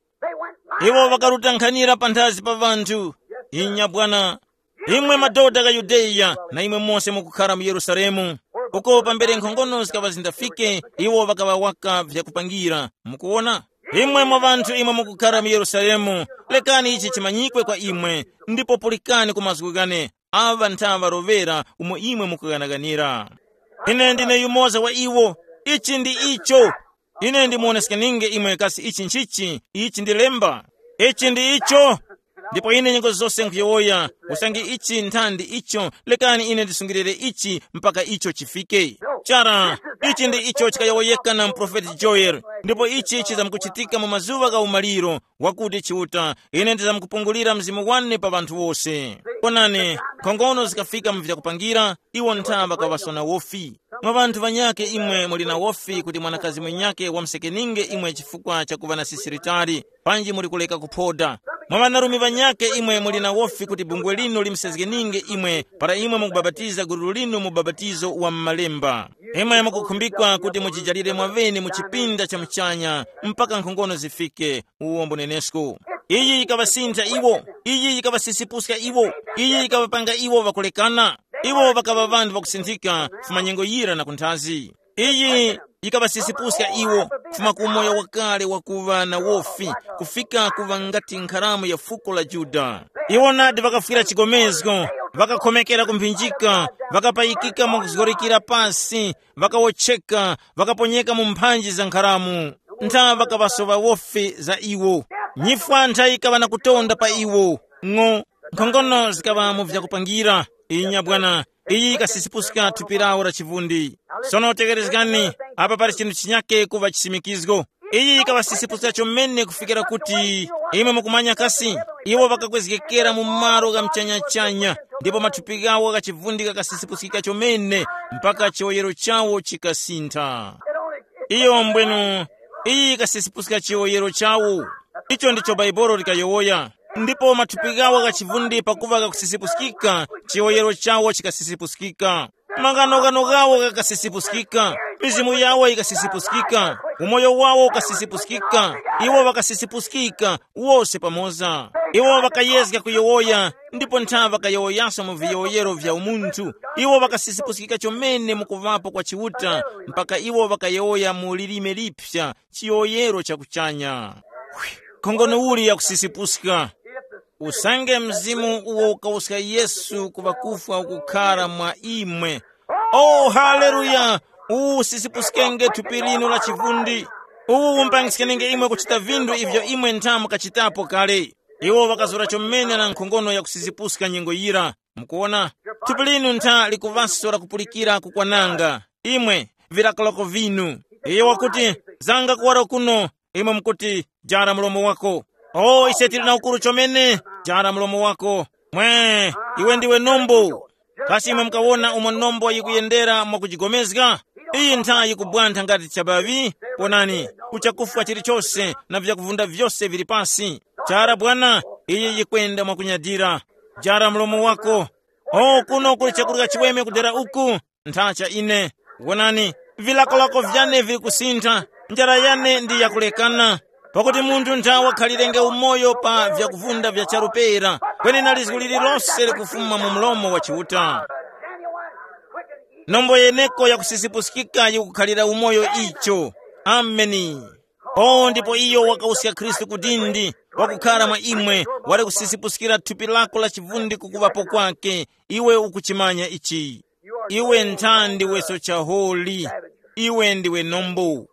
Iwo ŵakarutankhanira panthazi pa ŵanthu. Inya bwana. Imwe madoda gha Yudeya na imwe mose mukukhara mu Yerusalemu, uko pambere nkhongono zikaŵa zindafike, iwo ŵakaŵa waka vyakupangira. Mukuwona? Imwe mwa ŵanthu imwe mukukhara mu Yerusalemu, lekani ichi chimanyikwe kwa imwe, ndipo pulikani ku mazgu ghane. Aŵa ntha ŵaroŵera umo imwe mukughanaganira. Ine ndine yumoza wa iwo. Ichi ndi icho. Ine ndimuwoneskeninge imwe kasi ichi nchichi. Ichi ndi lemba. Ichi ndi icho. Ndipo ine nyengo zose nkhuyowoya, usange ichi nthandi icho, lekani ine ndisungirire ichi mpaka icho chifike. Chara, ichi ndi icho chikayowoyeka na muprofeti Joeli. Ndipo ichi chizamkuchitika mu mazuŵa gha umaliro, wakuti Chiuta, ine ndizamkupungulira mzimu wane pa ŵanthu wose. Onani, nkhongono zikafika mu vyakupangira, iwo ntha ŵakaŵasona wofi. Mwa ŵanthu ŵanyakhe imwe muli na wofi kuti mwanakazi mwenyakhe wamsekeninge imwe chifukwa cha kuŵa na sisi litali, panji muli kuleka kuphoda. Mwa ŵanarume ŵanyakhe imwe muli na wofi kuti bungwe linu limusezgeninge imwe para imwe mukubapatiza gululu linu mu bapatizo wa m'malemba. Imwe mukukhumbikwa kuti mujijalire mwaŵene mu chipinda cha muchanya mpaka nkhongono zifike. Uwo mbunenesko. Iyi yikaŵasintha iwo. Iyi yikaŵasisipuska iwo. Iyi yikaŵapanga iwo ŵakulekana. Iwo ŵakaŵa ŵanthu ŵakusinthika kufuma nyengo yira na kunthazi. Iyi yikaŵasisipuska iwo kufuma ku umoyo wakale wakuŵa na wofi, kufika kuŵa ngati nkharamu ya fuko la Yuda. Iwo nadi ŵakafwira chigomezgo, ŵakakhomekera ku mphinjika, ŵakapayikika mwa kuzgorikira pasi, ŵakawotcheka, ŵakaponyeka mu mphanji za nkharamu. Ntha ŵakaŵasoŵa wofi za iwo. Nyifwa ntha yikaŵa na kutonda pa iwo. Ng'o, nkhongono zikaŵa mu vyakupangira. Inya bwana, iyi yikasisipuska thupi lawo la chivundi. Sono tekerezgani, apa pali chinthu chinyake kuva chisimikizgo. Iyi yikaŵasisipuska chomene kufikira kuti imwe mukumanya kasi, iwo ŵakakwezgekera mu malo gha mchanyachanya, ndipo mathupi ghawo gha chivundi ghakasisipuskika chomene mpaka chiwoyero chawo chikasintha. Iyo mbwenu, iyi yikasisipuska chiwoyero chawo. Icho ndicho Baibolo likayowoya. Ndipo mathupi ghawo gha chivundi pakuva ghakusisipuskika, chiwoyero chawo chikasisipuskika. Maghanoghano ghawo ghakasisipuskika, mizimu yawo yikasisipuskika, umoyo wawo ukasisipuskika, iwo ŵakasisipuskika wose pamoza. Iwo ŵakayezga kuyowoya, ndipo ntha ŵakayowoyaso mu viyowoyero vya umunthu. Iwo ŵakasisipuskika chomene mu kuŵapo kwa Chiuta, mpaka iwo ŵakayowoya mu lilime liphya, chiyowoyero cha kuchanya. Khongono uli yakusisipuska! Usange mzimu uwo ukawuska Yesu ku ŵakufwa ukukhara mwa imwe. Oh, haleluya! Uwu usisipuskenge thupi linu la chivundi. Uwu umpangiskenge imwe kuchita vinthu ivyo imwe ntha mukachitapo kale. Iwo ŵakazura chomene na nkhongono yakusisipuska nyengo yira. Mukuwona, thupi linu ntha likuŵaso lakupulikira kukwananga. Imwe, vilakolako vinu. Iyo wakuti, zanga kuwaro kuno. Imwe mukuti, jara mlomo wako. O ise tili na ukuru chomene. Jara mlomo wako. Mwe, iwe ndiwe nombo. Kasi imwe mukawona umo nombo yikuyendera mwakujigomezga? Iyi ntha yikubwantha ngati chabaŵi. Ponani, kuchakufwa chilichose na vyakuvunda vyose vili pasi. Chara bwana, iyi yikwenda mwakunyadira. Jara mlomo wako. O kuno kuli chakurya chiweme kudera uku. Nthacha ine. Wonani, vilakolako vyane vili kusintha. Njara yane ndi yakulekana. Pakuti munthu ntha wakhalirenge umoyo pa vyakuvunda vya charu pera, kweni na lizgu lililose likufuma mu mlomo wa Chiuta. Nombo yeneko yakusisipuskika yikukhalira umoyo icho. Ameni. O ndipo iyo wakawuska Khristu ku dindi, wakukhara mwa imwe, wali kusisipuskira thupi lako la chivundi kukuŵapo kwake. Iwe ukuchimanya ichi. Iwe ntha ndiweso chaholi. Iwe ndiwe nombo.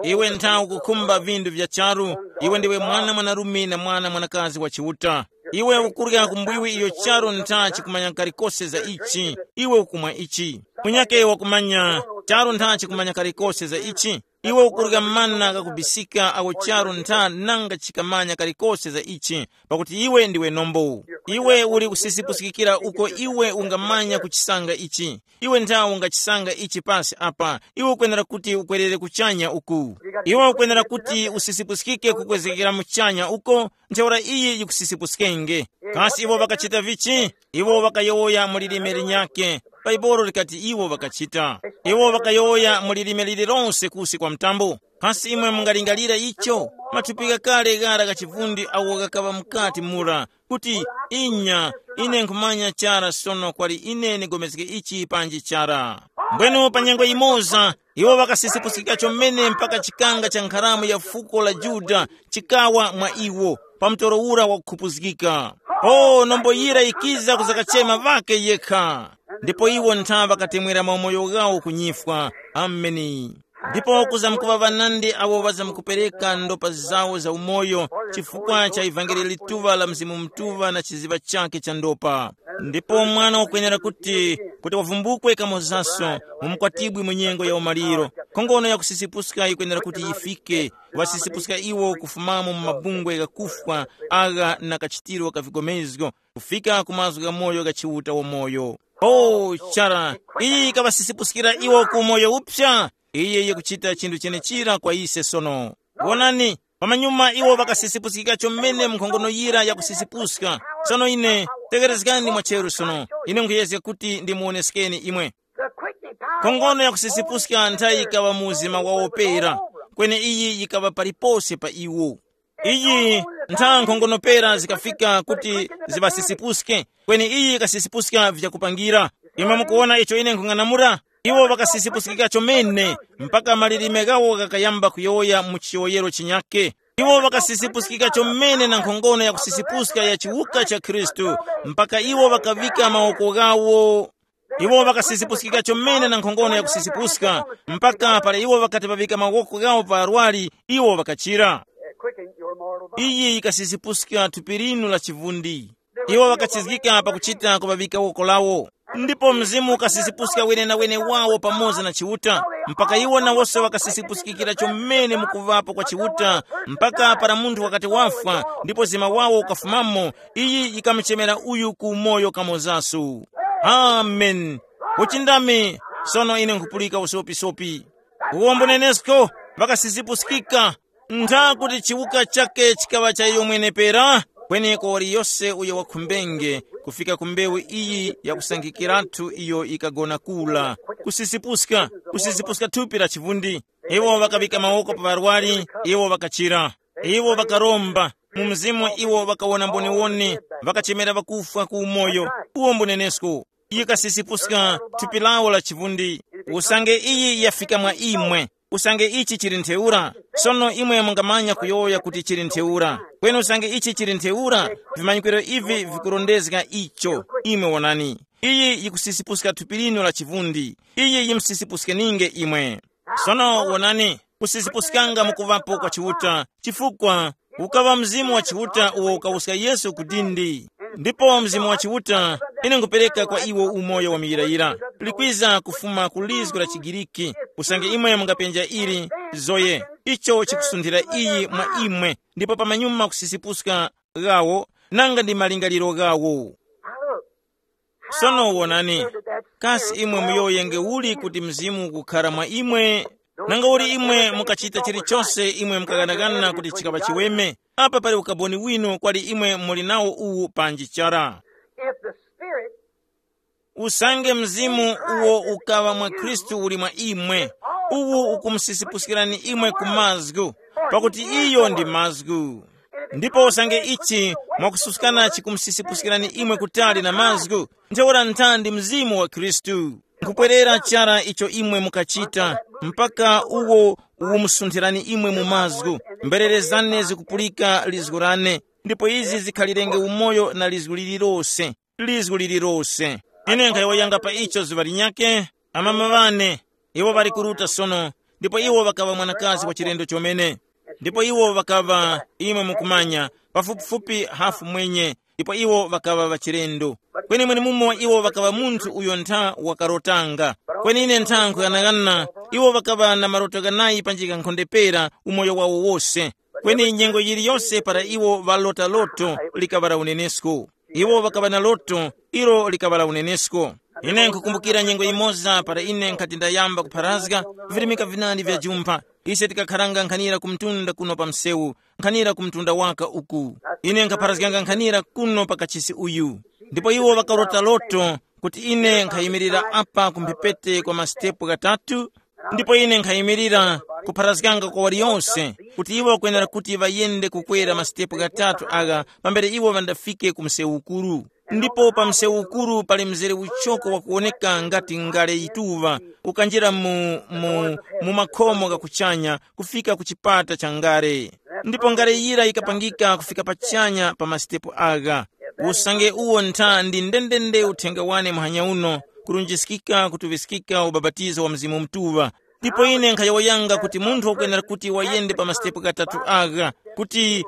Iwe ntha ukukhumba vindu vya charu. Iwe ndiwe mwana mwanarume na mwana mwanakazi wa Chiuta. Iwe ukurya kumbwiwi iyo charu ntha chikumanya kalikose za ichi. Iwe ukumwa ichi. Munyake wakumanya charu ntha chikumanya kalikose za ichi. Iwe ukurya mana kakubisika awo charu ntha nanga chikamanya kalikose za ichi. Pakuti iwe ndiwe nombo. Iwe uli kusisipusikikira uko iwe ungamanya kuchisanga ichi. Iwe ntha ungachisanga ichi pasi apa. Iwe ukwenera kuti ukwerere kuchanya uku. Iwe ukwenera kuti usisipusikike kukwezekera muchanya uko. Ntheura iyi yikusisipuskenge. Kasi iwo ŵakachita vichi? Iwo ŵakayowoya mu lilime linyakhe. Bhaibuli likati iwo ŵakachita. Iwo ŵakayowoya mu lilime lililonse kusi kwa mtambo. Kasi imwe mungalingalira icho? Mathupi ghakale ghara gha chivundi awo ghakaŵa mukati mura, kuti, inya, ine nkhumanya chara sono kwali ine nigomezge ichi panji chara. Mbwenu pa nyengo yimoza, iwo ŵakasisipuskika chomene mpaka chikanga cha nkharamu ya fuko la Yuda chikawa mwa iwo, pa mtoro ura wakukhupuzgika. O nombo yira yikiza kuzakachema ŵake yekha. Ndipo iwo ntha ŵakatemwera maumoyo ghawo ku nyifwa. Ameni. Ndipo kuzamkuŵa ŵanandi awo ŵazamkupereka ndopa zawo za umoyo chifukwa cha ivangeli lituŵa la Mzimu Mutuŵa na chiziŵa chakhe cha ndopa. Ndipo mwana wakwenera kuti, kuti wavumbukwe kamozaso mu mukwatibwi mu nyengo ya umaliro. Nkhongono ya kusisipuska yikwenera kuti yifike, wasisipuska iwo kufumamo mu mabungwe ghakufwa agha na kachitiro ka vigomezgo, kufika ku mazgu gha moyo gha Chiuta wamoyo. O chara, iyi yikawasisipuskira iwo ku umoyo uphya. Iye yikuchita chinthu chenechira kwa ise sono. Wonani, Pamanyuma iwo ŵakasisipuskika chomene mu nkhongono yira yakusisipuska. Sono ine, tekerezgani mwacheru sono, ine nkhuyezga kuti ndimuwoneskeni imwe. Nkhongono yakusisipuska nthayi yikaŵa mu uzima wawo pera, kweni iyi yikaŵa palipose pa iwo. Iyi ntha nkhongono pera zikafika kuti ziŵasisipuske, kweni iyi yikasisipuska vyakupangira. Imwe mukuwona icho ine nkhung'anamula? Iwo ŵakasisipuskika chomene, mpaka malilime ghawo ghakayamba kuyowoya mu chiyowoyero chinyake. Iwo ŵakasisipuskika chomene na nkhongono ya kusisipuska ya chiwuka cha Khristu, mpaka iwo ŵakaŵika mawoko ghawo. Iwo ŵakasisipuskika chomene na nkhongono ya kusisipuska, mpaka para iwo ŵakati ŵaŵika mawoko ghawo pa arwari, iwo ŵakachira. Iyi yikasisipuska thupi linu la chivundi. Iwo ŵakachizgika pakuchita kuŵaŵika woko lawo. Ndipo mzimu ukasisipuska wenenawene wawo pamoza na Chiuta, mpaka iwo nawose ŵakasisipuskikira chomene mukuvapo kwa Chiuta, mpaka para munthu wakati wafwa, ndipo zima wawo ukafumamo, iyi yikamuchemera uyu ku umoyo kamozaso. Amen. Uchindami. Sono ine nkhupulika usopisopi. Uwo mbunenesko ŵakasisipuskika. Ntha kuti chiwuka chake chikaŵa cha iyo mwene pera, kweni kwa waliyose uyo wakhumbenge kufika ku mbewu iyi yakusangikiratu iyo ikagona kula, kusisipuska, kusisipuska thupi la chivundi. Iwo ŵakaŵika mawoko pa ŵarwari, iwo ŵakachira. Iwo ŵakaromba, mu mzimu iwo ŵakawona mboniwoni, ŵakachemera ŵakufwa ku umoyo. Uwo mbunenesko. Yikasisipuska thupi lawo la chivundi. Usange iyi yafika mwa imwe, usange ichi chili ntheura, sono imwe mungamanya kuyowoya kuti chili ntheura. Kweni usange ichi chili ntheura, vimanyikiro ivi vikurondezga icho. Imwe wonani, iyi yikusisipuska thupi linu la chivundi. Iyi yimusisipuskeninge imwe. Sono wonani, kusisipuskanga mukuvapo kwa Chiuta, chifukwa ukaŵa Mzimu wa Chiuta uwo ukawuska Yesu ku dindi. Ndipo Mzimu wa Chiuta, ine nkupereka kwa iwo umoyo wa muyirayira, likwiza kufuma ku lizgu la Chigiriki, usange imwe mungapenja ili, Zoe, icho chikusunthira iyi mwa imwe, ndipo pamanyuma kusisipuska ghawo, nanga ndi malingaliro ghawo. Sono wonani, kasi imwe muyowoyenge uli kuti Mzimu ukukhara mwa imwe? Nanga uli imwe mukachita chilichose imwe mukaganagana kuti chikaŵa chiweme? Apa pali ukaboni winu kwali imwe muli nawo uwu panji chara. If the Spirit usange Mzimu uwo ukaŵa mwa Khristu uli mwa imwe, uwu ukumusisipuskirani imwe ku mazgu, pakuti iyo ndi mazgu. Ndipo usange ichi mwakususkana chikumsisipuskirani imwe kutali na mazgu, ntheura nthandi Mzimu wa Khristu. Nkupwerera chara icho imwe mukachita, mpaka uwo uwumusunthirani imwe mu mazgu. Mberere zane zikupulika lizgu lane, ndipo izi zikhalirenge umoyo na lizgu lililose, lizgu lililose. Ine nkhayowoyanga pa icho zuŵa linyakhe, amama ŵane, iwo ŵali kuruta sono, ndipo iwo ŵakaŵa mwanakazi wa chilendo chomene. Ndipo iwo ŵakaŵa, imwe mukumanya, pafupifupi hafu mwenye, ndipo iwo ŵakaŵa ŵachilendo. Kweni mwenemumo iwo ŵakaŵa munthu uyo ntha wakarotanga. Kweni ine ntha nkuyang'ana, iwo ŵakaŵa na maroto ghanayi panjika nkhonde pera umoyo wawo wose. Kweni nyengo yiliyose para iwo ŵalota loto likaŵa la unenesko. Iwo ŵakaŵa na loto, ilo likaŵa la unenesko. Ine nkhukumbukira nyengo yimoza para ine nkhati ndayamba kupharazga virimika vinandi vya jumpha. Ise tikakharanga nkhanira ku mtunda kuno pa msewu, nkhanira ku mtunda waka uku. Ine nkhapharazganga nkhanira kuno pa kachisi uyu. Ndipo iwo ŵakarota loto kuti ine nkhayimirira apa ku mphepete kwa masitepu ghatatu, ndipo ine nkhayimirira kupharazganga kwa waliyose kuti iwo ŵakwenera kuti ŵayende kukwera masitepu ghatatu agha pambere iwo ŵandafike ku msewu ukuru. Ndipo pa msewu ukuru pali mzere uchoko wakuwoneka ngati ngale yituŵa, ukanjira mu, mu, mu makhomo gha kuchanya kufika ku chipata cha ngale. Ndipo ngale yira yikapangika kufika pachanya pa masitepu agha. Usange uwo ntha ndi ndendende uthenga wane muhanya uno, kurunjiskika kutuŵiskika ubapatizo wa Mzimu Mutuŵa. Ndipo ine nkhayowoyanga kuti munthu wakwenera kuti wayende pa masitepu ghatatu agha, kuti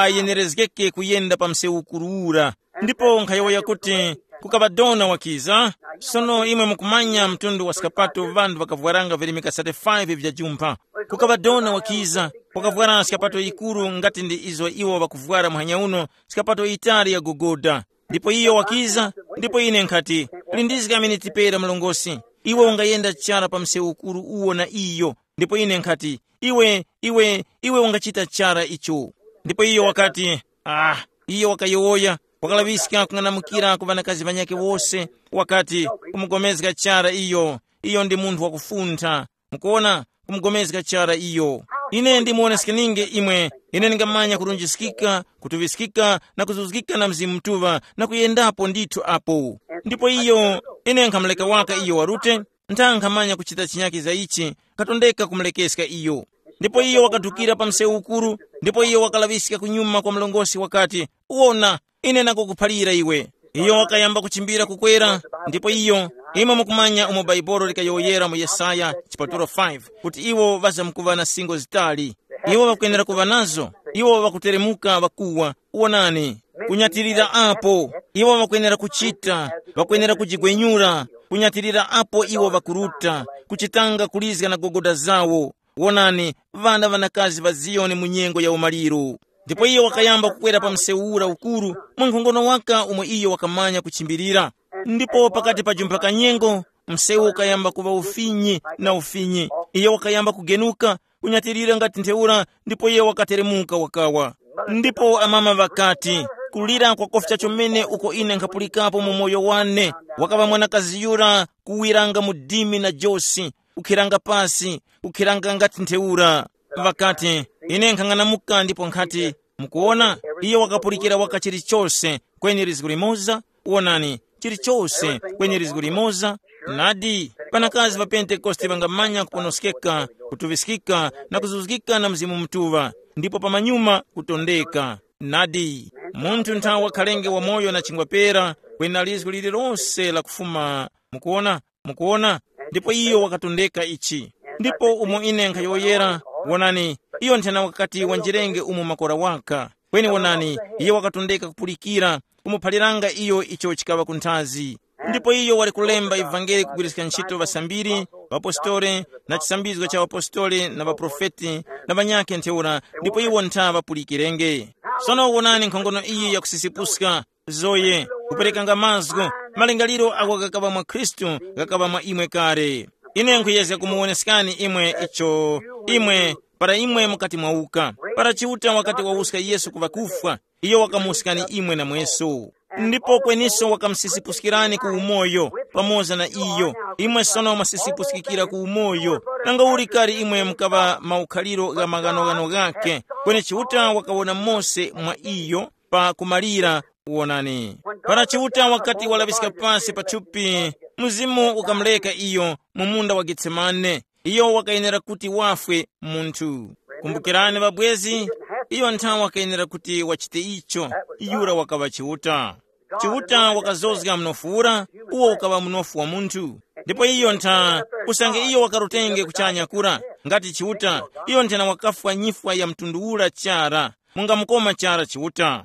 wayenerezgeke kuyenda pa msewu ukuru ura. Ndipo nkhayowoya kuti, kukaŵa dona wakiza. Sono imwe mukumanya mtundu wa skapato ŵanthu ŵakavwaranga virimika thirty-five vya jumpha. Kukaŵa dona wakiza, wakavwara skapato yikuru ngati ndi izo iwo ŵakuvwara muhanya uno, skapato yitali ya gogoda. Ndipo iyo wakiza, ndipo ine nkhati, lindizga miniti pera mlongosi, iwe ungayenda chara pa msewu ukuru uwo na iyo. Ndipo ine nkhati, iwe, iwe, iwe ungachita chara icho. Ndipo iyo wakati, ah, iyo wakayowoya, wakalaŵiska kung'anamukira ku ŵanakazi ŵanyakhe wose, wakati, kumugomezga chara iyo, iyo ndi munthu wakufuntha. Mukuona, kumugomezga chara iyo. Ine ndimuwoneskeninge imwe, ine ndingamanya kurunjiskika, kutuŵiskika na kuzuzgika na Mzimu Mutuŵa na kuyendapo ndithu apo. Ndipo iyo, ine nkhamuleka waka iyo warute, ntha nkhamanya kuchita chinyaki za ichi, katondeka kumulekeska iyo. Ndipo iyo wakadukira pa msewu ukuru, ndipo iyo wakalaŵiska kunyuma kwa mlongosi wakati, wona, ine nakukuphalira iwe. Iyo wakayamba kuchimbira kukwera, ndipo iyo, imwe mukumanya umo Baibolo likayowoyera mu Yesaya chipatulo five, kuti iwo ŵazamkuŵa na singo zitali. Iwo ŵakwenera kuŵa nazo, iwo ŵakuteremuka ŵakuwa, wonani, kunyatirira apo, iwo ŵakwenera kuchita, ŵakwenera kujigwenyura, kunyatirira apo iwo ŵakuruta, kuchitanga kulizga na gogoda zawo. Wonani, ŵana ŵanakazi ŵa Ziyoni mu nyengo ya umaliro. Ndipo iyo wakayamba kukwera pa msewu ura ukuru, mwankhongono waka umo iyo wakamanya kuchimbirira. Ndipo pakati pa jumpha ka nyengo, msewu ukayamba kuŵa ufinyi na ufinyi. Iyo wakayamba kugenuka, kunyatirira ngati ntheura, ndipo iyo wakateremuka wakawa. Ndipo amama ŵakati, kulira kwakofya chomene uko ine nkhapulikapo mu moyo wane, wakaŵa mwanakazi yura kuwiranga mu dimi na josi, kukhiranga pasi, kukhiranga ngati ntheura. Ŵakati, ine nkhang'anamuka ndipo nkhati, mukuona, iyo wakapulikira waka chilichose, kweni lizgu limoza, wonani, chilichose, kweni lizgu limoza. Nadi, panakazi pa Pentekoste ŵangamanya kuponoskeka, kutuŵiskika na kuzuzgika na Mzimu Mutuŵa, ndipo pamanyuma kutondeka. Nadi, munthu nthawa wakhalenge wamoyo na chingwa pera, kweni na lizgu lililonse lakufuma. Mukuona? Mukuona? Ndipo iyo wakatondeka ichi. Ndipo umo ine nkhayowoyera, wonani, iyo nthena wakati wanjirenge umo makora waka. Kweni wonani, iyo wakatondeka kupulikira, kumuphaliranga iyo icho chikaŵa kunthazi. Ndipo iyo wali kulemba ivangeli kugwiriska ntchito ŵasambiri, ŵapostoli, na chisambizgo cha ŵapostoli na ŵaprofeti na ŵanyakhe ntheura, ndipo iwo ntha ŵapulikirenge. Sono wonani nkhongono iyi yakusisipuska, zoye, kuperekanga mazgu, malingaliro agho ghakaŵa mwa Khristu, ghakaŵa mwa imwe kale. Ine nkhuyezga kumuwoneskani imwe icho, imwe, para imwe mukati mwauka, para Chiuta wakati wawuska Yesu ku ŵakufwa, iyo wakamuwuskani imwe namweso. Ndipo kweniso wakamusisipuskirani ku umoyo, pamoza na iyo, imwe sono mwasisipuskikira ku umoyo. Nanga uli kale imwe mukaŵa maukhaliro gha maghanoghano ghakhe, kweni Chiuta wakawona mose mwa iyo, pa kumalira. Wonani, para Chiuta wakati walaŵiska pasi pa thupi, Mzimu ukamureka iyo mu munda wa Getsemane. Iyo wakayenera kuti wafwe munthu. Kumbukirani ŵabwezi, iyo nthawe wakayenera kuti wachite icho. Yura wakaŵa Chiuta. Chiuta wakazozga mnofu ura, uwo ukaŵa mnofu wa munthu. Ndipo iyo ntha, usange iyo wakarutenge kuchanya kura, ngati Chiuta, iyo nthena wakafwa nyifwa ya mtundu ura chara. Mungamukoma chara Chiuta.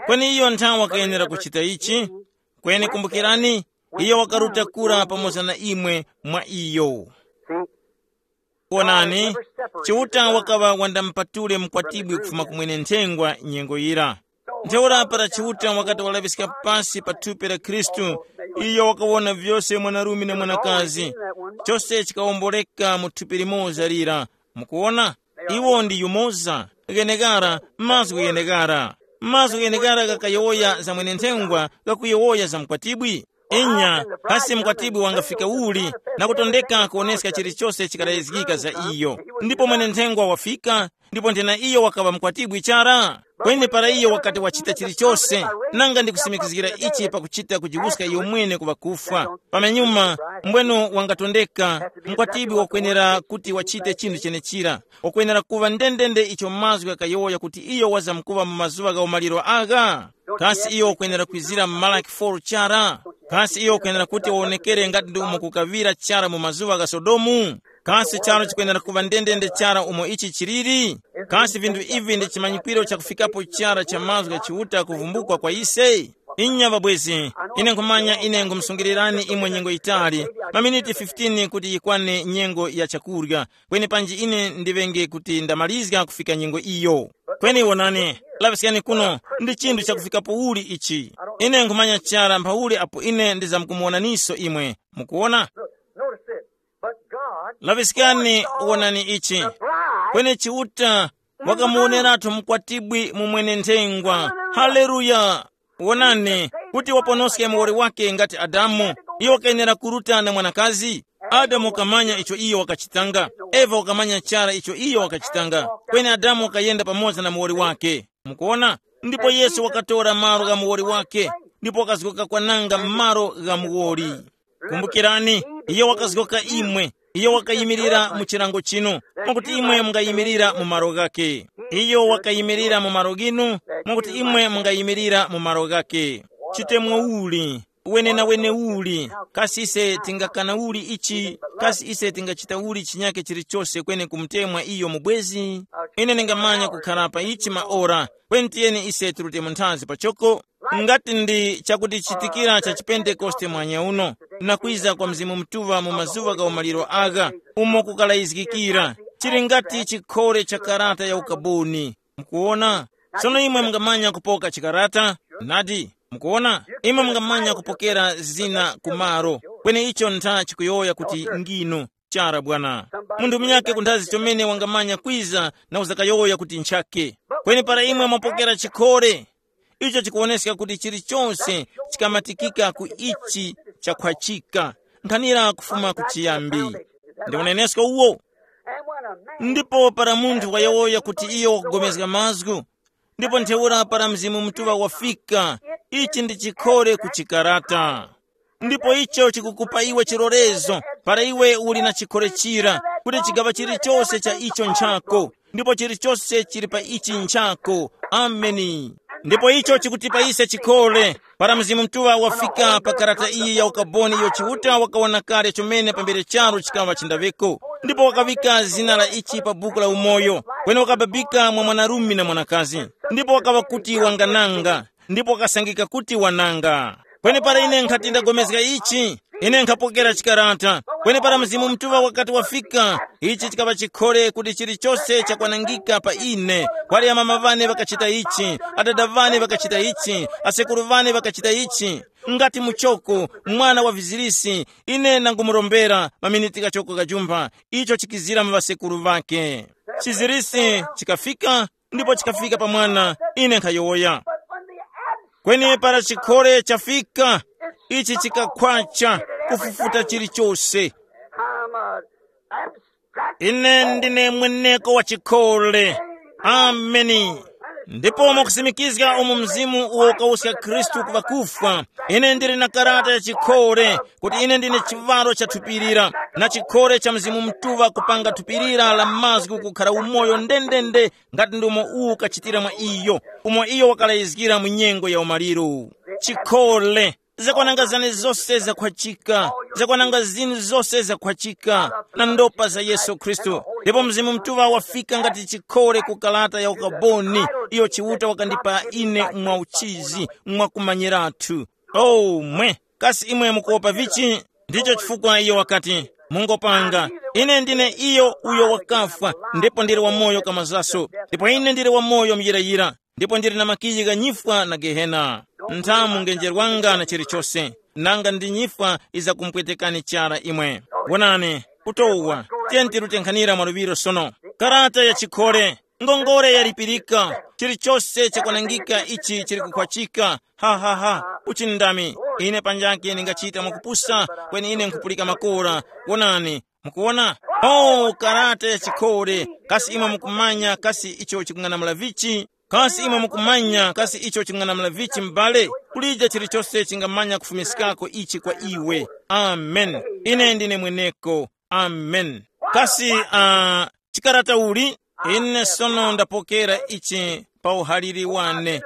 Kweni iyo nthawe wakayenera kuchita ichi. Kweni kumbukirani, iyo wakaruta kura pamoza na imwe mwa iyo. Wonani, Chiuta wakaŵa wandamupatule mukwatibwi kufuma ku mwene nthengwa nyengo yira. Ntheura para Chiuta wakati walaŵiska pasi pa thupi la Khristu, iyo wakawona vyose mwanarume na mwanakazi, chose chikawomboleka mu thupi limoza lira. Mukuwona? Iwo ndi yumoza, ghenekara, mazgu ghenekara. Mazgu ghenekara ghakayowoya za mwene nthengwa, ghakuyowoya za mkwatibwi. Inya, kasi mkwatibwi wangafika uli na kutondeka kuwoneska chilichose chikalayizgika za iyo? Ndipo mwene nthengwa wafika, ndipo nthena iyo wakaŵa mkwatibwi chara. Kweni para iyo wakati wachita chilichose, nanga ndikusimikizgira ichi pakuchita kujiwuska iyo mwene ku ŵakufwa. Pamenyuma, mbwenu wangatondeka, mkwatibwi wakwenera kuti wachite chinthu chenechira. Wakwenera kuŵa ndendende icho mazgu ghakayowoya kuti iyo wazamkuŵa mu mazuŵa gha umaliro agha. Kasi iyo wakwenera kwizira mu Malaki four chara? Kasi iyo wakwenera kuti wawonekere ngati ndi umo kukaŵira chara mu mazuŵa gha Sodomu? Kasi charu chikwenera kuŵa ndendende chara umo ichi chiliri? Kasi vinthu ivi ndi chimanyikiro chakufikapo chara cha mazgu gha Chiuta kuvumbukwa kwa ise? Inya ŵabwezi, ine nkhumanya ine nkhumusungirirani imwe nyengo yitali, maminiti fifteen kuti yikwane nyengo ya chakurya, kweni panji ine ndiŵenge kuti ndamalizga kufika nyengo iyo. Kweni wonani, laŵiskani kuno, ndi chinthu chakufikapo uli ichi. Ine nkhumanya chara mphauli apo ine ndizamkumuwonaniso imwe. Mukuwona? Notice this. But God Laŵiskani, wonani ichi. Kweni Chiuta wakamuwoneratu mukwatibwi mu mwene-nthengwa. Haleluya! Wonani, kuti waponoske muwoli wake ngati Adamu, iyo wakayenera kuruta na mwanakazi. Adamu wakamanya icho iyo wakachitanga. Eva wakamanya chara icho iyo wakachitanga. Kweni Adamu wakayenda pamoza na muwoli wake. Mukuona? Ndipo Yesu wakatora malo gha muwoli wake, ndipo wakazgoka kwananga malo gha muwoli. Kumbukirani, iyo wakazgoka imwe, iyo wakayimirira mu chilango chinu, mwakuti imwe mungayimirira mu malo ghake. Iyo wakayimirira mu malo ghinu, mwakuti imwe mungayimirira mu malo ghake. Chitemwa uli, wenena wene uli, kasi ise tingakana uli ichi, kasi ise tingachita uli chinyake chilichose kweni kumutemwa iyo mubwezi? Ine ningamanya kukharapa ichi maora, kweni tiyeni ise tirute mu nthazi pachoko. Ngati ndi chakutichitikira cha chipentekoste mwanya uno, na kwiza kwa Mzimu Mutuŵa mu mazuŵa gha umaliro agha, umo kukalayizgikira, chili ngati chikhole cha karata ya ukaboni. Mukuwona? Tsono imwe mungamanya kupoka chikarata, nadi? Mukuwona? Imwe mungamanya kupokera zina kumaro, kweni icho ntha chikuyowoya kuti nginu. Chara bwana. Munthu munyakhe kunthazi chomene wangamanya kwiza na uzakayowoya kuti nchakhe. Kweni para imwe mwapokera chikhole, icho chikuwoneska kuti chilichonse chikamatikika ku ichi chakhwachika, nkhanira kufuma ku chiyambi. Ndi unenesko uwo. Ndipo para munthu wayowoya kuti iyo wakupulikana mazgu, ndipo ntheura para Mzimu Mutuŵa wafika, ichi ndi chikhole ku chikarata. Ndipo icho chikukupa iwe chilolezo, para iwe uli na chikhole chira, kuti chigaŵa chilichose cha icho nchako, ndipo chilichose chili pa ichi nchako. Ameni. Ndipo icho chikutipa ise chikhole, para Mzimu Mutuŵa wafika pa karata iyi ya ukaboni iyo Chiuta wakawona kale chomene pambere charu chikaŵa chindaŵeko, ndipo wakaŵika zina la ichi pa buku la umoyo, kweni wakababika mwa mwanarume na mwanakazi, ndipo wakaŵa kuti wangananga, ndipo wakasangika kuti wananga. Kweni para ine nkhati ndagomezga ichi, ine nkhapokera chikarata. Kweni para Mzimu Mutuŵa wakati wafika, ichi chikaŵa chikhole kuti chilichose chakwanangika pa ine. Kwali amama ŵane ŵakachita ichi, adada ŵane ŵakachita ichi, asekuru ŵane ŵakachita ichi. Ngati muchoko, mwana wa vizirisi, ine nangumurombera maminiti kachoko kajumpha, icho chikizira mu ŵasekuru ŵake. Chizirisi chikafika, ndipo chikafika pa mwana, ine nkhayowoya. Kweni para chikhole chafika, ichi chikakhwacha, kufufuta chilichose. Ine ndine mweneko wa chikhole. Ameni. Ndipo mwakusimikizga umu mzimu uwo ukawuska Khristu ku ŵakufwa, ine ndili na karata ya chikhole kuti ine ndine chivalo cha thupi lira, na chikhole cha Mzimu Mutuŵa kupanga thupi lira la mazgu kukhala umoyo ndendende, ngati ndi umo uwu ukachitira mwa iyo, umo iyo wakalayizgira mu nyengo ya umaliro. Chikhole, zakwananga zane zose zakhwachika, zakwananga zinu zose zakhwachika, na ndopa za Yesu Khristu. Ndipo Mzimu Mutuŵa wafika ngati chikhole ku kalata ya ukaboni, iyo Chiuta wakandipa ine mwa uchizi, mwa kumanyiratu. Oh mwe, kasi imwe mukuwopa vichi? Ndicho chifukwa iyo wakati, mungopanga, ine ndine iyo uyo wakafwa, ndipo ndili wamoyo kamazaso, ndipo ine ndili wamoyo muyirayira, ndipo ndili na makiyi gha nyifwa na Gehena. Nthamu ngenjerwanga na chilichose, nanga ndi nyifwa izakumpwetekani chara imwe. Wonani, kutowa, tiyeni tirute nkhanira mwa luŵiro sono. Karata ya chikhole, ngongole yalipirika, chilichose chakwanangika ichi chili kukhwachika. Ha ha ha, uchindami, ine panjake ndingachita mwakupusa, kweni ine nkhupulika makora. Wonani, mukuwona? Oh, karata ya chikhole, kasi imwe mukumanya kasi icho chikung'anamula vichi? Kasi imwe mukumanya kasi icho ching'anamula vichi m'bale? Kulije chilichose chingamanya kufumiskako ichi kwa iwe. Amen. Ine ndine mweneko. Amen. Kasi uh, chikarata uli? Ine sono ndapokera ichi pa uhaliri wane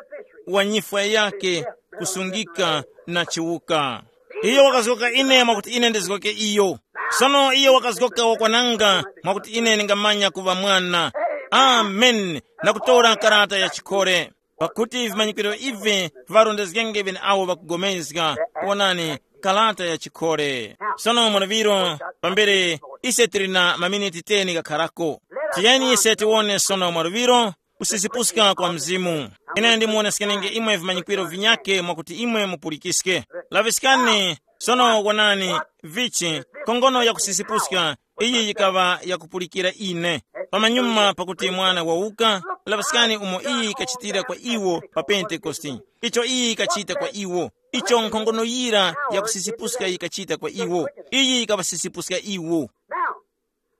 wa nyifwa yake, kusungika na chiwuka. Iyo wakazgoka ine mwakuti ine ndizgoke iyo. Sono iyo wakazgoka wakwananga mwakuti ine ndingamanya kuŵa mwana. Amen. Na kutora karata ya chikhole. Pakuti vimanyikiro ivi varondezgenge ŵeneawo ŵakugomezga. Wonani, karata ya chikhole. Sono mwaluŵiro, pambere ise tili na maminiti teni ghakharako, tiyeni ise tiwone sono mwaluŵiro kusisipuska kwa Mzimu. Ine ndimuwoneskenenge imwe vimanyikiro vinyakhe mwakuti imwe mupulikiske. Laŵiskani sono, wonani, vichi, khongono ya kusisipuska. Iyi yikaŵa yakupulikira ine. Pamanyuma pakuti mwana wawuka, laŵaskani umo iyi yikachitira kwa iwo pa Pentekoste. Icho iyi yikachita kwa iwo. Icho nkhongono yira yakusisipuska yikachita kwa iwo. Iyi yikaŵasisipuska iwo.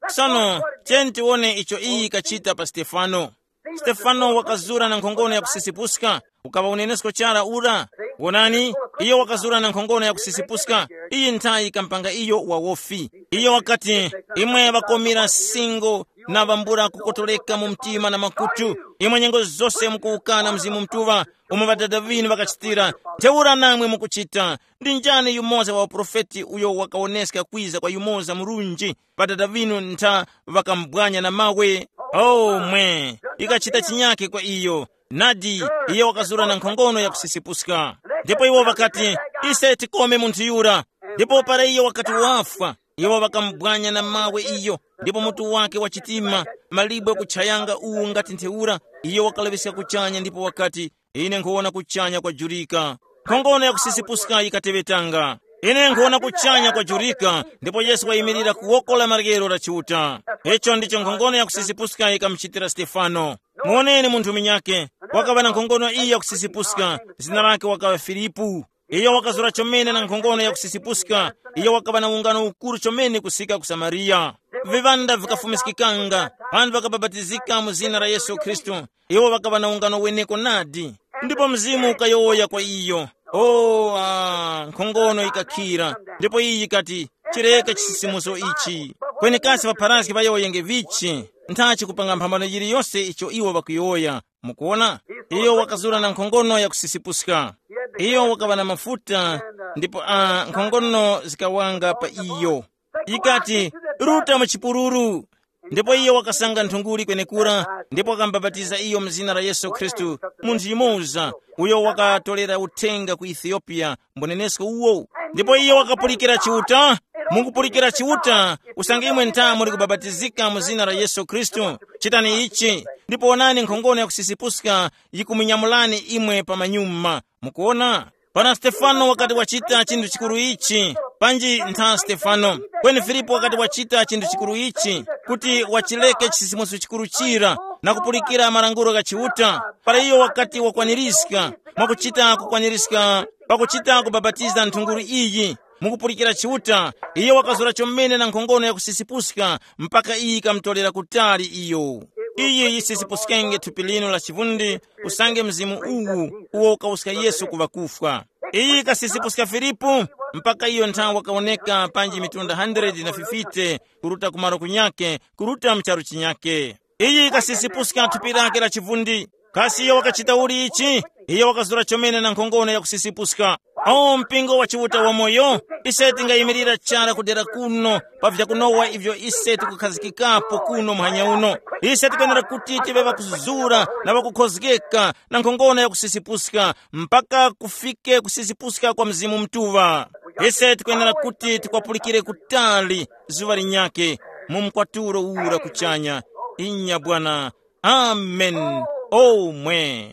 Sono, tiyeni tiwone icho iyi yikachita pa Stefano. Stefano wakazura na nkhongono yakusisipuska. Ukaŵa unenesko chara ura. Wonani, iyo wakazura na nkhongono yakusisipuska. Iyi nthayi ikampanga iyo wawofi. Iyo wakati, imwe ŵakomira singo na ŵambula kukotoleka mu mtima na makutu, imwe nyengo zose mukuwukana Mzimu Mutuŵa, umo ŵadada ŵinu ŵakachitira, ntheura namwe mukuchita. Ndi njani yumoza wa uprofeti uyo wakawoneska kwiza kwa yumoza murunji? Ŵadada ŵinu ntha ŵakamubwanya na mawe. Oh mwe, ikachita chinyake kwa iyo. Nadi, iyo wakazura na nkhongono yakusisipuska. Ndipo iwo ŵakati, ise tikome munthu yura. Ndipo para iyo wakati wafwa, iwo ŵakamubwanya na mawe iyo, ndipo mutu wake wa chitima, malibwe kuchayanga uwu ngati ntheura. Iyo wakalaŵiska kuchanya ndipo wakati, ine nkhuwona kuchanya kwajurika. Nkhongono yakusisipuska yikateŵetanga, ine nkhuwona kuchanya kwajurika, ndipo Yesu wayimirira ku woko la maryero la Chiuta. Icho ndicho nkhongono yakusisipuska yikamuchitira Stefano. Muwoneni munthu munyakhe, wakaŵa na nkhongono iyi yakusisipuska, zina lake wakaŵa Filipu. Iyo wakazura chomene na nkhongono yakusisipuska. Iyo wakaŵa na ungano ukuru chomene kusika ku Samariya. Viŵanda vikafumiskikanga, ŵanthu ŵakabapatizika mu zina la Yesu Khristu. Iwo ŵakaŵa na ungano weneko nadi. Ndipo Mzimu ukayowoya kwa iyo, o ah, nkhongono yikakhira. Ndipo iyi yikati, chireke chisisimuso ichi. Kweni kasi ŵapharazgi ŵayowoyenge vichi? Nthachi kupanga mphambano yiliyose icho iwo ŵakuyowoya. Mukuona, iyo wakazura na nkhongono yakusisipuska. Iyo wakaŵa na mafuta, ndipo ah, nkhongono zikawanga pa iyo. Ikati, ruta mu chipululu. Ndipo iyo wakasanga nthunguli kwenekura, ndipo wakamubapatiza iyo mu zina la Yesu Khristu, munthu yumoza, uyo wakatorera uthenga ku Ethiopia, mbunenesko uwo. Ndipo iyo wakapulikira Chiuta. Mukupulikira Chiuta, usange imwe ntha muli kubapatizika mu zina la Yesu Khristu, chitani ichi, ndipo wonani nkhongono yakusisipuska yikumunyamulani imwe pamanyuma. Mukuona, pana Stefano wakati wachita chinthu chikuru ichi, panji ntha Stefano, kweni Filipo wakati wachita chinthu chikuru ichi, kuti wachileke chisisimuso chikuru chira, na kupulikira malangulo gha Chiuta. Para iyo wakati wakwanirizga, mwakuchita kukwanirizga, pakuchita kubapatiza nthunguli iyi, mukupulikira Chiuta, iyo wakazura chomene na nkhongono yakusisipuska, mpaka iyi ikamutorera kutali iyo. Iyi yisisipuskenge thupi linu la chivundi, usange mzimu uwu uwo ukawuska Yesu ku ŵakufwa. Iyi ikasisipuska Filipu, mpaka iyo nthawe wakawoneka panji mitunda hundred na fifty kuruta kumaro kunyake, kuruta mu charu chinyake. Iyi ikasisipuska thupi lake la chivundi. Kasi iyo wakachita uli ichi? Iyo wakazura chomene na nkhongono yakusisipuska. O mpingo wa Chiuta wamoyo, ise tingayimirira chara kudera kuno pa vyakunowa ivyo ise tikukhazikikapo kuno muhanya uno. Ise tikwenera kuti tive ŵakuzura na ŵakukhozgeka na nkhongono yakusisipuska, mpaka kufike kusisipuska kwa Mzimu Mutuŵa. Ise tikwenera kuti tikwapulikire kutali zuŵa linyakhe mu mkwatulo ura kuchanya. Inya Bwana. Amen. Omwe.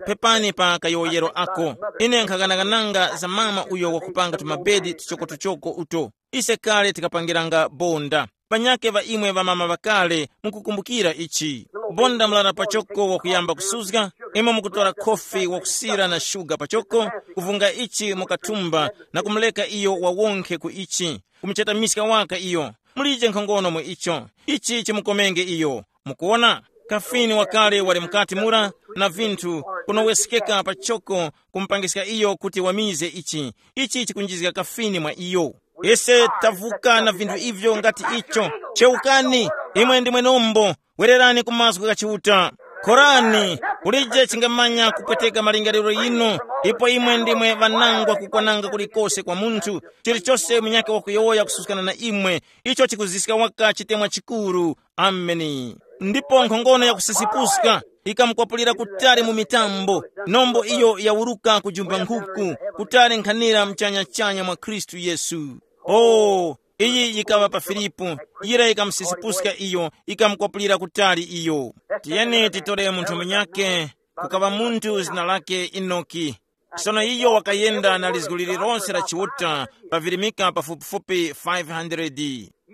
Pepani pa kayowoyero ako. Ine nkhaganagananga za mama uyo wakupanga tumabedi tuchokotuchoko uto. Ise kale tikapangiranga bonda. Panyakhe ŵa imwe ŵamama ŵakale mukukumbukira ichi. Bonda mlara pachoko wakuyamba kusuzga, imwe mukutora khofi wakusira na shuga pachoko, kuvunga ichi mukathumba na kumuleka iyo wawonkhe ku ichi, kumuchetamiska waka iyo. Mulije nkhongono mu icho. Ichi chimukomenge iyo. Mukuona, kafini wakale wali mukati mura, na vinthu kunowesekeka pachoko kumupangiska iyo kuti wamize ichi. Ichi chikunjizga kafini mwa iyo. Ise tavuka na vinthu ivyo ngati icho. Chewukani, imwe ndimwe nombo, wererani ku mazgu gha Chiuta. Khorani, kulije chingamanya kupweteka malingaliro yinu, ipo imwe ndimwe ŵanangwa kukwananga kulikose kwa munthu, chilichose munyakhe wakuyowoya kususkana na imwe, icho chikuziska waka chitemwa chikuru. Ameni. Ndipo nkhongono yakusisipuska ikamukwapulira kutali mu mitambo, nombo iyo yawuruka kujumba nkhuku, kutali nkhanira mchanyachanya mwa Khristu Yesu. O, iyi yikaŵa pa Filipu, yira yikamusisipuska iyo, ikamukwapulira kutali iyo. Tiyeni titore munthu munyakhe, kukaŵa munthu zina lake Enoki. Sono iyo wakayenda na lizgu lililonse la Chiuta, pavirimika pafupifupi five hundred.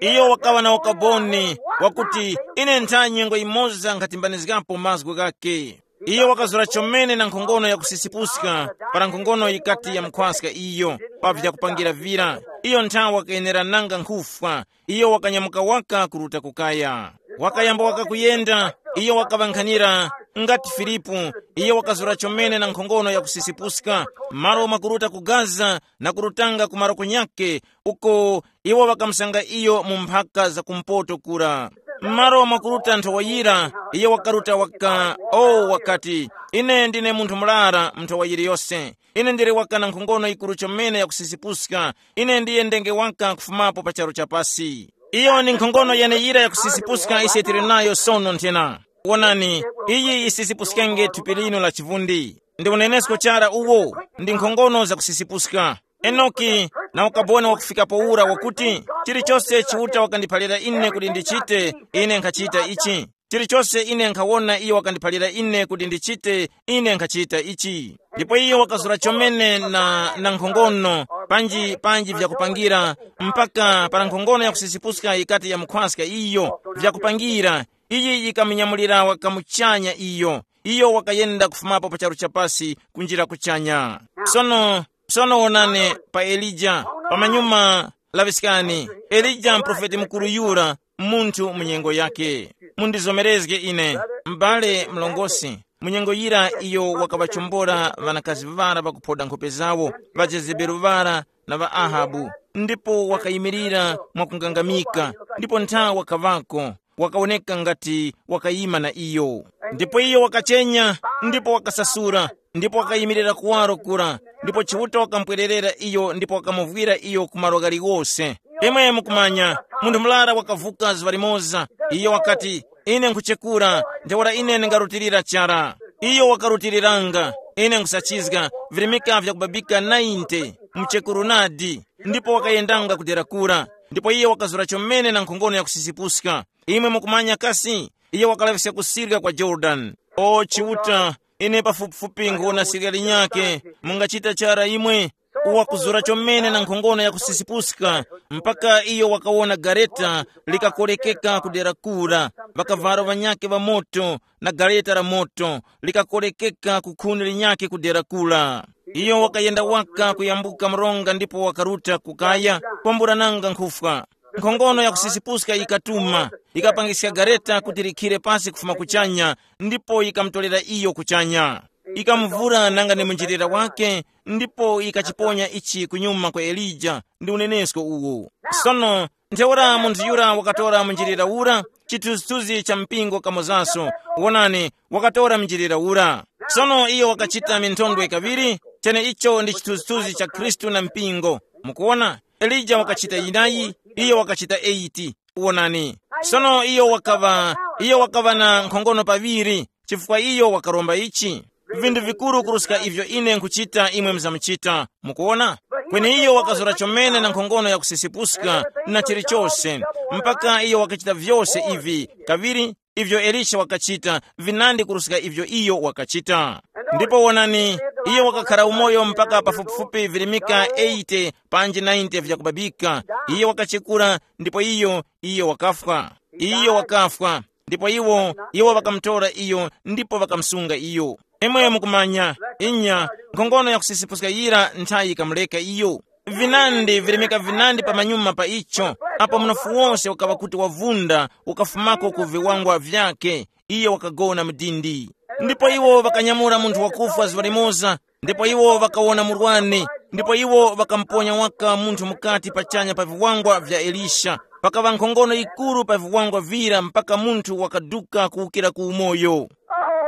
Iyo wakaŵa na ukaboni wakuti, ine ntha nyengo yimoza nkhatimbanizgapo mazgu ghake. Iyo wakazura chomene na nkhongono yakusisipuska para nkhongono yikati yamukhwaska iyo pa vyakupangira vira. Iyo nthawe wakayenerananga nkhufwa. Iyo wakanyamuka waka kuruta kukaya. Wakayamba waka kuyenda. Iyo wakaŵankhanira ngati Filipu. Iyo wakazura chomene na nkhongono yakusisipuska malo mwakuruta ku Gaza na kurutanga ku maroko nyakhe, uko iwo ŵakamusanga iyo mu mphaka za kumpoto kura. M'malo mwakuruta nthowa yira, iyo wakaruta waka. O wakati, ine ndine munthu murara mu nthowa yiliyose. Ine ndili waka na nkhongono yikuru chomene yakusisipuska. Ine ndiye ndenge waka kufumapo pa charu cha pasi. Iyo ndi nkhongono yeneyira yakusisipuska ise tili nayo sono nthena. Wonani, iyi yisisipuskenge thupi lino la chivundi. Ndi unenesko chara uwo, ndi nkhongono zakusisipuska. Enoki na ukaboni wakufikapo ura wakuti, chilichose Chiuta wakandiphalira ine kuti ndichite, ine nkhachita ichi. Chilichose ine nkhawona iyo wakandiphalira ine kuti ndichite, ine nkhachita ichi. Ndipo iyo wakazura chomene na, na nkhongono, panji, panji vyakupangira, mpaka para nkhongono yakusisipuska yikati yamukhwaska iyo, vyakupangira, iyi yikamunyamulira wakamuchanya iyo. Iyo wakayenda kufumapo pa charu cha pasi kunjira kuchanya. Sono, sono wonani pa Elija, pamanyuma laŵiskani, Elija mprofeti mukuru yura, munthu mu nyengo yake. Mundizomerezge ine, m'bale mlongosi, mu nyengo yira iyo wakaŵachombora ŵanakazi ŵara ŵakuphoda nkhope zawo, ŵa Jezebeli ŵara na ŵa Ahabu, ndipo wakayimirira mwakungangamika, ndipo ntha wakaŵako, wakawoneka ngati wakayima na iyo. Ndipo iyo wakachenya, ndipo wakasasura, ndipo wakayimirira kuwaro kura, ndipo Chiuta wakamupwererera iyo ndipo wakamuvwira iyo ku malo ghaliwose. Imwe mukumanya, munthu murara wakavuka zuŵa limoza. Iyo wakati, ine nkhuchekura, ntheura ine ndingarutilira chara. Iyo wakarutiriranga, ine nkhusachizga, virimika vyakubabika nainte, mchekuru nadi. Ndipo wakayendanga kudera kura, ndipo iyo wakazura chomene na nkhongono yakusisipuska. Imwe mukumanya kasi, iyo wakalaŵiska kusirika kwa Yorodani. O Chiuta, ine pafupifupi nkhuwona sirika linyakhe. Mungachita chara imwe? Uwakuzura chomene na nkhongono yakusisipuska, mpaka iyo wakawona gareta likakorekeka kudera kura, ŵakavalo ŵanyakhe ŵa moto, na gareta la moto likakorekeka ku khuni linyakhe kudera kura. Iyo wakayenda waka kuyambuka mronga ndipo wakaruta kukaya, kwamburananga nkhufwa. Nkhongono yakusisipuska yikatuma, yikapangiska gareta kuti likhire pasi kufuma kuchanya, ndipo yikamutorera iyo kuchanya. Yikamuvura nanga ni munjilira wake, ndipo yikachiponya ichi kunyuma kwa Elija. Ndi unenesko uwu. Sono, ntheura munthu yura wakatora munjilira ura, chithunzithunzi cha mpingo kamozaso. Wonani, wakatora munjilira ura. Sono iyo wakachita minthondwe kaŵiri, chene icho ndi chithunzithunzi cha Khristu na mpingo. Mukuwona, Elija wakachita yinayi, iyo wakachita eight. Wonani. Sono iyo wakaŵa, iyo wakaŵa na nkhongono paŵiri, chifukwa iyo wakaromba ichi. Vinthu vikuru kuruska ivyo ine nkhuchita imwe muzamuchita. Mukuwona? Kweni iyo wakazura chomene na nkhongono yakusisipuska na chilichose, mpaka iyo wakachita vyose ivi kaŵiri, ivyo Elisha wakachita, vinandi kuruska ivyo iyo wakachita. Ndipo wonani, iyo wakakhara umoyo mpaka pafupifupi virimika eighty panji ninety vyakubabika. Iyo wakachekura, ndipo iyo, iyo wakafwa. Iyo wakafwa. Ndipo iwo, iwo ŵakamutora iyo, ndipo ŵakamusunga iyo. Imwe mukumanya, inya, nkhongono yakusisipuska yira nthayi yikamuleka iyo. Vinandi virimika vinandi pamanyuma pa icho, apo mnofu wose ukaŵa kuti wavunda, ukafumako ku viwangwa vyakhe, iyo wakagona mu dindi. Ndipo iwo ŵakanyamula munthu wakufwa zuŵa limoza, ndipo iwo ŵakawona murwani, ndipo iwo ŵakamuponya waka munthu mukati pachanya pa viwangwa vya Elisha. Pakaŵa nkhongono yikuru pa viwangwa vira mpaka munthu wakaduka kuwukira ku umoyo.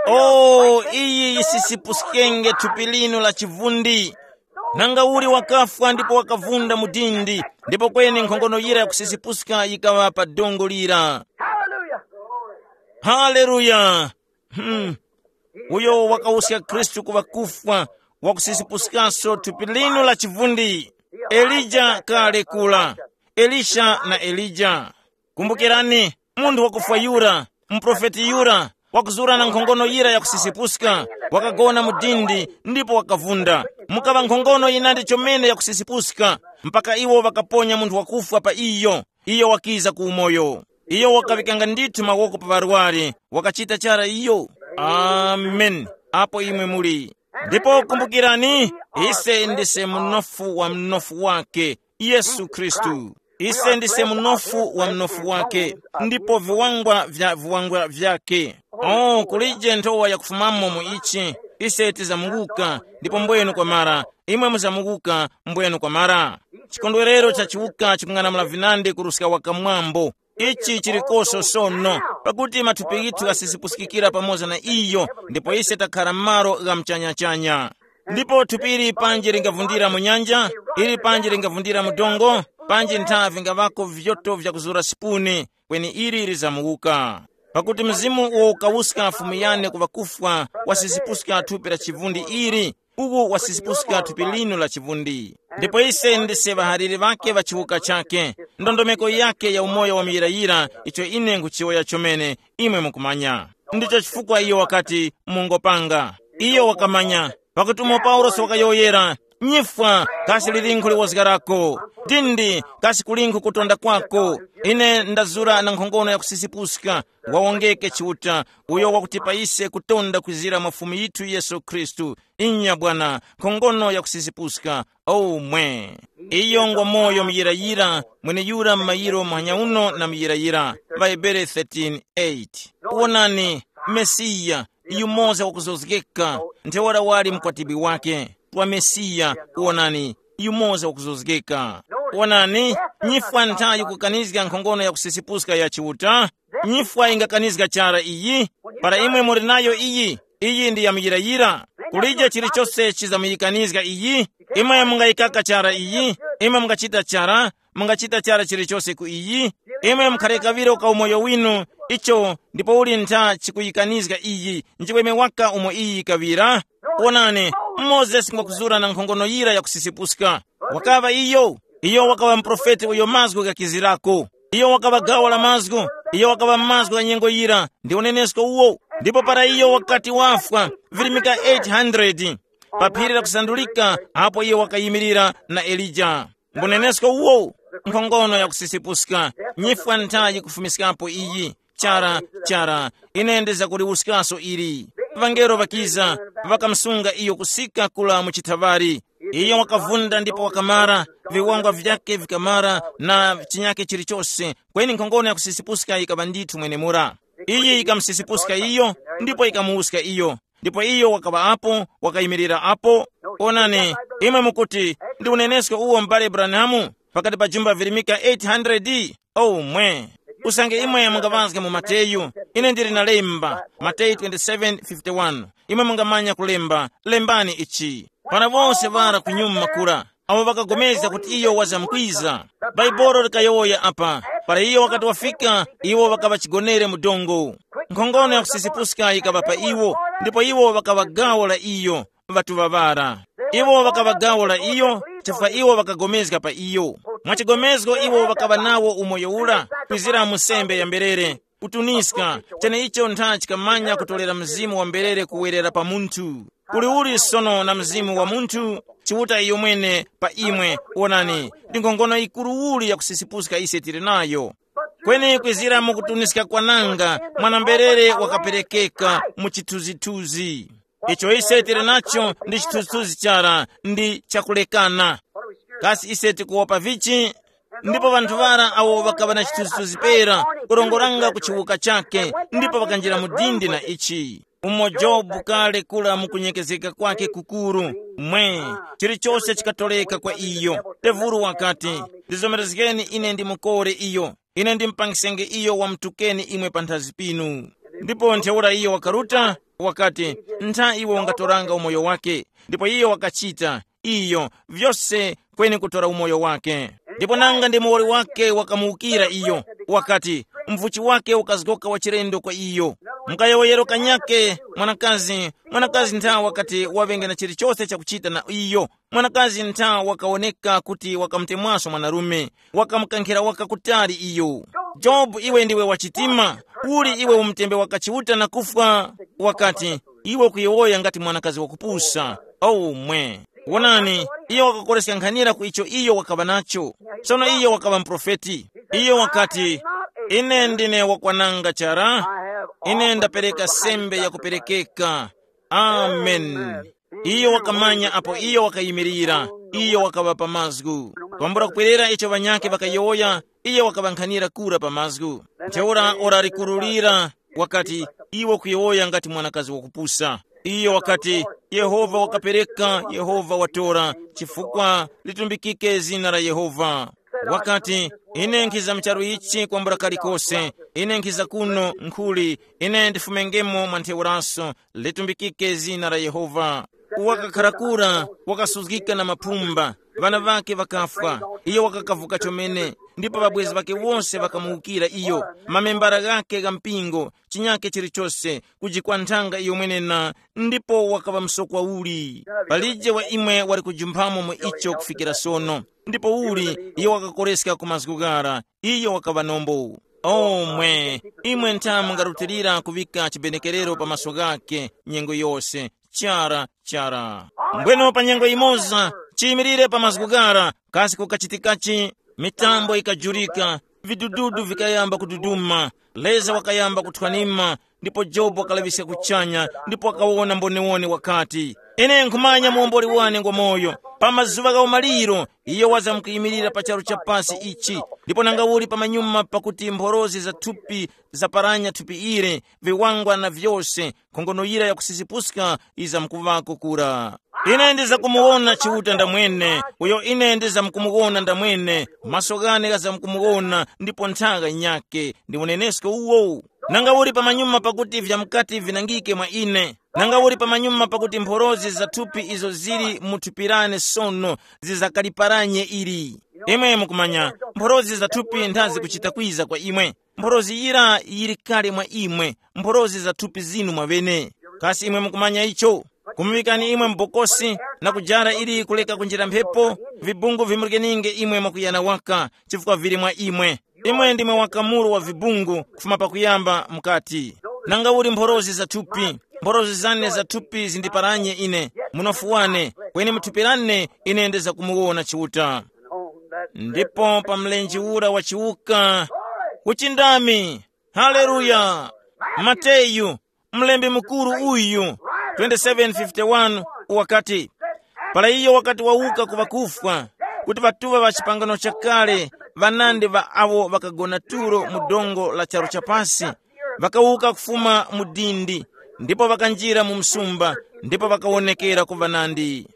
O, iyi yisisipuskenge thupi linu la chivundi. Nanga uli wakafwa ndipo wakavunda mu dindi, ndipo kweni nkhongono yira yakusisipuska yikaŵa pa dongo lira. Haleluya. Haleluya. Hmm. Uyo wakawuska Khristu ku ŵakufwa, wakusisipuskanso thupi linu la chivundi. Elija kale kula. Elisha na Elija. Kumbukirani, munthu wakufwa yura, muprofeti yura, wakuzura na nkhongono yira yakusisipuska, wakagona mu dindi, ndipo wakavunda. Mukaŵa nkhongono yinandi chomene yakusisipuska, mpaka iwo ŵakaponya munthu wakufwa pa iyo. Iyo wakiza ku umoyo. Iyo wakaŵikanga ndithu mawoko pa ŵarwari, wakachita chara iyo. Amen. Apo imwe muli. Ndipo kumbukirani, ise ndise munofu wa mnofu wake, Yesu Khristu. Ise ndise munofu wa mnofu wake, ndipo viwangwa vya viwangwa vyake. Oh, kulije nthowa yakufumamo mu ichi. Ise tizamuwuka, ndipo mbwenu kwamara. Imwe muzamuwuka, mbwenu kwamara. Chikondwerero cha chiwuka chikung'anamula vinandi kuruska wakamwambo. Ichi chilikoso sono, pakuti mathupi ghithu ghasisipuskikira pamoza na iyo, ndipo ise takhara m'malo gha mchanyachanya. Ndipo thupi ili panji lingavundira mu nyanja, ili panji lingavundira mu dongo, panji nthavi ngaŵako vyoto vyakuzura sipuni, kweni ili lizamuwuka. Pakuti mzimu uwo ukawuska Fumu yane ku ŵakufwa, wasisipuska thupi la chivundi ili, uku wasisipuska thupi linu la chivundi. Ndipo ise ndise ŵahaliri ŵake ŵa chiwuka chake. Ndondomeko yake ya umoyo wa muyirayira, icho ine nkhuchiwoya chomene, imwe mukumanya. Ndicho chifukwa iyo wakati, mungopanga. Iyo wakamanya, pakuti umo Paulosi wakayowoyera, nyifwa, kasi lilinkhu liwozgarako? Dindi, kasi kulinkhu kutonda kwako? Ine ndazura na nkhongono ya kusisipuska. Wawongeke Chiuta, uyo wakutipa ise kutonda kwizira mwa Fumu yithu Yesu Khristu. Inya Bwana, nkhongono ya kusisipuska. Omwe. Iyo ngwa moyo muyirayira, mweneyura mu mayiro muhanya uno na muyirayira. Ŵahebere thirteen eight. Wonani, Mesiya, yumoza wakuzozgeka, ntheura wali mkwatibwi wake. Wa Mesiya, wonani, yumoza wakuzozgeka. Wonani, nyifwa ntha yikukanizga nkhongono ya kusisipuska ya Chiuta? Nyifwa ingakanizga chara iyi? Para imwe muli nayo iyi, iyi ndi yamuyirayira. Kulije chilichose chizamuyikanizga iyi. Imwe mungayikaka chara iyi, imwe mungachita chara, mungachita chara chilichose ku iyi. Imwe mukhare kaŵiro ka umoyo winu, icho ndipo uli ntha chikuyikanizga iyi, nchiweme waka umo iyi yikaŵira. Wonani, Mozesi ngwakuzura na nkhongono yira yakusisipuska. Wakaŵa iyo, iyo wakaŵa muprofeti uyo mazgu ghakizirako. Iyo wakaŵa gawo la mazgu, iyo wakaŵa mazgu gha nyengo yira, ndi unenesko uwo. Ndipo para iyo wakati wafwa, virimika eight hundred pa phiri lakusandulika, apo iyo wakayimirira na Elija. Mbunenesko uwo, nkhongono yakusisipuska, nyifwa nthayi kufumiskapo iyi. Chara, chara, ine ndizakuliwuskaso ili. Ŵangelo ŵakiza, ŵakamusunga iyo kusika kula mu chithaŵari. Iyo wakavunda ndipo wakamara, viwangwa vyake vikamara na chinyake chilichose, kweni nkhongono yakusisipuska yikaŵa ndithu mwenemura. Iyi yikamusisipuska iyo, ndipo yikamuwuska iyo. Ndipo iyo wakaŵa apo, wakayimirira apo. Onani, imwe mukuti, ndi unenesko uwo m'bale Branham, pakati pa jumba virimika eight hundred? Oh mwe. Usange imwe mungaŵazga mu Mateyu, ine ndili na lemba, Mateyu twenty-seven fifty-one. Imwe mungamanya kulemba, lembani ichi. Para wose ŵara kunyuma kura, awo ŵakagomezga kuti iyo wazamkwiza. Bhaibuli likayowoya apa, para iyo wakati wafika, iwo ŵakaŵa chigonere mu dongo. Nkhongono yakusisipuska yikaŵa pa iwo, ndipo iwo ŵakaŵa gawo la iyo, ŵatuŵa ŵara. Iwo ŵakaŵa gawo la iyo, chifukwa iwo ŵakagomezga pa iyo. Mwachigomezgo iwo ŵakaŵa nawo umoyo ura, kwizira mu sembe ya mberere, kutuniska, cheneicho ntha chikamanya kutolera mzimu wa mberere kuwerera pa munthu. Uliuli sono na mzimu wa munthu, Chiuta iyo mwene pa imwe, wonani, ndi nkhongono yikuru uli yakusisipuska ise tili nayo. Kweni kwizira mu kutuniska kwananga, mwana-mberere wakaperekeka mu chithunzithunzi. Icho ise tili nacho ndi chithunzithunzi chara, ndi chakulekana. Kasi ise tikuwopa vichi? Ndipo ŵanthu ŵara awo ŵakaŵa na chithunzithunzi pera, kurongoranga ku chiwuka chakhe, ndipo ŵakanjira mu dindi na ichi. Umo Jobu kale kura mu kunyekezeka kwakhe kukuru, mwe, chilichose chikatoreka kwa iyo. Tevuru wakati, ndizomerezgeni ine ndimukore iyo, ine ndimupangisenge iyo wamutukeni imwe panthazi pinu. Ndipo ntheura iyo wakaruta, wakati, ntha iwo ungatoranga umoyo wake. Ndipo iyo wakachita, iyo, vyose kweni kutora umoyo wake. Ndipo nanga ndi muwoli wake wakamuwukira iyo, wakati, mvuchi wake ukazgoka wachilendo kwa iyo. Mukayowoyero kanyake, mwanakazi, mwanakazi nthawe wakati waŵenge na chilichose chakuchita na iyo. Mwanakazi nthawe wakawoneka kuti wakamutemwaso mwanarume, wakamukankhira waka kutali iyo. Jobu, iwe ndiwe wachitima, uli iwe umutembe waka Chiuta na kufwa? Wakati, iwe ukuyowoya ngati mwanakazi wakupusa. Aumwe. Wonani, iyo wakakoreska nkhanira ku icho iyo wakaŵa nacho. Sono iyo wakaŵa muprofeti. Iyo wakati, "Ine ndine wakwananga chara, ine ndapereka sembe yakuperekeka." Amen. Iyo wakamanya apo iyo wakayimirira, iyo wakaŵa pa mazgu. Kwambula kupwerera icho ŵanyakhe ŵakayowoya, iyo wakaŵankhanira kura pa mazgu. Ntheura ora likurulira, wakati, "Iwe kuyowoya ngati mwanakazi wakupusa." Iyo wakati, "Yehova wakapereka, Yehova watora, chifukwa litumbikike zina la Yehova." Wakati, "Ine nkhiza mu charu ichi kwambula kalikose, ine nkhiza kuno nkhuli, ine ndifumengemo mwa ntheuraso, litumbikike zina la Yehova." Wakakharakura, wakasuzgika na mapumba, ŵana ŵakhe ŵakafwa, iyo wakakavuka chomene, ndipo ŵabwezi ŵakhe wose ŵakamuwukira iyo, mamembara ghakhe gha mpingo, chinyakhe chilichose, kujikwa nthanga iyo mwenena, ndipo wakaŵa msokwa uli. Palije wa imwe wali kujumphamo mu icho kufikira sono. Ndipo uli iyo wakakoreska ku mazgu ghara, iyo wakaŵa nombo. Omwe, imwe ntha mungarutilira kuŵika chibenekerero pa maso ghakhe nyengo yose. Chara, chara. Mbweno pa nyengo imoza, chiyimirire pa mazgu ghara, kasi kukachitikachi? Mitambo ikajurika, vidududu vikayamba kududuma, leza wakayamba kuthwanima, ndipo Jobu wakalaŵiska kuchanya, ndipo wakawona mbonewone wakati, "Ine nkhumanya muwomboli wane ngwa moyo. Pa mazuŵa gha umaliro, iyo wazamkuyimirira pa charu cha pasi ichi, ndipo nanga uli pamanyuma pakuti mphorozi za thupi zaparanya thupi ili, viwangwa na vyose, nkhongono yira yakusisipuska yizamkuŵako kura. Ine ndizakumuwona Chiuta ndamwene, uyo ine ndizamkumuwona ndamwene, maso ghane ghazamkumuwona, ndipo nthaka nyakhe ndi unenesko uwo. Nanga uli pamanyuma pakuti vyamkati vinangike mwa ine, nanga uli pamanyuma pakuti mphorozi za thupi izo zili mu thupi lane sono zizakaliparanye ili." Imwe mukumanya, mphorozi za thupi nthazi kuchita kwiza kwa imwe. Mphorozi yira yili kale mwa imwe, mphorozi za thupi zinu mwawene. Kasi imwe mukumanya icho? Kumuŵikani imwe m'bokosi na kujara ili kuleka kunjira mphepo, vibungu vimurikeninge imwe mwakuyana waka, chifukwa vili mwa imwe. Imwe ndimwe wakamuru wa vibungu kufuma pakuyamba mukati, nanga uli mphorozi za thupi, mphorozi zane za thupi zindiparanye ine, munofu wane, kweni mu thupi lane ine ndizakumuwona Chiuta. Ndipo pa mlenje ura wa chiwuka, kuchindami. Haleluya! Mateyu, mlembi mukuru uyu, twenty-seven fifty-one, wakati, para iyo wakati wawuka ku ŵakufwa, kuti ŵatuŵa ŵa chipangano chakale, ŵanandi ŵa awo ŵakagona tulo mu dongo la charu chapasi, ŵakawuka kufuma mu dindi, ndipo ŵakanjira mu msumba, ndipo ŵakawonekera ku ŵanandi.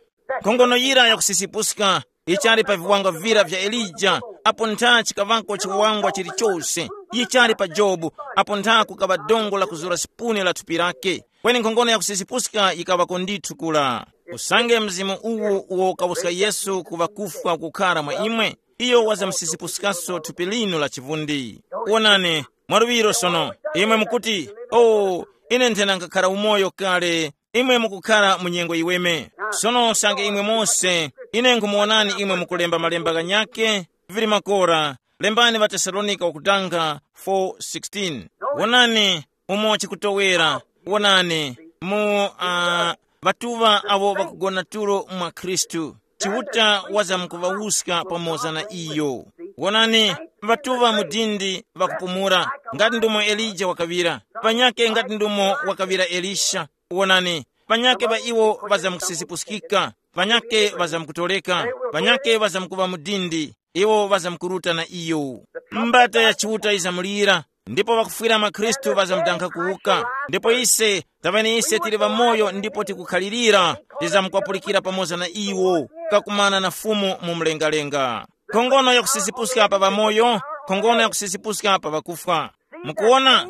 Nkhongono yira yakusisipuska yichali pa viwanga vira vya Elija, apo ntha chikaŵako chiwangwa chilichose. Yichali pa Jobu, apo ntha kukaŵa dongo la kuzura sipuni la thupi lake. Kweni nkhongono yakusisipuska yikaŵako ndithu kula. Usange mzimu uwu uwo ukawuska Yesu ku ŵakufwa kukhara mwa imwe, iyo wazamusisipuskanso thupi linu la chivundi. Wonani, mwaluŵiro sono, imwe mukuti, "O, ine nthena nkhakhara umoyo kale." Imwe mukukhara mu nyengo yiweme. Sono usange imwe mose, ine nkhumuwonani imwe mukulemba malemba ghanyakhe, vili makora, lembani ŵaTesalonika wakutanga four sixteen. Wonani, umo chikutowera. Wonani, mu uh, ŵatuŵa awo ŵakugona tulo mwa Khristu, Chiuta wazamkuŵawuska pamoza na iyo. Wonani, ŵatuŵa mu dindi ŵakupumula, ngati ndumo Elija wakaŵira, panyake ngati ndumo wakaŵira Elisha. Wonani, panyake ŵa iwo ŵazamkusisipuskika, panyake ŵazamkutoleka, panyake ŵazamkuŵa mu dindi, iwo ŵazamkuruta na iyo. Mbata ya Chiuta yizamulira, ndipo ŵakufwira mwa Khristu ŵazamdankha kuwuka. Ndipo ise, taŵani ise tili ŵamoyo ndipo tikukhalirira, tizamkwapulikira pamoza na iwo, kakumana na Fumu mu mlengalenga. Nkhongono yakusisipuska pa ŵamoyo, nkhongono yakusisipuska pa ŵakufwa. Mukuwona?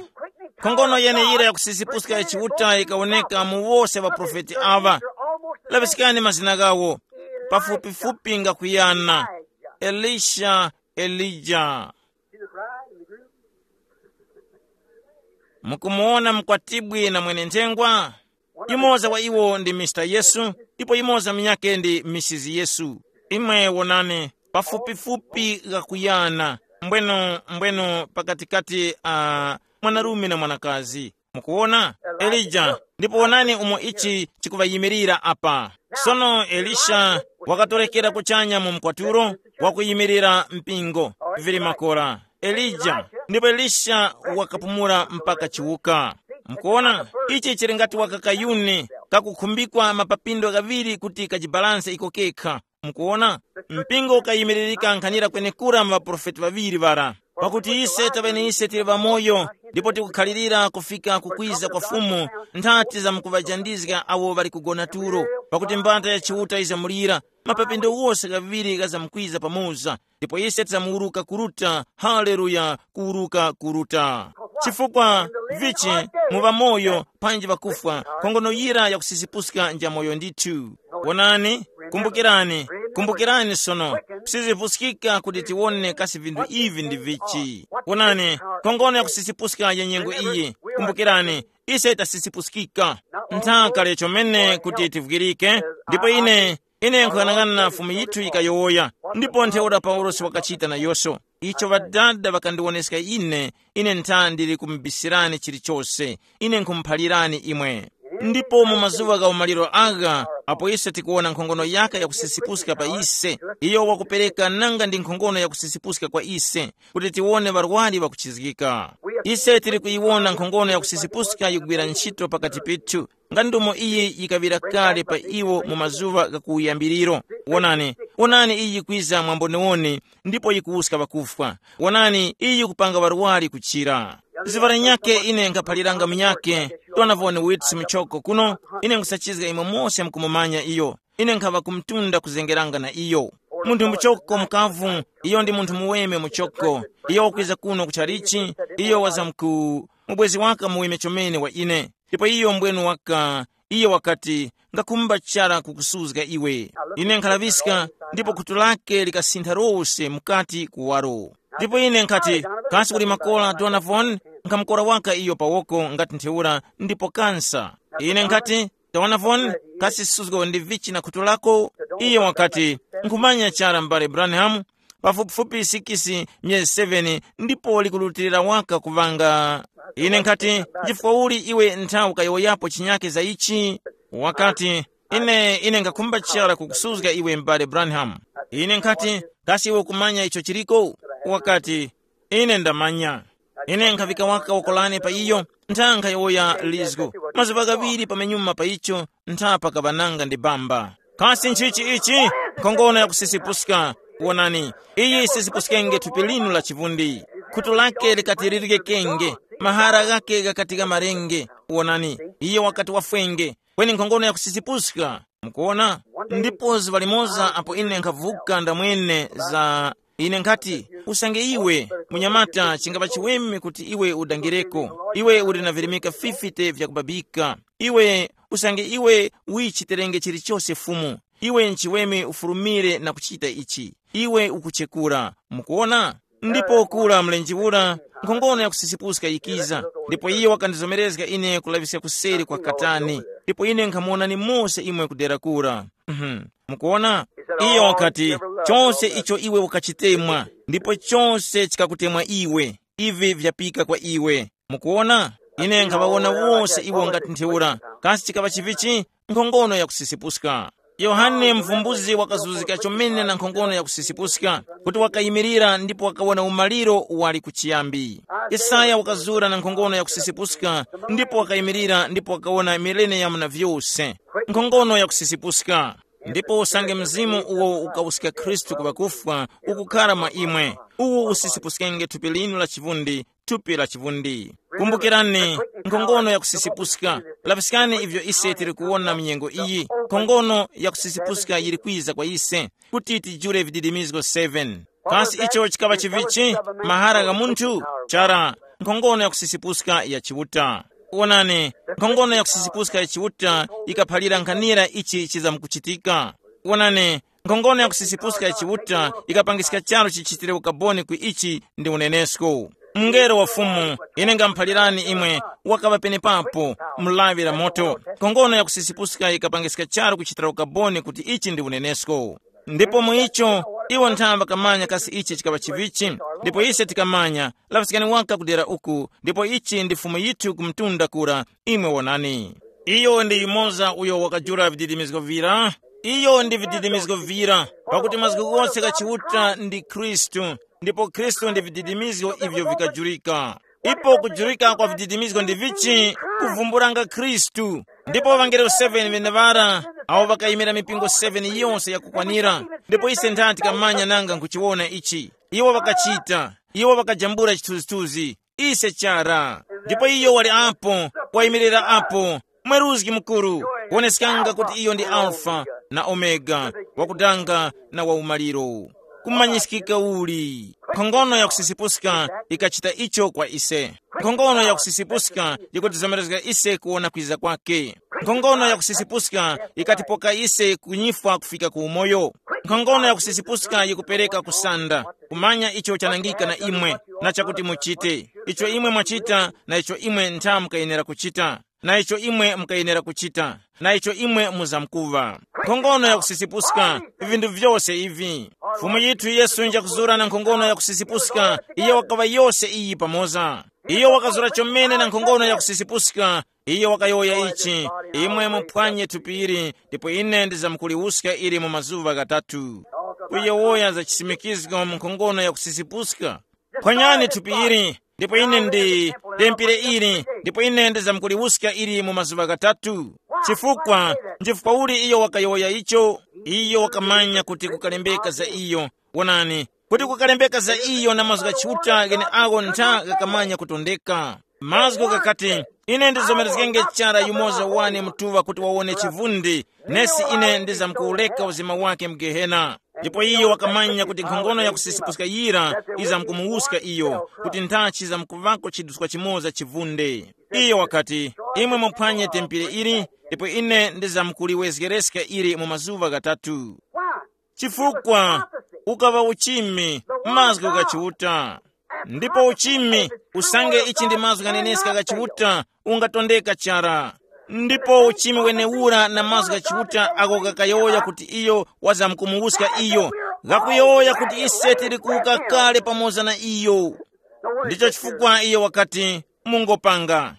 Nkhongono yeneyira yakusisipuska ya Chiuta yikawoneka mu wose ŵaprofeti aŵa. Laŵiskani mazina ghawo. Pafupifupi ngakuyana. Elisha, Elija. Mukumuwona mkwatibwi na mwenenthengwa? Yumoza wa iwo ndi Mister Yesu, ndipo yumoza munyakhe ndi Misisi Yesu. Imwe wonani, pafupifupi ghakuyana, mbweno, mbweno pakatikati a mwanarume na mwanakazi. Mukuwona? Elija, ndipo wonani umo ichi chikuŵayimirira apa. Sono Elisha wakatorekera kuchanya mu mkwatulo, wakuyimirira mpingo, vili makora. Elija, ndipo Elisha wakapumula mpaka chiwuka. Mukuona, ichi chili ngati waka kayuni kakukhumbikwa mapapindo ghaŵiri kuti kajibalanse iko kekha. Mukuona, mpingo ukayimiririka nkhanira kwenekura mu ŵaprofeti ŵaŵiri ŵara. Pakuti ise taŵene ise tili ŵamoyo, ndipo tikukhalirira kufika kukwiza kwa Fumu, nthati zamkuŵajandizga awo ŵali kugona tulo. Pakuti mbata ya Chiuta izamulira, mapapindo wose ghaŵiri ghazamkwiza pamoza, ndipo ise tizamuwuruka kuruta. Haleluya, kuwuruka kuruta. Chifukwa vichi, muŵa moyo, panji ŵakufwa, nkhongono yira yakusisipuska nja moyo ndithu. Wonani, kumbukirani, kumbukirani sono, kusizipuskika kuti tiwone kasi vinthu ivi ndi vichi. Wonani, nkhongono yakusisipuska ya nyengo iyi. Kumbukirani, ise tasisipuskika. Nthaka lechomene kuti tivwirike. Ndipo ine ine nkuyang'ana Fumu yithu yikayowoya, ndipo ntheura Paulosi wakachita nayoso. Icho Ŵadada ŵakandiwoneska ine, ine ntha ndili kumubisirani chilichose. Ine nkhumuphalirani imwe. Ndipo mu mazuŵa gha umaliro agha, apo ise tikuwona nkhongono yaka yakusisipuska pa ise, iyo wakupereka nanga ndi nkhongono yakusisipuska kwa ise, kuti tiwone ŵarwari ŵakuchizgika. Ise tili kuyiwona nkhongono yakusisipuska yikugwira ntchito pakati pethu, nga ndumo iyi yikaŵira kale pa iwo mu mazuŵa gha kuwuyambiriro. Wonani, wonani iyi yikwiza mwamboniwoni, ndipo yikuwuska ŵakufwa. Wonani iyi yikupanga ŵarwari kuchira. Ziŵa lanyakhe ine nkhaphaliranga munyakhe, Donavoni Witsi muchoko kuno, ine nkhusachizga imwe mose mukumumanya iyo. Ine nkhaŵa kumtunda kuzengeranga na iyo. Munthu muchoko mukavu, iyo ndi munthu muweme muchoko. Iyo wakwiza kuno ku chalichi, iyo wazamku mubwezi waka muweme chomene wa ine. Ndipo iyo mbwenu waka, iyo wakati, ngakumba chara kukusuzga iwe. Ine nkhalaŵiska, ndipo khutu lake likasintha lose mukati kuwaro. Ndipo ine nkhati, kasi uli makola Donavon? Nkhamukora waka iyo pawoko ngati ntheura, ndipo kansa. Ine nkhati, Donavon, kasi suzgo ndi vichi na khutu lako? Iyo wakati, nkhumanya chara m'bale Branham, pafupifupi sikisi myezi seveni, ndipo likurutilira waka kuŵanga. Ine nkhati, chifukwa uli iwe ntha ukayowoyapo chinyake za ichi? Wakati, ine ine ngakhumba chara kukusuzga iwe m'bale Branham. Ine nkhati, kasi iwe ukumanya icho chiliko? Wakati, ine ndamanya. Ine nkhafika waka wakolane pa iyo, ntha nkhayowoya lizgo. Mazuŵa ghaŵiri pamenyuma pa icho, ntha pakaŵananga ndi bamba. Kasi nchichi ichi? Nkhongono yakusisipuska. Wonani, iyi isisipuskenge thupi linu la chivundi. Khutu lake likati lirikekenge, mahara ghake ghakati ghamarenge. Wonani, iye wakati wafwenge, kweni nkhongono yakusisipuska. Mukuona? Ndipo zuŵa limoza apo ine nkhavuka ndamwene za, ine nkhati, usange iwe, munyamata, chingapa chiweme kuti iwe udangireko, iwe uli na virimika fifite vyakubabika. Iwe, usange iwe wichiterenge chilichose Fumu, iwe nchiweme ufurumire na kuchita ichi. Iwe ukuchekura. Mukuona? Ndipo kura mlenje ura, nkhongono yakusisipuska yikiza, ndipo iyo wakandizomerezga ine kulaŵiska kuseri kwa katani, ndipo ine nkhamuwonani mose imwe kudera kura. Mhm. Mukuona? Iyo wakati, chose icho iwe ukachitemwa, ndipo chose chikakutemwa iwe, ivi vyapika kwa iwe. Mukuona? Ine nkhaŵawona wose iwo ngati ntheura. Kasi chikaŵa chivichi? Nkhongono yakusisipuska. Yohane muvumbuzi wakazuzika chomene na nkhongono yakusisipuska, kuti wakayimirira ndipo wakawona umaliro wali kuchiyambi. Yesaya wakazura na nkhongono yakusisipuska, ndipo wakayimirira ndipo wakawona mileniyamu na vyose. Nkhongono yakusisipuska. Ndipo usange mzimu uwo ukawuska Khristu ku ŵakufwa ukukhara mwa imwe, uwu usisipuskenge thupi linu la chivundi, thupi la chivundi. Kumbukirani, nkhongono yakusisipuska. Laŵiskani ivyo ise tili kuwona mu nyengo iyi. Nkhongono yakusisipuska yili kwiza kwa ise, kuti tijule vididimizgo seven. Kasi icho chikaŵa chivichi? Mahara gha munthu? Chara, nkhongono yakusisipuska ya Chiuta. Wonani, nkhongono yakusisipuska ya Chiuta yikaphalira nkhanira ichi chizamkuchitika. Wonani, nkhongono yakusisipuska ya Chiuta yikapangiska charu chichitire ukaboni ku ichi ndi unenesko. Mngelo wa Fumu, ine ngamuphalirani imwe, wakaŵa penepapo, mu lawi la moto. Nkhongono yakusisipuska yikapangiska charu kuchitira ukaboni kuti ichi ndi unenesko. Ndipo mu icho, iwo nthamba kamanya kasi ichi chikaŵa chivichi, ndipo ise tikamanya, laŵiskani waka kudera uku, ndipo ichi ndi Fumu yithu ku mtunda kura, imwe wonani. Iyo ndi yumoza uyo wakajula vididimizgo vira, Iyo ndi vididimizgo vira, pakuti mazgu ghose gha Chiuta ndi Khristu, ndipo Khristu ndi vididimizgo ivyo vikajurika. Ipo kujurika kwa vididimizgo ndi vichi? Kuvumbulanga Khristu. Ndipo ŵangelo seven ŵeneŵara, awo ŵakayimira mipingo seven yonse yakukwanira. Ndipo ise nthani tikamanya nanga nkuchiwona ichi? Iwo ŵakachita. Iwo ŵakajambula chithunzithunzi. Ise chara. Ndipo iyo wali apo, wayimirira apo, mweruzgi mukuru, kuoneskanga kuti iyo ndi Alfa na Omega, wakudanga na waumaliro. Kumanyiskika uli. Nkhongono yakusisipuska ikachita icho kwa ise. Nkhongono yakusisipuska yikutizomerezga ise kuwona kwiza kwake. Nkhongono yakusisipuska ikatipoka ise kunyifwa kufika ku umoyo. Nkhongono yakusisipuska yikupereka kusanda, kumanya icho chanangika na imwe, na chakuti muchite, icho imwe mwachita na icho imwe ntha mukayenera kuchita, na icho imwe mukayenera kuchita, na icho imwe muzamkuŵa. Nkhongono yakusisipuska, vinthu vyose ivi. Fumu yithu Yesu njakuzura na nkhongono yakusisipuska, iyo wakaŵa yose iyi pamoza. Iyo wakazura chomene na nkhongono yakusisipuska. Iyo wakayowoya ichi, imwe muphwanye thupi ili, ndipo ine ndizamkuliwuska ili mu mazuŵa ghatatu. Kuyowoya za chisimikizgo mu nkhongono yakusisipuska. Phwanyani thupi ili, ndipo ine ndi tempere ili, ndipo ine ndizamkuliwuska ili mu mazuŵa ghatatu. Chifukwa, nchifukwa uli iyo wakayowoya icho? Iyo wakamanya kuti kukalembeka za iyo. Wonani, kuti kukalembeka za iyo na mazgu gha Chiuta gheneagho ntha ghakamanya kutondeka. Mazgu ghakati, ine ndizomerezgenge chara yumoza wane mutuŵa kuti wawone chivundi, nesi ine ndizamkuwureka uzima wake mu Gehena. Ndipo iyo wakamanya kuti nkhongono yakusisipuska yira izamkumuwuska iyo, kuti nthachi zamkuŵako chiduswa chimoza chivunde. Iyo wakati, imwe muphwanye tempere ili, ndipo ine ndizamkuliwezgereska ili mu mazuŵa ghatatu. Chifukwa ukaŵa uchimi, mazgu gha Chiuta. Ndipo uchimi, usange ichi ndi mazgu ghaneneska gha Chiuta, ungatondeka chara. Ndipo uchimi wenewura na mazgu gha Chiuta ako ghakayowoya kuti iyo wazamkumuwuska iyo, ghakuyowoya kuti ise tili kuwuka kale pamoza na iyo. Ndicho chifukwa iyo wakati, mungopanga.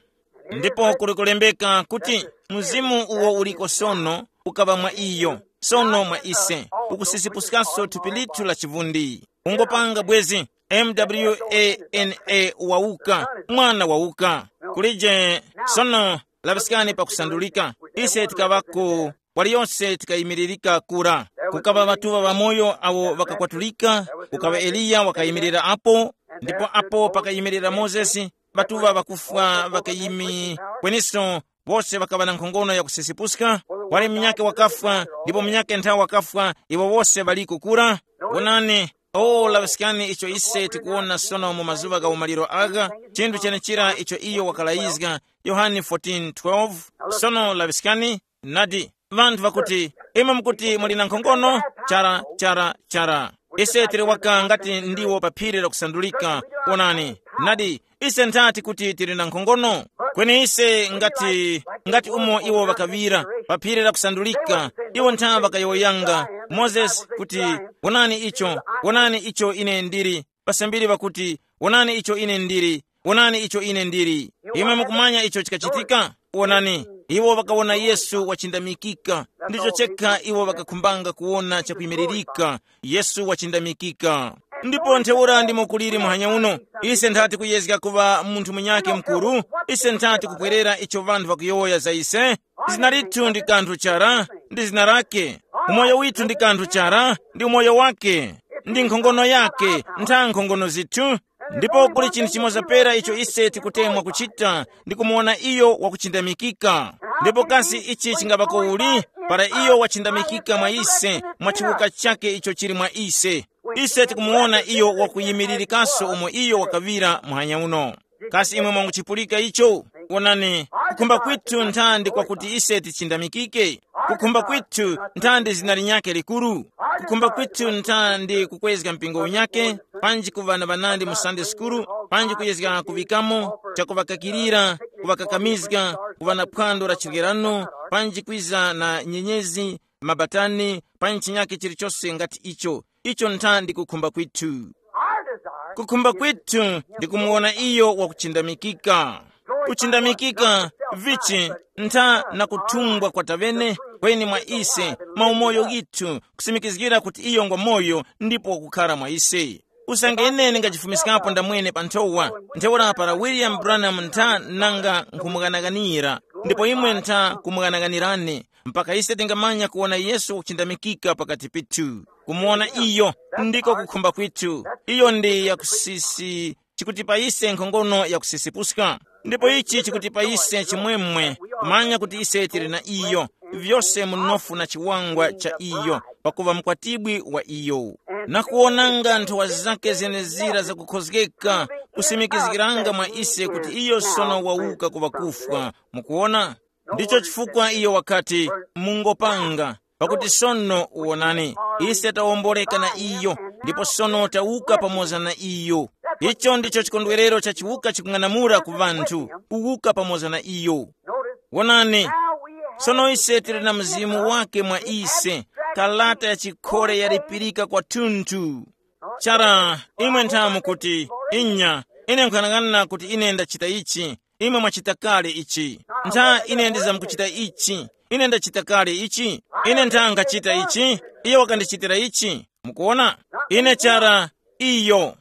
Ndipo kuli kulembeka kuti, mzimu uwo uliko sono ukaŵa mwa iyo, sono mwa ise, ukusisipuskanso thupi lithu la chivundi. Ungopanga bwezi, mwana wauka, mwana wauka. Kulije sono, laŵiskani pakusandulika. Ise tikaŵako, waliyose tikayimiririka kura. Kukaŵa ŵatuŵa ŵamoyo awo ŵakakwatulika, kukaŵa Eliya wakayimirira apo, ndipo apo pakayimirira Mozesi, ŵatuŵa ŵakufwa ŵakayimi, kweniso, wose ŵakaŵa na nkhongono yakusisipuska. Wali munyakhe wakafwa, ndipo munyakhe nthawe wakafwa, iwo wose ŵaliko kura. Wonani, o laŵiskani icho ise tikuwona sono mu mazuŵa gha umaliro agha, chinthu chenechira icho iyo wakalayizga, Yohane fourteen twelve. Sono laŵiskani, nadi, ŵanthu ŵakuti, imwe mukuti muli na nkhongono, chara, chara, chara. Ise tili waka ngati ndiwo pa phiri lakusandulika. Wonani, nadi, ise nthati kuti tili na nkhongono? Kweni ise ngati, ngati umo iwo ŵakaŵira pa phiri lakusandulika, iwo ntha ŵakayowoyanga, Mozesi kuti, wonani icho, wonani icho ine ndili. Pasambiri ŵakuti, wonani icho ine ndili, wonani icho ine ndili. Imwe mukumanya icho chikachitika? Wonani, iwo ŵakawona Yesu wachindamikika. Ndicho chekha iwo ŵakakhumbanga kuwona chakuyimiririka, Yesu wachindamikika. Ndipo ntheura ndimo kuliri muhanya uno, ise nthati kuyezga kuŵa munthu munyakhe mukuru, ise nthati kupwerera icho ŵanthu ŵakuyowoya za ise. Zina lithu ndi kanthu chara, ndi zina lake. Umoyo withu ndi kanthu chara, ndi umoyo wake, ndi nkhongono yake, ntha nkhongono zithu. Ndipo kuli chinthu chimoza pera icho ise tikutemwa kuchita, ndi kumuwona iyo wakuchindamikika. Ndipo kasi ichi chingaŵako uli? Para iyo wachindamikika mwa ise, mwa chiwuka chake icho chili mwa ise, ise tikumuwona iyo wakuyimiririkaso umo iyo wakaŵira muhanya uno. Kasi imwe mwanguchipulika icho? Wonani, kukhumba kwithu nthandi kwakuti ise tichindamikike. Kukhumba kwithu nthandi zina linyakhe likuru. Kukhumba kwithu nthandi kukwezga mpingo unyakhe, panji kuŵa na ŵanandi mu Sunday school, panji kuyezga kuŵikamo chakuŵakakirira, kuŵakakamizga, kuŵa na phwando la chirgerano, panji kwiza na nyenyezi, mabatani, panji chinyakhe chilichose ngati icho. Icho nthandi kukhumba kwithu. Kukhumba kwithu ndi kumuwona iyo wakuchindamikika. Kuchindamikika vichi? Ntha na kuthumbwa kwa tavene, kweni mwa ise, maumoyo ghithu, kusimikizgira kuti iyo ngwa moyo ndipo wakukhara mwa ise. Usange ine ndingajifumiskapo ndamwene pa nthowa, ntheura para William Branham ntha nanga nkhumughanaganira, ndipo imwe ntha kumughanaganirani, mpaka ise tingamanya kuwona Yesu wakuchindamikika pakati pithu. Kumuwona iyo ndiko kukhumba kwithu. Iyo ndi yakusisi, chikutipa ise nkhongono yakusisipuska. Ndipo ichi chikutipa ise chimwemwe, kumanya kuti ise tili na iyo, vyose munofu na chiwangwa cha iyo, pakuva mkwatibwi wa iyo. Na kuwonanga nthowa zake zenezira zakukhozgeka, kusimikizgiranga mwa ise kuti iyo sono wawuka ku ŵakufwa. Mukuwona? Ndicho chifukwa iyo wakati, mungopanga, pakuti sono wonani, ise tawomboleka na iyo, ndipo sono tawuka pamoza na iyo. Icho ndicho chikondwerero cha chiwuka chikung'anamula ku ŵanthu, kuwuka pamoza na iyo. Wonani, sono ise tili na mzimu wake mwa ise, kalata ya chikhole yalipirika kwathunthu. Chara, imwe nthamu kuti, inya, ine nkhanang'ana kuti ine ndachita ichi, imwe mwachita kale ichi. Ntha ine ndizamkuchita ichi, ine ndachita kale ichi, ine ntha nkhachita ichi, iye wakandichitira ichi. Mukuona? Ine chara, iyo.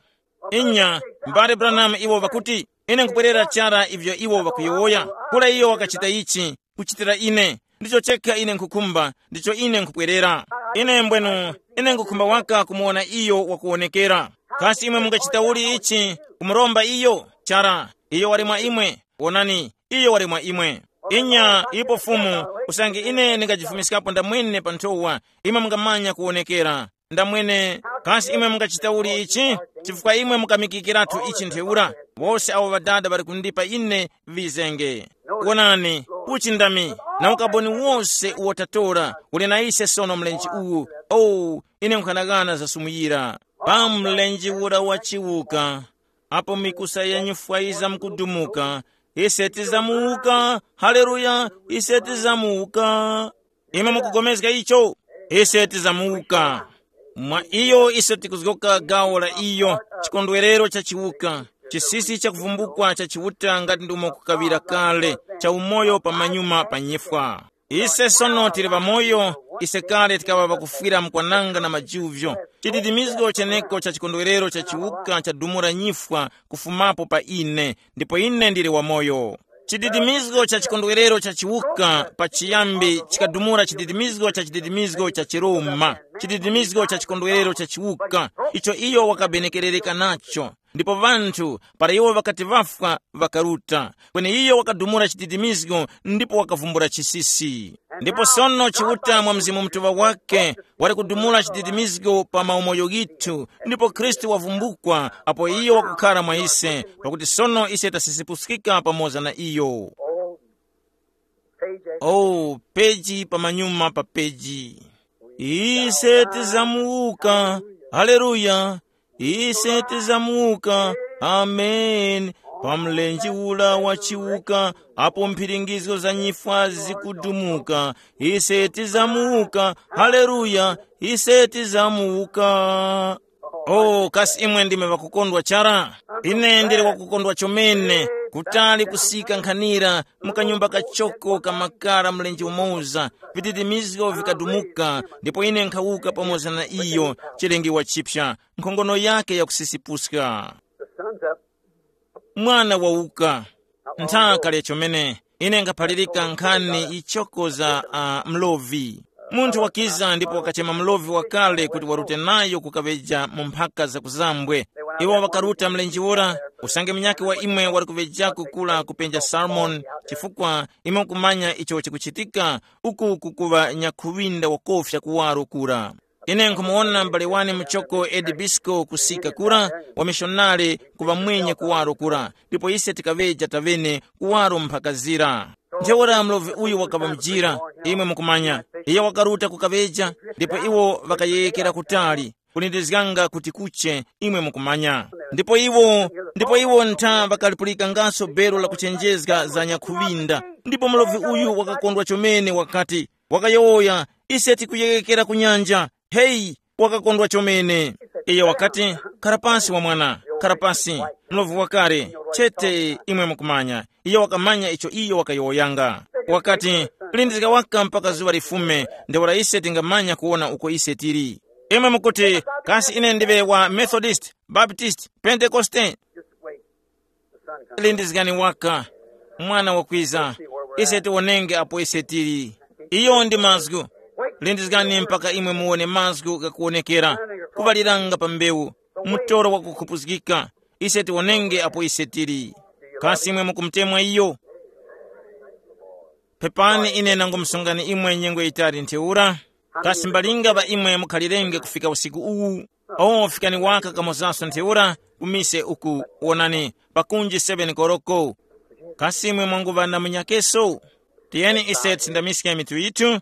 Inya, mbale Branham iwo ŵakuti, ine nkubwerera chara ivyo iwo ŵakuyowoya, kula iyo wakachita ichi, kuchitira ine. Ndicho chekha ine nkhukhumba, ndicho ine nkubwerera. Ine mbwenu, ine nkhukhumba waka kumuwona iyo wakuwonekera. Kasi imwe mungachita uli ichi, kumuromba iyo? Chara, iyo wali mwa imwe. Wonani, iyo wali mwa imwe. Inya ipo Fumu, usange ine ndingajifumiskapo ndamwene pa nthowa, imwe mungamanya kuwonekera. Ndamwene, kasi imwe mungachita uli ichi? Chifukwa imwe mukamikikiratu ichi ntheura, wose awo ŵadada ŵali kundipa ine ŵizenge. Wonani, uchi ndami, na ukaboni wose uwo tatora, uli na ise sono mlenje uwu. Oh, ine nkhanagana zasumuyira. Pa mlenje ura wa chiwuka, apo mikusa ya nyifwa yizamkudumuka, ise tizamuwuka. Haleluya, ise tizamuwuka. Imwe mukugomezga icho? Ise tizamuwuka. Mwa iyo ise tikuzgoka gawo la iyo, chikondwerero cha chiwuka, chisisi cha kuvumbukwa cha Chiuta ngati ndimo kukaŵira kale, cha umoyo pa manyuma pa nyifwa. Ise sono tili ŵamoyo, ise kale tikaŵa ŵakufwira mkwananga na majuvyo. Chididimizgo cheneko cha chikondwerero cha chiwuka chadumula nyifwa kufumapo pa ine, ndipo ine ndili wamoyo. Chididimizgo cha chikondwerero cha chiwuka pachiyambi chikadumula chididimizgo cha chididimizgo cha chiroma, chididimizgo cha chikondwerero cha chiwuka, icho iyo wakabenekerereka nacho. Ndipo ŵanthu, para iwo ŵakati ŵafwa, ŵakaruta. Kweni iyo wakadumula chididimizgo ndipo wakavumbula chisisi. Ndipo sono Chiuta mwa Mzimu Mutuŵa wake wali kudumula chididimizgo pa maumoyo ghithu, ndipo Khristu wavumbukwa apo iyo wakukhara mwa ise, pakuti sono ise tasisipuskika pamoza na iyo. Oh, peji pamanyuma pa peji. Ise tizamuwuka. Haleluya. Ise tizamuwuka. Amen. Pa mlenje ula wa chiwuka, apo mphiringizgo za nyifwa zikudumuka, ise tizamuwuka. Haleluya. Ise tizamuwuka. Oh, kasi imwe ndime ŵakukondwa chara? Ine ndili wakukondwa chomene, kutali kusika nkhanira mu kanyumba kachoko kamakara mlenje umoza, vididimizgo vikadumuka, ndipo ine nkhawuka pamoza na iyo, chilengiwa chipya, nkhongono yake yakusisipuska. Mwana wawuka. Nthaka lya chomene, ine nkhaphalirika nkhani yichoko za uh, mlovi. Munthu wakiza ndipo wakachema mlovi wakale kuti warute nayo kukaŵeja mu mphaka za kuzambwe. Iwo ŵakaruta mlenje ura, usange munyakhe wa imwe wali kuŵejako kula kupenja Salmon, chifukwa imwe mukumanya icho chikuchitika, uku kukuŵa nyakhuŵinda wakofya kuwaro kura. Ine nkhumuwona m'bale wane muchoko Edi Bisco kusika kura, wamishonari kuŵa mwenye kuwaro kura, ndipo ise tikaŵeja taŵene kuwaro mphakazira. Ntheura mlovi uyu wakaŵa mujira, imwe mukumanya, iyo wakaruta kukaŵeja, ndipo iwo ŵakayeyekera kutali, kulindizganga kuti kuche, imwe mukumanya. Ndipo iwo, ndipo iwo ntha ŵakalipulikangaso belo la kuchenjezga za nyakhuŵinda. Ndipo mlovi uyu wakakondwa chomene wakati, wakayowoya, ise tikuyeyekera ku nyanja. Heyi, wakakondwa chomene. Iyo wakati, khara pasi wa mwana, khara pasi. Mlovi wakale, chete imwe mukumanya. Iyo wakamanya icho iyo wakayowoyanga. Wakati, Lindizga waka mpaka zuŵa lifume, ntheura ise tingamanya kuwona uko ise tili. Imwe mukuti, kasi ine ndiŵe wa Methodist, Baptist, Pentekoste? Lindizgani waka, mwana wakwiza, ise tiwonenge apo ise tili. Iyo ndi mazgu. Lindizgani mpaka imwe muwone mazgu ghakuwonekera, kuŵaliranga pa mbewu, mutoro wakukhupuzgika. Ise tiwonenge apo ise tili. Kasi imwe mukumutemwa iyo? Pepani ine nangumusungani imwe nyengo yitali ntheura. Kasi mbalinga ŵa imwe mukhalirenge kufika usiku uwu? O, fikani waka kamozaso ntheura, ku mise uku, wonani, pakunji seven koloko. Kasi imwe mwanguŵa na munyakeso? Tiyeni ise tisindamiske mitu yithu.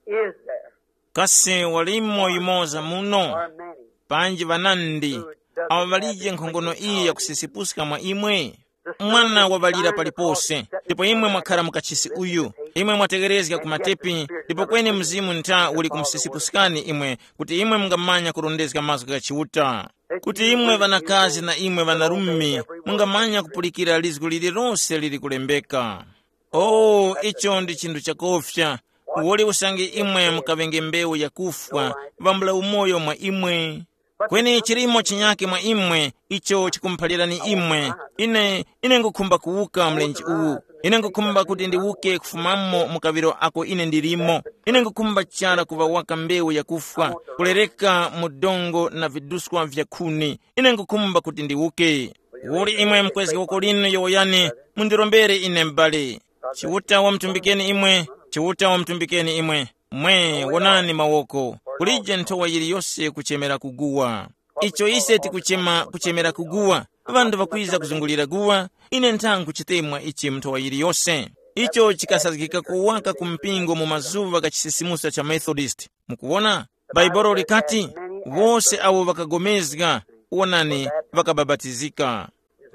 Is there? Kasi walimo yumoza muno? Or many? Panji ŵanandi, awo ŵalije nkhongono iyi yakusisipuska mwa imwe? Mwana waŵalira palipose, ndipo imwe mwakhara mu kachisi uyu. Imwe mwategerezga ku matepi, ndipo kweni Mzimu ntha uli kumusisipuskani imwe, kuti imwe mungamanya kurondezga mazgu gha Chiuta. Kuti imwe ŵanakazi na imwe ŵanarume, mungamanya kupulikira lizgu lililose lili kulembeka. Oh, icho ndi chinthu chakofya. Uwoli usange imwe mukaŵenge mbewu yakufwa, vambula umoyo mwa imwe. Kweni chilimo chinyake mwa imwe, icho chikumuphalirani imwe, ine, ine ngukhumba kuwuka mlenje uwu. Ine ngukhumba kuti ndiwuke kufumamo mu kaŵiro ako ine ndilimo. Ine ngukhumba chara kuŵa waka mbewu yakufwa, kulereka mu dongo na viduswa vya khuni. Ine ngukhumba kuti ndiwuke. Uli imwe mukwezge woko linu yowoyani, mundirombere ine m'bale. Chiuta wamutumbikeni imwe, Chiuta wamutumbikeni imwe. Mwe, wonani mawoko. Kulije nthowa yiliyose kuchemera kuguwa. Icho ise tikuchema kuchemera kuguwa. Ŵanthu ŵakwiza kuzungulira guwa, ine nthangu chitemwa ichi nthowa yiliyose. Icho chikasazgika kuwaka ku mpingo mu mazuŵa gha chisisimuso cha Methodist. Mukuwona? Bhaibuli likati, wose awo ŵakagomezga, wonani, ŵakabapatizika.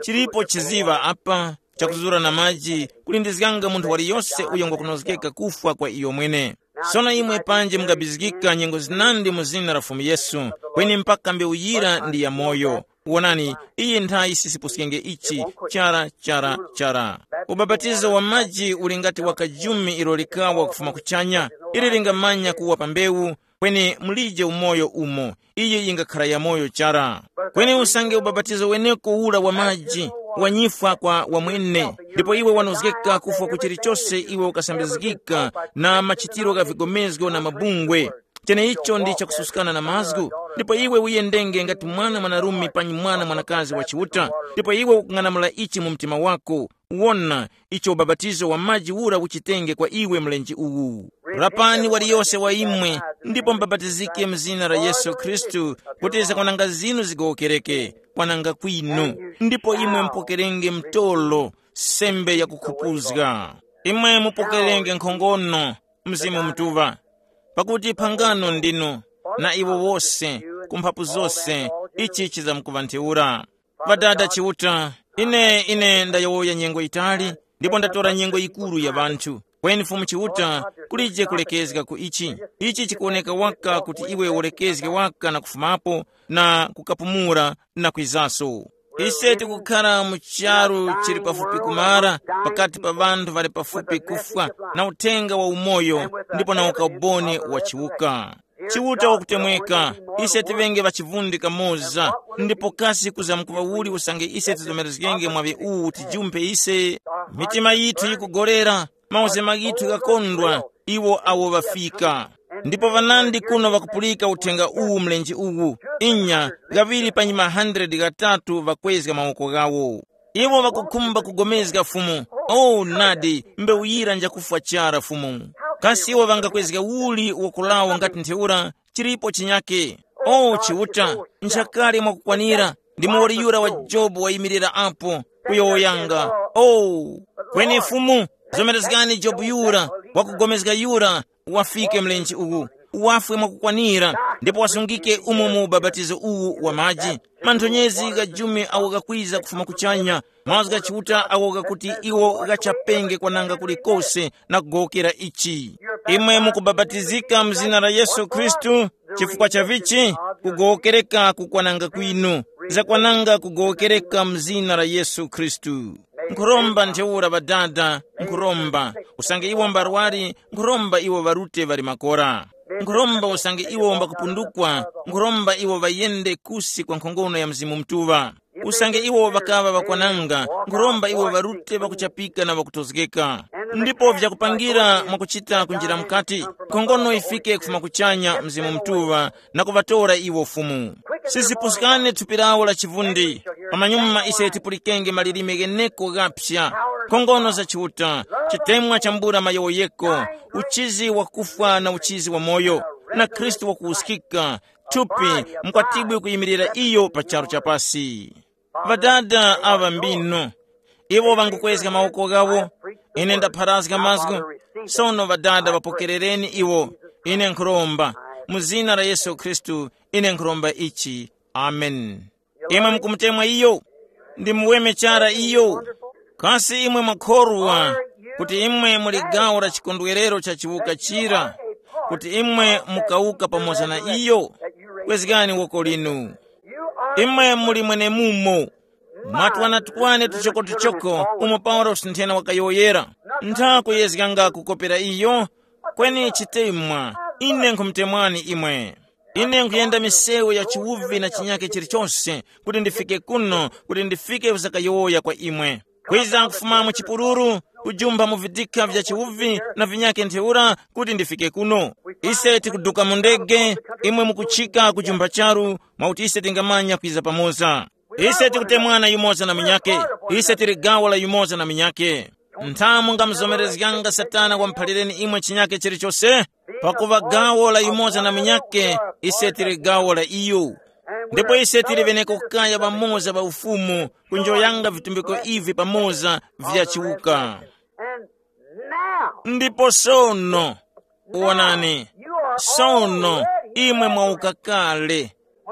Chilipo chiziŵa apa chakuzura na maji, kulindizganga munthu waliyose uyo ngwakunozgeka kufwa kwa iyo mwene. Sono imwe panji mungabizgika nyengo zinandi mu zina la Fumu Yesu, kweni mpaka mbewu yira ndi ya moyo. Wonani, iyi nthayi sisipuskenge ichi, chara, chara, chara. Ubapatizo wa maji uli ngati wa kajumi ilo likawa kufuma kuchanya, ili lingamanya kuwa pa mbewu, kweni mulije umoyo umo, iyi yingakhala yamoyo chara. Kweni usange ubapatizo weneko ura wa maji, wanyifwa kwa wamwene, ndipo iwe wanozgeka kufwa ku chilichose iwe ukasambizgika na machitiro gha vigomezgo na mabungwe. Cheneicho ndi chakususkana na mazgu, ndipo iwe uyendenge ngati mwana mwanarume panyi mwana mwanakazi wa Chiuta, ndipo iwe ukung'anamula ichi mu mtima wako, wona icho ubapatizo wa maji ura uchitenge kwa iwe mlenje uwu. Rapani waliyose wa imwe, ndipo mubapatizike mu zina la Yesu Khristu, kuti zakwananga zinu zigowokereke, kwananga kwinu, ndipo imwe mupokerenge mtolo, sembe yakukhupuzga. Imwe mupokerenge nkhongono, Mzimu Mutuŵa, pakuti phangano ndinu na iwo wose, ku mphapu zose, ichi chizamkuŵa ntheura. Ŵadada Chiuta, ine, ine ndayowoya nyengo yitali, ndipo ndatora nyengo yikuru ya ŵanthu. Kweni Fumu Chiuta, kulije kulekezga ku ichi. Ichi chikuwoneka waka kuti iwe ulekezge waka na kufumapo na kukapumula na kwizaso. Ise tikukhara mu charu chili pafupi kumara, pakati pa ŵanthu ŵali pafupi kufwa, na uthenga wa umoyo, ndipo na ukaumboni wa chiwuka. Chiuta wakutemweka, ise tiŵenge ŵachivundi kamoza, ndipo kasi kuzamkuŵa uli usange ise tizomerezgenge mwaŵi uwu tijumpe ise? Mitima yithu yikugorera, mauzema ghithu ghakondwa, iwo awo ŵafika. Ndipo ŵanandi kuno ŵakupulika uthenga uwu mlenje uwu, inya, ghaŵiri panyi ma hundred ghatatu ŵakwezga mawoko ghawo. Iwo ŵakukhumba kugomezga Fumu. Oh, nadi, mbewu yira njakufwa chara Fumu. Kasi iwo ŵangakwezga uli woko lawo ngati ntheura? Chilipo chinyake. Oh, Chiuta, nchakale mwakukwanira. Ndi muwoli yura wa Jobu wayimirira apo, kuyowoyanga. Oh, kweni Fumu, zomerezgani Jobu yura, wakugomezga yura, wafike mlenje uwu, wafwe mwakukwanira, ndipo wasungike umo mu ubapatizo uwu wa maji. Manthonyezi gha jumi awo ghakwiza kufuma kuchanya, mazgu gha Chiuta awo ghakuti iwo ghachapenge kwananga kulikose na kugowokera ichi. Imwe mukubapatizika mu zina la Yesu Khristu, chifukwa cha vichi? Kugowokereka kukwananga kwinu. Zakwananga kugowokereka mu zina la Yesu Khristu. Nkhuromba ntheura ŵadada, nkhuromba, usange iwo mbarwari, nkhuromba iwo ŵarute ŵali makora. Nkhuromba usange iwo mbakupundukwa, nkhuromba iwo ŵayende kusi kwa nkhongono ya Mzimu Mutuŵa. Usange iwo ŵakaŵa ŵakwananga, nkhuromba iwo ŵarute ŵakuchapika na ŵakutozgeka. Ndipo vyakupangira mwakuchita kunjira mukati, nkhongono yifike kufuma kuchanya Mzimu Mutuŵa, na kuŵatora iwo Fumu. Sizipuskane thupi lawo la chivundi. Pamanyuma ise tipulikenge malilime gheneko ghaphya, nkhongono za Chiuta, chitemwa chambula mayowoyeko, uchizi wakufwa na uchizi wa moyo, na Khristu wakuwuskika, thupi, mukwatibwi kuyimirira iyo pa charu cha pasi. Ŵadada aŵa mbinu, iwo ŵangukwezga mawoko ghawo. Ine ndapharazga mazgu. Sono ŵadada ŵapokerereni iwo. Ine nkhuromba, mu zina la Yesu Khristu, ine nkhuromba ichi. Amen. Imwe mukumutemwa iyo? Ndi muweme chara iyo? Kasi imwe mwakhorwa kuti imwe muli gawo la chikondwerero cha chiwuka chira, kuti imwe mukawuka pamoza na iyo? Kwezgani woko linu. Imwe muli mwenemumo. Mwatwana tukwane tuchokotuchoko umo Paulosi nthena wakayowoyera. Ntha kuyezganga kukopera iyo. Kweni chitemwa, ine nkhumutemwani imwe. Ine nkhuyenda misewu ya chiwuvi na chinyake chilichose, kuti ndifike kuno, kuti ndifike kuzakayowoya kwa imwe. Kwiza kufuma mu chipululu, kujumpha mu vidikha vya chiwuvi na vinyake ntheura, kuti ndifike kuno. Ise tikuduka mu ndege, imwe mukuchika kujumpha charu, mwakuti ise tingamanya kwiza pamoza. Ise tikutemwana yumoza na munyake. Ise tili gawo la yumoza na munyake. Nthamu ngamuzomerezganga Satana wamuphalireni imwe chinyake chilichose? Pakuva gawo la yumoza na munyake, ise tili gawo la iyo. Ndipo ise tili ŵeneko kaya ŵamoza ŵa ufumu, kunjoyanga vitumbiko ivi pamoza vya chiwuka. Ndipo sono, wonani, sono imwe mwauka kale.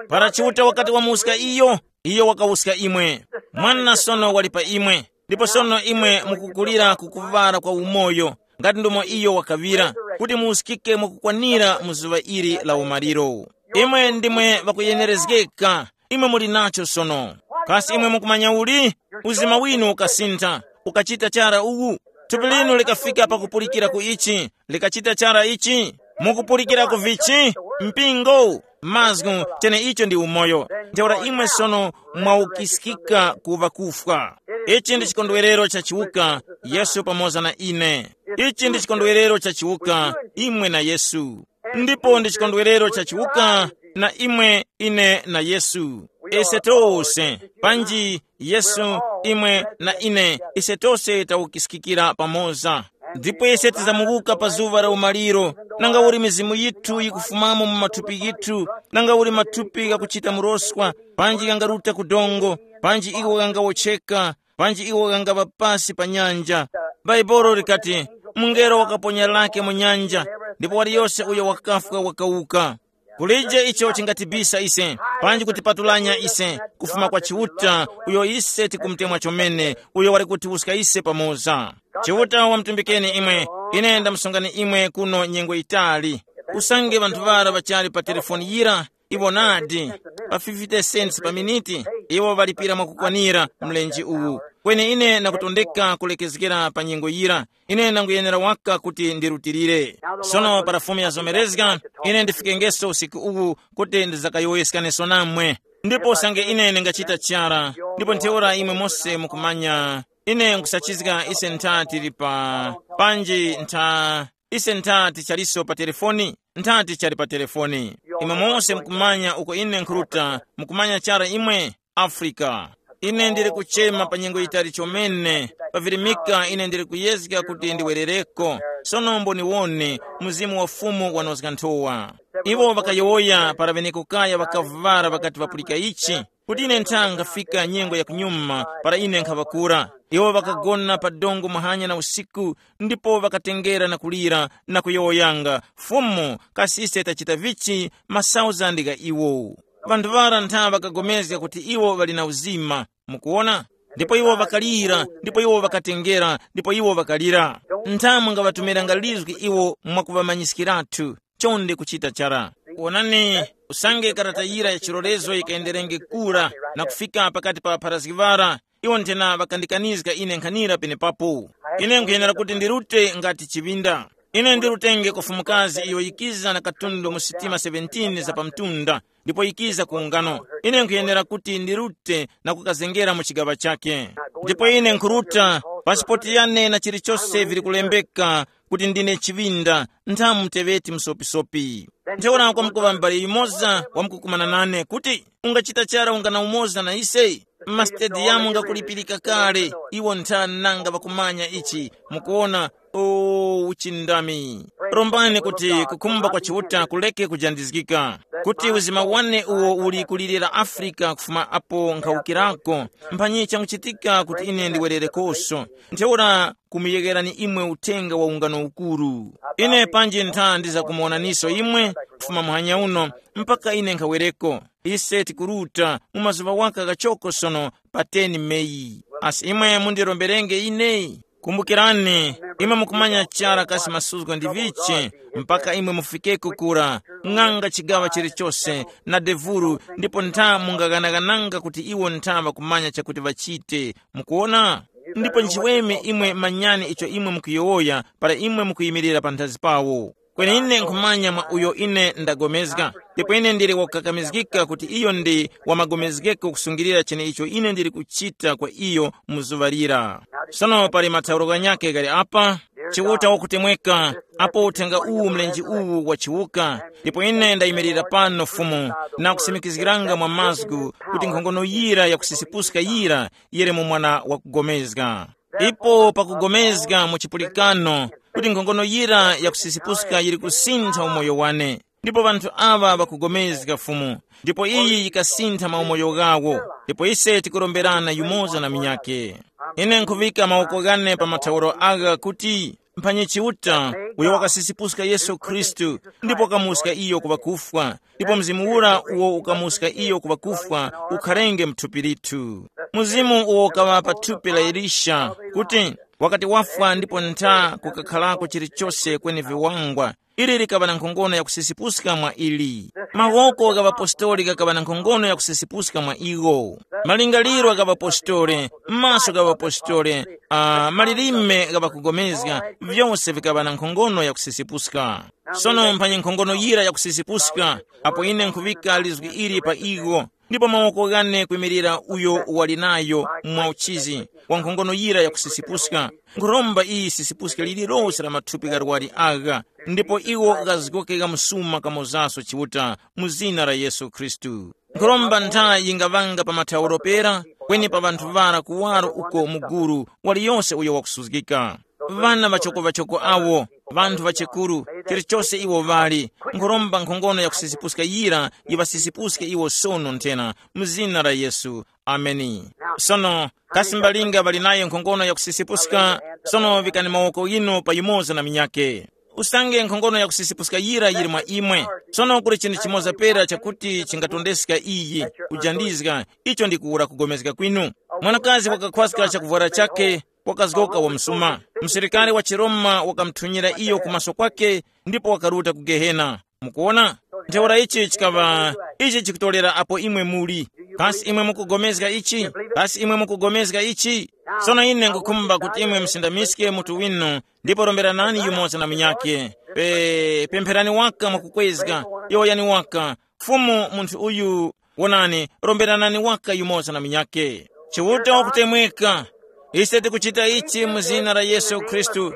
Para Chiuta wakati wamuska iyo, iyo wakawuska imwe. Mwana sono wali pa imwe, ndipo sono imwe mukukulira ku kuŵala kwa umoyo, ngati ndomo iyo wakaŵira, kuti muuskike mwakukwanira mu zuŵa ili la umaliro. Imwe ndimwe ŵakuyenerezgeka, imwe muli nacho sono. Kasi imwe mukumanya uli? Uzima winu ukasintha, ukachita chara uwu. Thupi linu likafika pakupulikira ku ichi, likachita chara ichi. Mukupulikira ku vichi? Mpingo, mazgu, chene icho ndi umoyo. Ntheura imwe sono mwaukiskika ku ŵakufwa. Ichi ndi chikondwerero cha chiwuka, Yesu pamoza na ine. Ichi ndi chikondwerero cha chiwuka, imwe na Yesu. Ndipo ndi chikondwerero cha chiwuka, na imwe, ine na Yesu. Ise tose, panji Yesu, imwe na ine, ise tose tawukiskikira pamoza. Ndipo ise tizamuwuka pa zuŵa la umaliro, nanga uli mizimu yithu yikufumamo mu mathupi yithu, nanga uli mathupi ghakuchita muroswa, panji ghangaruta ku dongo, panji iwo ghangawotcheka, panji iwo ghangapa pasi pa nyanja. Bhaibuli likati, mungelo wakaponya lake mu nyanja, ndipo waliyose uyo wakafwa wakawuka. Kulije icho chingatibisa ise, panji kutipatulanya ise kufuma kwa Chiuta, uyo ise tikumutemwa chomene, uyo wali kutiwuska ise pamoza. Chiuta wamutumbikeni imwe. Ine ndamusungani imwe kuno nyengo yitali. Usange ŵanthu ŵara ŵachali pa telefoni yira, iwo nadi, pa fifty cents pa miniti, iwo ŵalipira mwakukwanira mlenje uwu. Kweni ine nakutondeka kulekezgera pa nyengo yira. Ine nanguyenera waka kuti ndirutilire. Sono para Fumu yazomerezga, ine ndifikengeso usiku uwu kuti ndizakayowoyeskaneso namwe. Ndipo usange ine ndingachita chara, ndipo ntheura imwe mose mukumanya, ine nkusachizga ise ntha tili pa, panji ntha, ise ntha tichaliso pa telefoni, ntha tichali pa telefoni. Imwe mose mukumanya uko ine nkhuruta, mukumanya chara imwe, Afrika. Ine ndili kuchema pa nyengo yitali chomene, pavirimika ine ndili kuyezga kuti ndiwerereko. Sono mboniwone, Mzimu wa Fumu wanozga nthowa. Iwo ŵakayowoya para ŵeneko kaya ŵakavuvara ŵakati ŵapulika ichi, kuti ine nthanga fika nyengo ya kunyuma para ine nkhaŵakura. Iwo ŵakagona pa dongo muhanya na usiku, ndipo ŵakatengera na kulira na kuyowoyanga, Fumu, kasi ise tachita vichi masauzandi gha iwo? Vanthu ŵara ntha ŵakagomezga kuti iwo ŵali na uzima. Mukuwona? Ndipo iwo ŵakalira, ndipo iwo ŵakatengera, ndipo iwo ŵakalira. Ntha mungaŵatumiranga lizgi iwo mwakuŵamanyiskiratu. Chonde kuchita chara. Wonani, usange karata yira ya chilolezo yikayenderenge kura na kufika pakati pa ŵapharazgi ŵara, Iwo nthena ŵakandikanizga ine nkhanira penepapo. Ine nkhuyenera kuti ndirute ngati chiŵinda. Ine ndirutenge kwa fumukazi iyo yikiza na katundu mu sitima seventeen za pamtunda, ndipo yikiza ku ungano. Ine nkhuyenera kuti ndirute na kukazengera mu chigaŵa chake. Ndipo ine nkhuruta, pasipoti yane na chilichose vili kulembeka kuti ndine chiŵinda, nthamu teŵeti msopisopi. Ntheura kwamkuŵa m'bale yumoza wamkukumana nane kuti, ungachita chara ungana umoza na ise? Mmasitediyamu ngakulipirika kale, iwo nthani nanga ŵakumanya ichi? Mukuona, o uchindami. Rombani kuti kukhumba kwa Chiuta kuleke kujandizgika, kuti uzima wane uwo uli kulirira Afrika kufuma apo nkhawukirako, mphanyi changuchitika kuti ine ndiwererekoso. Ntheura kumuyegerani imwe uthenga wa ungano ukuru. Ine panji ntha ndizakumuwonaniso imwe kufuma muhanya uno mpaka ine nkhawereko. Ise tikuruta mu mazuŵa waka ghachoko sono pa ten Meyi. Asi imwe mundiromberenge ine? Kumbukirani, imwe mukumanya chara kasi masuzgo ndi vichi mpaka imwe mufikeko kura, ng'anga chigaŵa chilichose na devuru, ndipo ntha mungaghanaghananga kuti iwo ntha ŵakumanya chakuti ŵachite. Mukuwona? Ndipo nchiweme imwe manyani icho imwe mukuyowoya para imwe mukuyimirira panthazi pawo. Kweni ine nkhumanya mwa uyo ine ndagomezga, ndipo ine ndili wakukakamizgika kuti iyo ndi wamagomezgeko kusungilira cheneicho ine ndili kuchita kwa iyo mu zuŵa lira. Sono pali mathauro ghanyakhe ghali apa, Chiuta wakutemweka, apo uthenga uwu mlenje uwu wachiwuka, ndipo ine ndayimirira pano Fumu, na kusimikizgiranga mwa mazgu kuti nkhongono yira yakusisipuska yira yili mu mwana wakugomezga. Ipo pakugomezga mu chipulikano kuti nkhongono yira yakusisipuska yili kusintha umoyo wane. Ndipo ŵanthu aŵa ŵakugomezga Fumu, ndipo iyi yikasintha maumoyo ghawo. Ndipo ise tikuromberana yumoza na minyake. Ine nkhuŵika mawoko ghane pa mathauro agha kuti mphanyi Chiuta, uyo wakasisipuska Yesu Khristu, ndipo wakamuska iyo ku ŵakufwa, ndipo Mzimu ura uwo ukamuska iyo ku ŵakufwa ukharenge mu thupi lithu. Mzimu uwo ukaŵa pa thupi la Elisha, kuti wakati wafwa ndipo ntha kukakharako chilichose kweni viwangwa, ili likaŵa na nkhongono yakusisipuska mwa ili. Mawoko gha ŵapostoli ghakaŵa na nkhongono yakusisipuska mwa iwo. Malingaliro gha ŵapostoli, maso gha ŵapostoli, uh, malilime gha ŵakugomezga, vyose vikaŵa na nkhongono yakusisipuska. Sono mphanyi nkhongono yira yakusisipuska, apo ine nkhuŵika lizgu ili pa iwo, ndipo mawoko ghane kwimirira uyo wali nayo mwa uchizi wa nkhongono yira yakusisipuska, nkhuromba iyi sisipuske lililose la mathupi gharwari agha, ndipo iwo ghazgoke gha msuma kamozaso Chiuta, mu zina la Yesu Khristu. Nkhuromba ntha yingaŵanga pa mathauro pera, kweni pa ŵanthu ŵara kuwaro uko muguru, waliyose uyo wakusuzgika. Ŵana ŵachoko-ŵachoko awo, ŵanthu ŵachekuru, chilichose iwo ŵali, nkhuromba nkhongono yakusisipuska yira yiŵasisipuske iwo sono nthena, mu zina la Yesu. Ameni. Sono, kasi mbalinga ŵali nayo nkhongono yakusisipuska? Sono vikani mawoko ghinu pa yumoza na minyake. Usange nkhongono yakusisipuska yira yili mwa imwe. Sono kuli chinthu chimoza pera chakuti chingatondeska iyi, kujandizga, icho ndi kuwura kugomezga kwinu. Mwanakazi wakakhwaska chakuvwara chakhe, wakazgoka wa msuma. Msilikari wa chiRoma wakamuthunyira iyo kumaso kwakhe, ndipo wakaruta ku Gehena. Mukuwona? Ntheura ichi chikaŵa, ichi chikutorera apo imwe muli. Kasi imwe mukugomezga ichi? Kasi imwe mukugomezga ichi? Sono ine ngukhumba kuti imwe musindamiske mutu winu, ndipo romberanani yumoza na munyakhe. Pe, pempherani waka mwakukwezga, yowoyani waka, Fumu, munthu uyu, wonani, romberanani waka yumoza na munyakhe. Chiuta wakutemweka, ise tikuchita ichi mu zina la Yesu Khristu.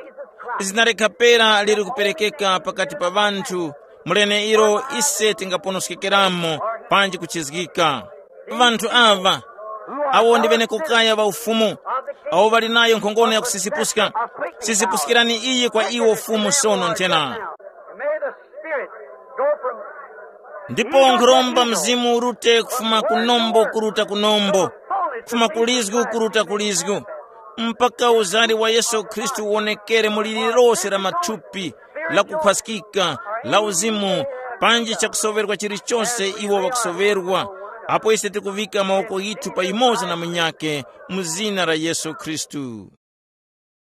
Zina likhapera liri kuperekeka pakati pa ŵanthu, mu leneilo ise tingaponoskekeramo panji kuchizgika. Ŵanthu aŵa, awo ndi ŵenekokaya ŵa Ufumu, awo ŵali nayo nkhongono yakusisipuska, sisipuskirani iyi kwa iwo Fumu sono nthena. May the Spirit go from ndipo nkhuromba Mzimu urute kufuma kunombo kuruta kunombo, kufuma kulizgu kuruta kulizgu, mpaka uzari wa Yesu Khristu uwonekere mu lilirose la mathupi, la kukhwaskika, la uzimu, panji chakusoverwa chilichose iwo ŵakusoverwa, apo ise tikuvika mawoko ghithu pa yumoza na munyakhe, mu zina la Yesu Khristu.